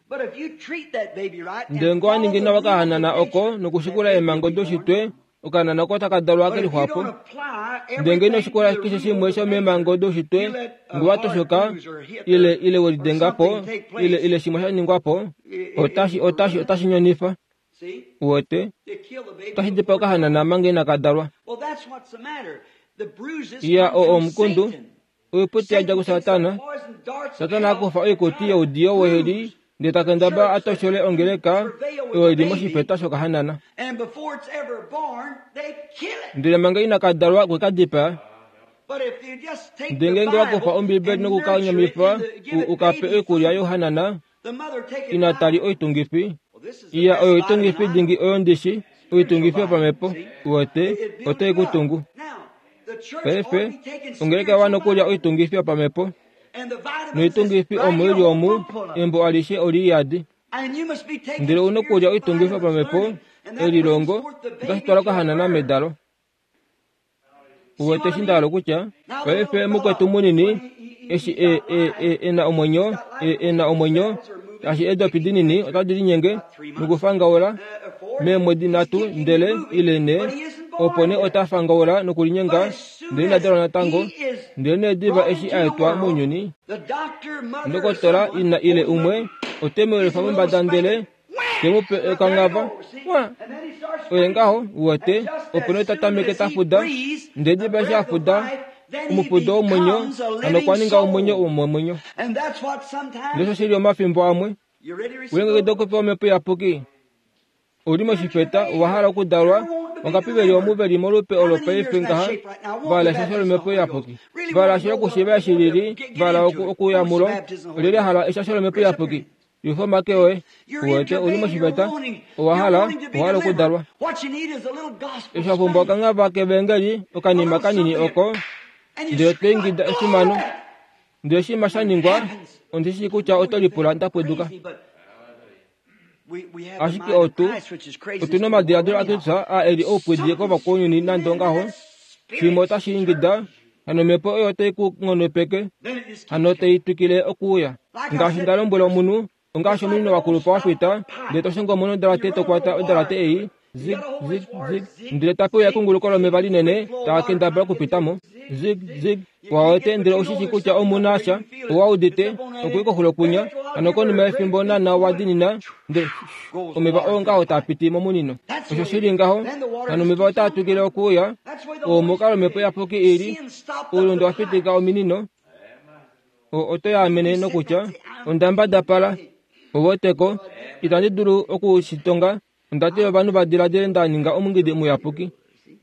Ndele ngee owa ningi nawa okahanana oko nokushikula eemhango doushitwe, okahanana oko otaka dalwa kelixwapo. Ndele ngee ino shikula keshe shimwe shomeemhango doushitwe, ngee wa toshoka, ile ile welidenga po, ile ile shimwe sha ningwa po, otashi otashi otashi nyonifa. Uwete, otashi dipaa okahanana manga inaka dalwa. Iya, oo omukundu, oiputi yadja kuSatana. Satana akufa oikuti youdiyo weheli ndele takendabala atoshole ongeleka oyo ili moshifeta shokahanana. Ndele manga inaka dalwa okwe ka dipaa. Ndele ngeenge wakufa Ombibeli nokukanyamifa ukape oikulya youhanana, ina tali oitungifi. Iya, oyo oitungifi dingi oyo ndishi, oitungifi yopamhepo. Uwete, otai ku tungu. Paife, ongeleka oya okulya oitungifi yopamhepo. Noitungifi omo ili omu, embo alishe oli yadi. Ndele ouna okulya oitungifi yopamhepo, elilongo, otashi twala okahanana medalo. Uwete eshi nda hala okutya? Paife mukwetu munini, eshi e, e, e, e na omwenyo, e, e na omwenyo, shaashi eedopi dinini otadi linyenge nokufangaula meemwedi nhatu ndele ile nhee, opo nee ota fangaula nokulinyenga ndele ina dalwa natango. Ndele nee diva eshi a etwa mounyuni, ndokotola ina ile umwe ote mu yelifa mombada ndele te mu pe okangava. Wa! Oye ngaho, uwete, opo nee ta tameke ta fuda, ndele diva eshi a fuda omufudo womwenyo, hano okwa ninga omwenyo womomwenyo. Ndele osho shili omafimbo amwe. Ulengekida okupewa omhepo iyapuki. Ouli moshifeta, owa hala okudalwa, wangapi veli omu veli molupe olo paife ngaha, vahala eshasho lomhepo iyapuki. Vahala ashike okushiiva eshi lili, vahala okuya mulo, olyelye a hala eshasho lomhepo iyapuki? Yufa omake oye. Uwete, ouli moshifeta, owa hala, owa hala okudalwa. Eshi wa pumbwa okangava kevangeli, okanima kanini oko, ndele to ingida efimano. Ndele shima sha ningwa, ondi shii kutya oto lipula nda pweduka. Ashike otu, otu na omadiladilo aKristus aa e li oupwidi kovakwaunyuni nande ongaho. Shimwe otashi ingida, hano omhepo oyo otai ku nghonopeke, hano tai twikile okuuya. Ngaashi nda lombwela omunhu, ongaashi omunino wa kulupa wa fita, ndele to shongo mo nodalate to kwata odalate ei, zig, zig, zig, ndele tape uya ekunguluko lomeva linene taa kendabala okupita mo. Zig, zig, wawete ndele oushi kutya omu na sha, owa udite, okuya koxulo kwinya, hano konima yefimbo naana wa dinina, ndele omeva oo ngaho taa piti momunino. Osho shili ngaho, hano omeva otaa twikile okuuya, oo omukalo omhepo iyapuki ili, oulunde wa fitika ominino, oo oto yaamene nokutya, onda mbadapala, uweteko, itandi dulu okushitonga, onda tila ovanhu va diladile nda ninga omungidi muyapuki.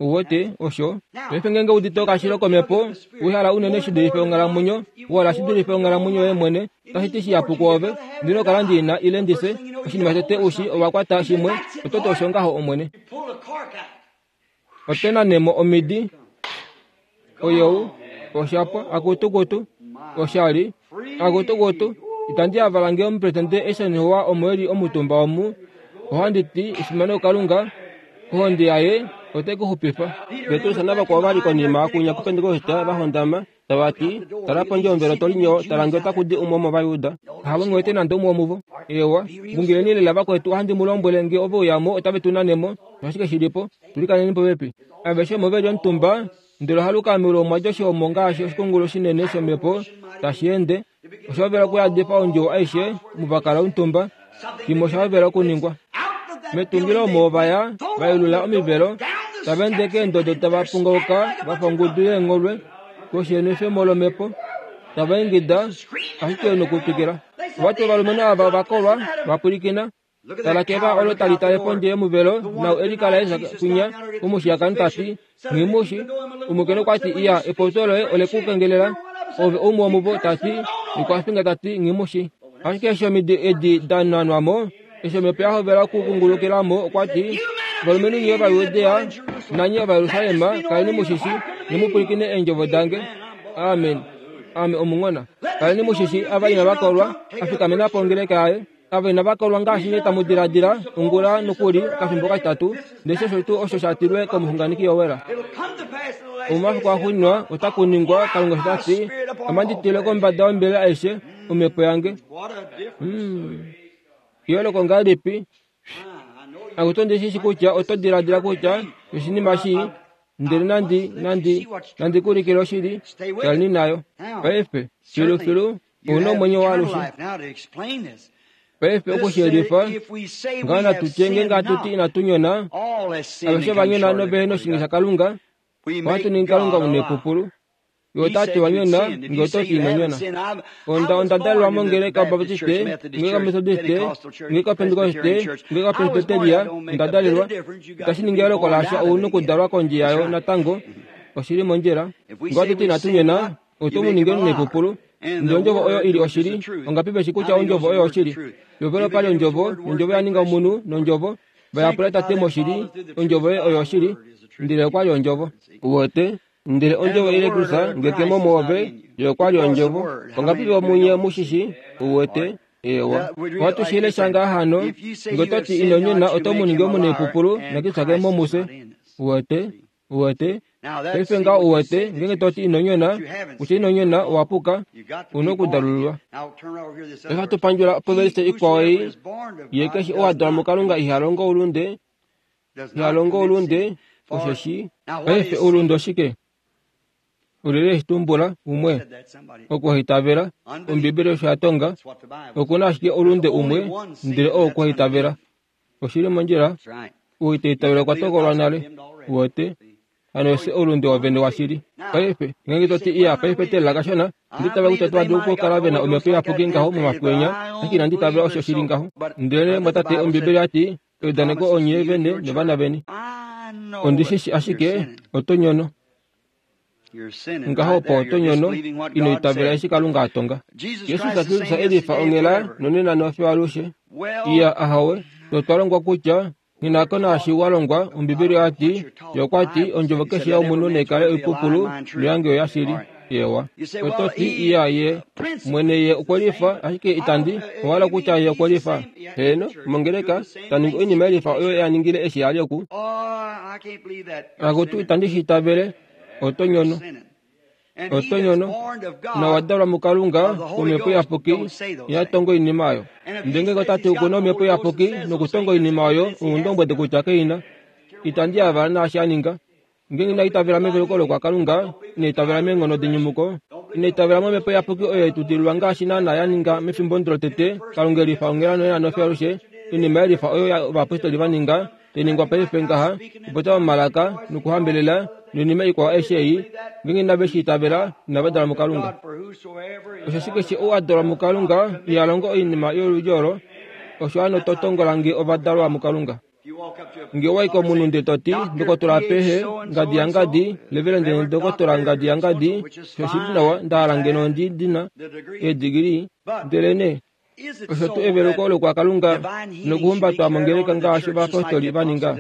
Uwete, osho. Paife ngeenge udite okashilo komhepo, uhala unene shi dulife onghalamwenyo, uhala shi dulife onghalamwenyo yoye mwene, otashi ti shihapu kwoove, ndele okala ndi na ile ndise, oshinima shotete ushi owa kwata shimwe, oto ti osho ngaho Omwene. Ote nanemo omidi. Oyou, oshapwa, akutukutu, oshali, akutukutu, itandi yavala ngee omupresidente Eisenhower omo eli omutumba omu, ohandi ti efimano kuKalunga, ohonde yaye otai ku xupifa. Petrus navakwao vali konima kunya kuPentekoste va hondama, tava ti, tala pondje yomuvelo to linyo, tala ngee otaku di umwe womOvayuda. Havo nghi wete nande umwe womuvo. Eewa, ngungileni lela vakwetu, ohandi mu lombwele ngee ove uyamo otave tu nanemo, osho ashike shilipo, tulikaneni popepi. Aveshe omo veli omutumba, ndele ohaluka meulu omwa dja oshihomo ngaashi oshikungulu shinene shomhepo tashi ende, osha hovela okuyadifa ondjuwo aishe omu va kala omutumba. Shimwe osha hovela okuningwa. Metungilo omo ova ya, va yelula omivelo, tava ende keendodo tava pungauka va fa ongudu yeengholwe koshi yenwefemo lomhepo, tava ingida ashike nokutwikila. Ova ti ovalumenhu ava ova kolwa, va pwilikina, tala keva olo tali tale pondje yomuvelo nau e likala kwinya omushiyakano ta ti, Nghimushi, omukainhu okwa ti, iya, epopyo loye ole ku kengelela, ove oumwe womuvo, ta ti, okwa finga ta ti, Nghimushi. Ashike eshi omidi edi da nanwa mo, eshi omhepo ya hovela okukungulukila mo, okwa ti, ovalumenhu nye Ovajudea nanye Ovajerusalem, kaleni mushishi, nye mu pwilikine eendjovo dange. Amen. Ame omunghona. Kaleni mushishi ava inava kolwa, afikamena po ongeleka yaye. Ava inava kolwa ngaashi nye tamu diladila, ongula nokuli okafimbo katitatu, ndele osho tuu osho sha tilwe komuxunganeki Yowela. Omumafiku axuuninwa otaku ningwa, Kalunga osho ta ti, ame ndi tile kombada yombelela aishe omhepo yange. Eyooloko ngahelipi? Akutu ndi shi kutya oto diladila kutya oshinima shii, ndele nandi nandi nandi ku ulikile oshili, kaleni nayo. Paife, filufilu, ouna omwenyo waalushe. Paife okushiyelifa, ngaho natu tye ngeenge hatu ti inatu nyona, aveshe va nyona novehena oshinge shaKalunga, ohatu ningi Kalunga omunepupulu. Ye ota ti wa nyona, nge oto ti ino nyona. Onda onda dalelwa mongeleka yObaptiste, ngeleka Methodiste, ngeleka Pentekoste, ngeleka Presbyteria, onda dalelwa. Itashi ningi eyooloko lasha, ouna okudalwa kondje yayo natango, oshili mondjila. Nge ohatu ti inatu nyona, oto mu ningi omunepupulu. Ndele ondjovo oyo ili oshili, ongapi veshi kutya ondjovo oyo oshili? Pehovelo opali ondjovo, nondjovo ya ninga omunhu, nondjovo vayapula Tate moshili, ondjovo yoye oyo oshili, ndele okwali ondjovo. Uwete? Ndele ondjovo ile Kristus ngeke mo mwoove, ye okwali ondjovo. Ongapi vomunye mushishi? Uwete? Ewa. Ohatu shi lesha ngaha hano, nge oto ti ino nyona oto mu ningi omunepupulu, naKristus ke mo mufye. Uwete? Uwete? Paife ngaho uwete, ngeenge to ti ino nyona, kutya ino nyona, owa puka, una okudalululwa. Paife ohatu pandjula povelise ikwao ei, ye keshe ou a dalwa muKalunga iha longo oulunde, iha longo oulunde, osheshi paife oulunde oshike? Olyelye eshi tumbula? Umwe. Okuhaitavela. Ombibeli osho ya tonga, okuna ashike oulunde umwe, ndele oo okuhaitavela. Oshili mondjila, ou ita itavele okwa tokolwa nale. Uwete? Hano osho oulunde wovene washili. Paife, ngeenge to ti iya paife teelela kashona, onda itavela kutya otava dulu okukala vena omhepo iyapuki ngaho momafiku enya, ashike inandi itavela osho shili ngaho. Ndele mwatate, Ombibeli oya ti, eudaneko onye vene novana veni. Ondi shi shi ashike, oto nyono. Ngaho opo oto nyono, ino itavela eshi Kalunga a tonga. Jesus Kristus elifa onghela nonena nofiyo alushe. Iya ahowe, otwa longwa kutya nghinako naashi wa longwa, Ombibeli oya ti, ye okwa ti, ondjovo keshe yomunhu naikale oipupulu, noyange oyoshili. Ewa. Oto ti iya ye mwene ye okwelifa, ashike itandi owahala kutya ye okwelifa. Heeno, mongeleka, ta ningi oinima yelifa oyo a ningile eshi a li oku. Akutu itandi shi itavele, oto nyono. Oto nyono, nowa dalwa muKalunga komhepo iyapuki, iha tongo oinima oyo. Ndele ngeenge ota ti okuna omhepo iyapuki nokutonga oinima oyo, oundombwedi kutya keina. Itandi yavala naashi a ninga. Ngeenge ina itavela meveluko lokwaKalunga, ina itavela meenghono denyumuko, ina itavela momhepo iyapuki oyo yetutililwa ngaashi naana ya ninga mefimbo lotete, Kalunga elifa onghela nonena nofiyo alushe, oinima yelifa oyo ovayapostoli va ninga, tai ningwa paife ngaha, okupopya momalaka nokuhambelela, noinima ikwao aishe ei, ngeenge inave shi itavela, inava dalwa muKalunga. Osheshi keshe ou a dalwa muKalunga iha longo oinima yoludi olo, osho hano to tongola nge ova dalwa muKalunga. Nge owa i komunhu ndele to ti, ndokotola apehe, ngadi yangadi, levelende ndokotola ngadi yangadi, osho oshili nawa, nda hala ngeno ndi dina eedigili, ndele nee osho tuu eveluko lokwaKalunga nokuhumbatwa mongeleka ngaashi ovayapostoli va ninga.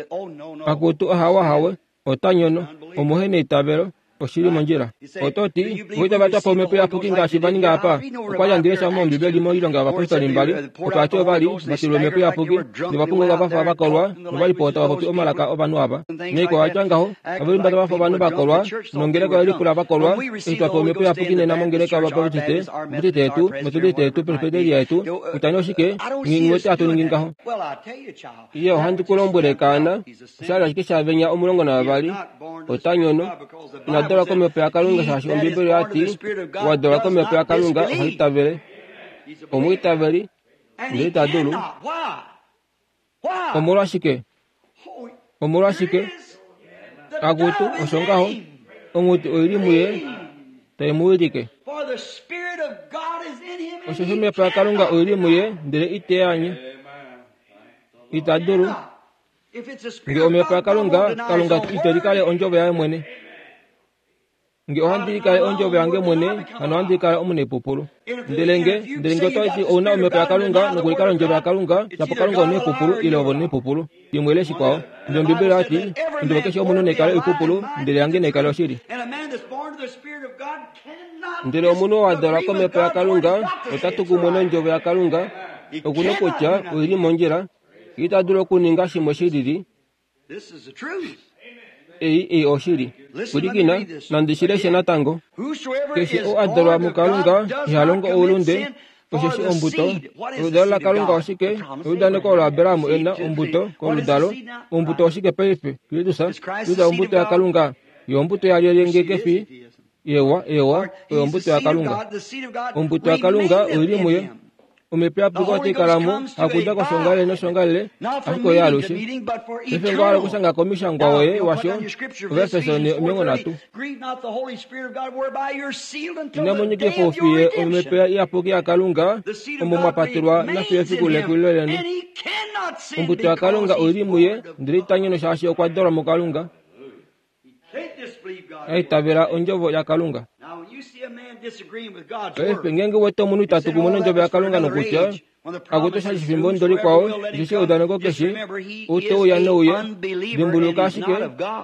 Akutu ahawe ahawe, ota nyono, omuhe neitavelo, oshili mondjila. Oto ti, oitava twa pa omhepo iyapuki ngaashi va ninga apa. Okwa li handi lesha mOmbibeli moilonga yovayapostoli mbali, opo vati ova li va tilwa omhepo iyapuki, novapunguka va fa va kolwa, nova li po tava popi omalaka ovanhu ava. Naikwao ya tya ngaho, ove lihumbata va fa ovanhu va kolwa, nongeleka oye lipula va kolwa, eshi twa pewa omhepo iyapuki nena mongeleka yOvabaptiste, Baptiste yetu, Methodiste yetu, Presbyteria yetu, kutya nee oshike, nghi wete hatu ningi ngaho. Iye ohandi ku lombwele kaana, osha li ashike shavenya omulongo navavali, ota nyono. Ina dalwa komhepo yaKalunga shaashi Ombibeli oya ti, owa dalwa komhepo yaKalunga oha itavele. Omwiitaveli, ndele ita dulu. Omolwashike? Omolwashike? Akutu, osho ngaho, onghuti oili muye, tai mu wilike. Osheshi omhepo yaKalunga oili muye, ndele ite anye. Ita dulu. Nge omhepo yaKalunga, Kalunga ite likale ondjovo yaye mwene. Nge ohandi likale ondjovo yange mwene, hano ohandi kala omunepupulu. Ndele nge, ndele nge oto ti ouna omhepo yaKalunga nokulikala ondjovo yaKalunga, shapo Kalunga omunepupulu ile ove omunepupulu. Imwe ile shikwao. Ndele Ombibeli oya ti, ondjovo keshe yomunhu naikale oipupulu, ndele yange naikale oshili. Ndele omunhu oo a dalwa komhepo yaKalunga ota tu kumwe nondjovo yaKalunga, okuna kutya oili mondjila, ita dulu okuninga shimwe shilili. Ei ei oshili. Pwilikina, nandi shi leshe natango. Keshe oo a dalwa muKalunga iha longo oulunde, osheshi ombuto. Oludalo laKalunga oshike? Eudaneko olo Abraham e na ombuto koludalo. Ombuto oshike paife? Kristus, Kristus ombuto yaKalunga. Yo ombuto yalyelye nge kefi? Ewa, ewa, oyo ombuto yaKalunga. Ombuto yaKalunga oili muye. Omhepo iyapuki otai kala mo, hakuda koshongalele noshongalele, ashike oye alushe. Paife ngoo hala okushanga komishangwa woye washo, Ovaefeso omilongo nhatu. Inamu nyikifa oufiye omhepo iyapuki yaKalunga, omo mwa patelwa nafiyo efiku lekulilo leni. Ombuto yaKalunga oili muye, ndele ita nyono shaashi okwa dalwa muKalunga. Aitavela ondjovo yaKalunga. Paife ngeenge wete omunhu itatu kumwe nondjovo yaKalunga nokutya akutu sha shifimbo ndolikwao, osheshi eudaneko keshe ou te uya nouye, dimbuluka ashike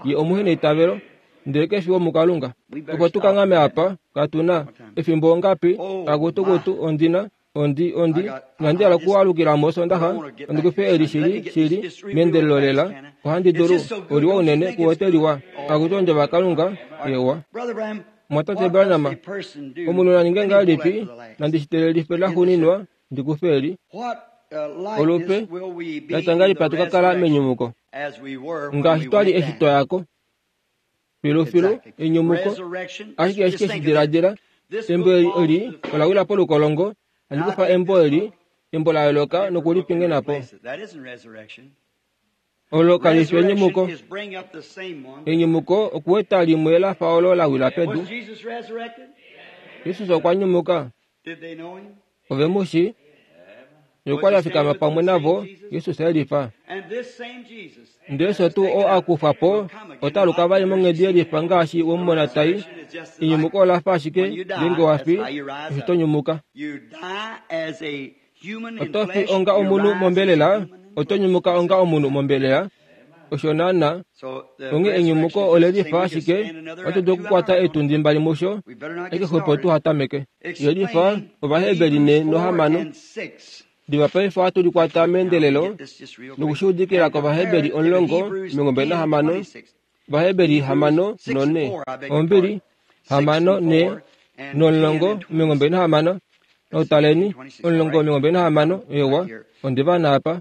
ye omuheneitavelo, ndele kefi womuKalunga. Opo tu kanghame apa, katu na efimbo ongapi, akutu kutu ondina ondi ondi inandi hala okualukila mOsoondaxa, ondi kufe eli shili shili meendelelo lela, ohandi dulu, oliwa unene kuwete liwa, akutu ondjovo yaKalunga, ewa. Mwatate Branham, omunhu na ninge ngahelipi, nandi shi teelelife laxuuninwa, ndi kufe eli. Olupe, latya ngahelipi hatu ka kala menyumuko? Ngaashi twali eshi twa yako. Filufilu, enyumuko, ashike ashike shi diladila, embo eli ola wila polukolongo, handi kufa embo eli, embo la yooloka nokulipingena po. Olo kali fi enyumuko. Enyumuko okuweta limwe la fa olo la wila pedu. Jesus okwa nyumuka. Ove mu shi? Ye okwa li a fikama pamwe navo, Jesus e lifa. Ndele osho tuu oo a kufa po ota aluka vali monghedi ye lifa ngaashi wemumona tai. Enyumuko ola fa ashike ngeenge wa fi, osho to nyumuka. Oto fi onga omunhu mombelela, oto nyumuka onga omunhu mombelela. Osho naana, onghee enyumuko ole lifa ashike, ohatu dulu okukwata eetundi mbali musho, ashike xwepo tuha tameke. Ye lifa Ovaheberi ne nohamano. Diva paife ohatu likwata meendelelo nokushuudikila kOvaheberi omulongo omilongo mbali nahamano. Ovaheberi hamano nonhe. Ombili, hamano ne nomulongo omilongo mbali nahamano. Nautaleni, omulongo omilongo mbali nahamano, ewa, ondiva naapa.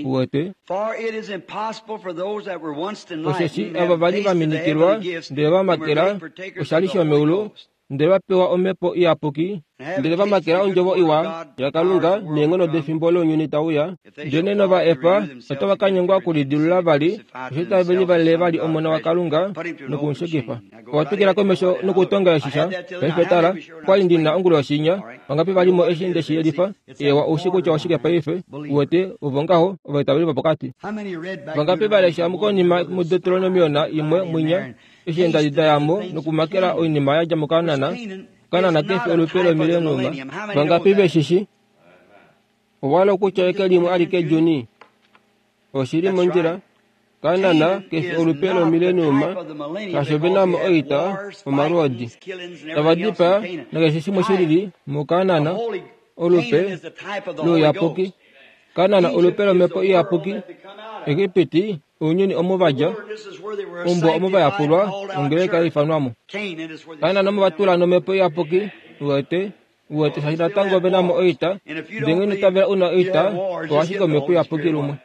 Uwete. Osheshi ava vali va minikilwa, ndele va makela oshali shomeulu, ndele va pewa omhepo iyapuki, ndele va makela ondjovo iwa yaKalunga neenghono defimbo lounyuni tauya, ndele nova efa, otava ka nyengwa okulidilula vali, osheshi tave livalele vali Omona waKalunga nokumushekifa. Owa twikila komesho nokutonga eshisha. Paife tala, okwali ndi na onguloshinya, vangapi vali mo eshi nde shi yelifa? Ewa, oushi kutya oshike paife. Uwete, ovo ngaho, ovaitaveli vopokati. Vangapi va lesha konima muDeuteronomion imwe mwinya, eshi eendadi da ya mo nokumakela oinima ya dja muKanaan, Kanaan kefi olupe lomileniuma. Vangapi veshishi? Owa hala okutya eke limwe alike Juni? Oshili mondjila. Kanaan kefi olupe lomileniuma, shaashi ove na mo oita, omalwoodi. Tava dipaa nakeshe shimwe shilili muKanaan, olupe louyapuki. Kanaan olupe lomhepo iyapuki. Egipiti, ounyuni omo va dja, ombwa omo va yapulwa, ongeleka ya ifanwa mo. Kanaan omo va tula nomhepo iyapuki, uwete, uwete shaashi natango ove na mo oita, ndele ngee ino itavela u na oita, owa ashike omhepo iyapuki lumwe.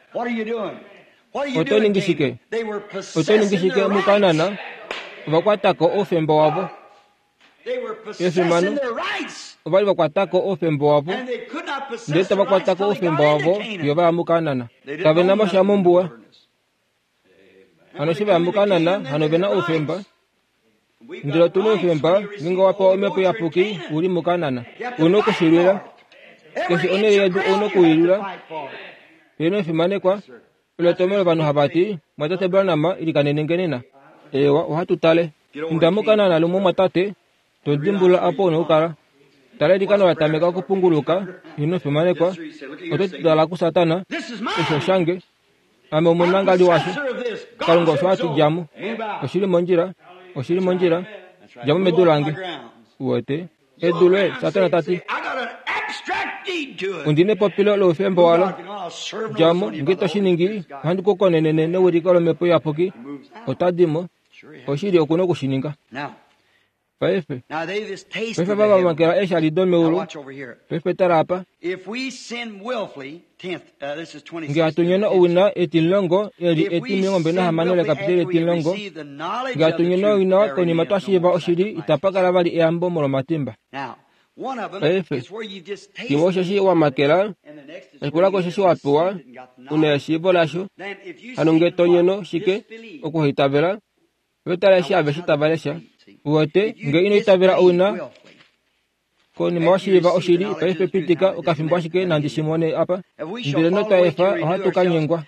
Oto ningi shike? Oto ningi shike muKanaan? Ova kwatako oufemba wavo. Efimano, ova li va kwatako oufemba wavo, ndele tava kwatako oufemba wavo fiyo va ya muKanaan. Kave na mo sha mombuwa. Hano eshi va ya muKanaan, hano ove na oufemba. Ndele otu na oufemba, ngeenge owa pewa omhepo iyapuki, u li muKanaan. U na okushilwila. Keshe onhele yedu ou na okuilwila. Heeno efimanekwa, olo etomhelo ovanhu hava ti, Mwatate Branham, ilikanene nge nena. Ewa, ohatu tale. Inda muKanaan lumwe mwatate, to dimbulula apo una okukala. Tala eilikano la tameka okupunguluka, ino fimanekwa, oto tala kuSatana, osho shange. Ame omunangali washo. Kalunga osho ati djamo. Oshili mondjila, oshili mondjila, djamo medu lange. Uwete, edu loye, Satana tati. Ondina epopilo loufemba walo. Djamo, nge to shi ningi, ohandi ku konenene newiliko lomhepo iyapuki. Ota dimo. Oshili okuna okushininga. Paife, paife vava vamakela eeshali domeulu. Paife tala apa. Nge hatu nyono owina etimulongo eli etimilongo nahamano lekapiteli etimulongo. Nge hatu nyono owina konima twa shiiva oshili itapa kala vali eyambo molwomatimba. Paife, kimwe osheshi wamakela, eshikulako osheshi wapewa, una eshiivo lasho. Hano nge to nyono shike okuhaitavela, vetala eshi aveshe tava lesha. Uwete, nge ino itavela owina konima washiiva oshili, paife pitika okafimbo ashike nandi shimone apa. Ndele notwa efa ohatu ka nyengwa.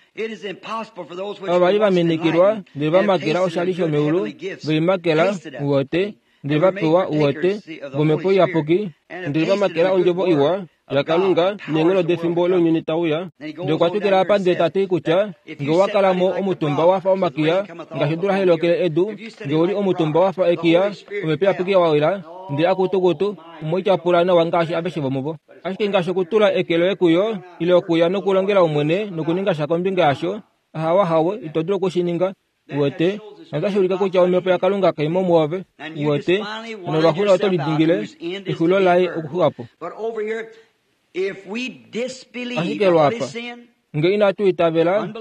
Ava vali vaminikilwa ndele vamakela oshali shomeulu, veimakela uwete, ndele vapewa uwete vomhepo iyapuki, ndele vamakela ondjovo iwa yaKalunga neenghono defimbo lounyuni tauya. Ndele okwa twikila apa ndele tati kutya nge owa kala mo omutumba wafa omakiya ngaashi odula hai lokele edu, nge uli omutumba wafa ekiya, omhepo iyapuki wawila ndele akutukutu omoityapula nawa ngaashi aveshe vomuvo. Ashike ngaashi okutula eke loye kuyo ile okuya nokulongela Omwene nokuninga sha kombinga yasho, ahawa hawe ito dulu okushininga. Uwete, notashi ulike kutya omhepo yaKalunga kai mo mwoove. Uwete, nolwaxulo oto lidingile exulo laye okuxuwa po. Ashike lwapa, nge inatu itavela,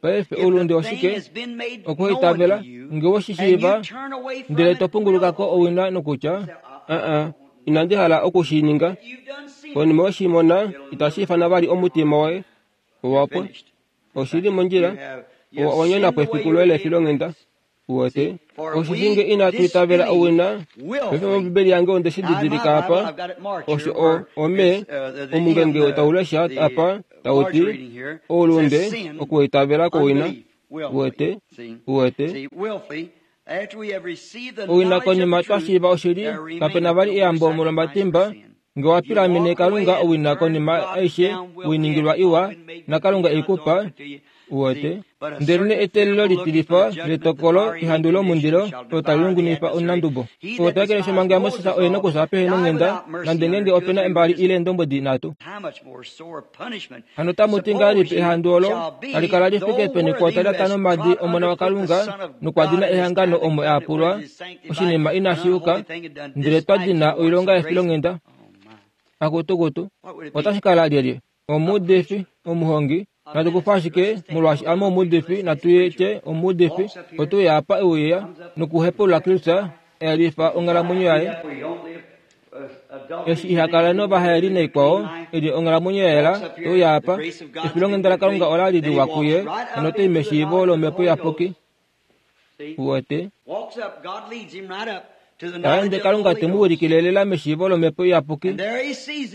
paife oulunde oshike? Okuhaitavela, nge woshishiiva, ndele to pungulukako owina nokutya, aa, inandi hala okushininga. Konima weshimona, itashi ifana vali omutima woye. Owapwa. Oshili mondjila. Owa nyona po efiku loye lefilonghenda. Uwete, osheshi nge inatu itavela owina, paife mOmbibeli yange onde shi didilika apa, osho o ome omungenge tau lesha apa tau ti oulunde okuitavela kowina. Uwete, uwete, owina konima twa shiiva oshili, kapena vali eyambo molwomatimba. Nge wa pilamene Kalunga owina konima aishe winingilwa iwa naKalunga eikupa. Uwete, ndele eteelelo litilifa letokolo ehandu lomundilo olo tali lungwinifa omunandubo. Oo ta ekeleshi omhango yaMoses oye nokufya pehe nonghenda, nande ngeenge opena mbali ile eendombwedi nhatu. Hano tamu ti ngahelipi ehandu olo tali kala li fike peni kwoo ta nomadi Omona waKalunga nokwa dina ehangano omo a yapulwa, oshinima inashi yuka, ndele twa dina oilonga yefilonghenda. Akutukutu, otashi kala lyelye? Omuudifi, omuhongi. Natu kufa ashike molwaashi ame omuudifi, natu tye omuudifi, otuya apa euya nokuhepaulula Kristus, eyelifa onghalamwenyo yaye. Eshi iha kala novahaeli naikwao, eli onghalamwenyo ya yela, euya apa, efilonghenda laKalunga ola li liwa kuye, notai meshiivo lomhepo iyapuki. Uwete, taende Kalunga te mu wilikile lela meshiivo lomhepo iyapuki.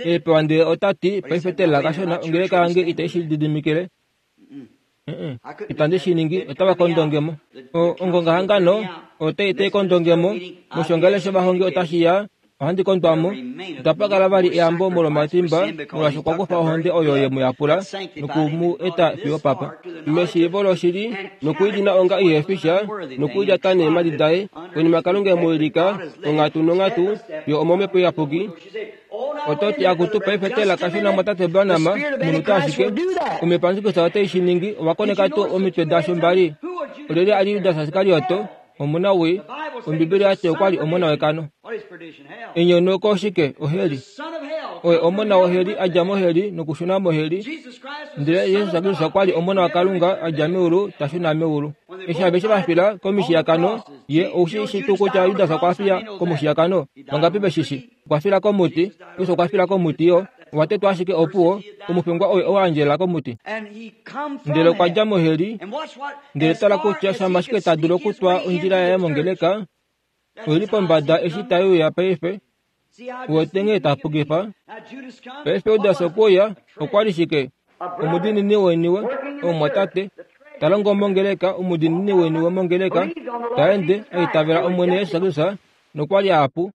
Epewa ndele ota ti, paife teelela kashona, ongeleka yange itai shi lididimikile. Itandi shi ningi, otava kondongemo. Ongongahangano otai tai kondongemo, moshongele shovahongi otashi ya, ohandi kondwamo. Itapa kala vali eyambo molwomatimba, molwaashi okwa kufa ohonde oyo ye mu yapula noku mu eta fiyo papa. Meshiivo loshili, nokuidina onga ihefi sha, nokuilyata neemhadi daye, konima Kalunga e mu wilika onghatu nonghatu fiyo omomhepo iyapuki. Oto ti akutu paife teelela kashona mwatate Branham, omunhu ashike. Omhepo yaJesus otai shi ningi, owa koneka tuu omitwe dasho mbali. Olyelye a li Judas Iskarioto, omona wii? Ombibeli oyati okwa li omona wekano. Enyonauko oshike? Oheli. Oye omona woheli, a dja moheli nokushuna moheli. Ndele Jesus Kristus okwa li omona waKalunga, a dja meulu ta shuna meulu. Eshi aveshe va fila komishiyakano, ye oushi shi tuu kutya Judas okwa fiya komushiyakano? Vangapi veshishi? Okwa fila komuti, Jesus okwa fila komuti yo. Owa tetwa ashike opuwo, omufengwa oye owa andjela komuti. Ndele okwa dja moheli, ndele tala kutya shama ashike ta dulu okutwa ondjila yaye mongeleka, oili pombada eshi tai uya paife. Uwete nghee ta pukifa? Paife Judas okwe uya, okwa li shike? Omudiinini woiniwe, omumwatate, Ta longo mongeleka, omudiinini weni womongeleka, ta ende, a itavela Omwene Jesus Kristus, nokwa li apu.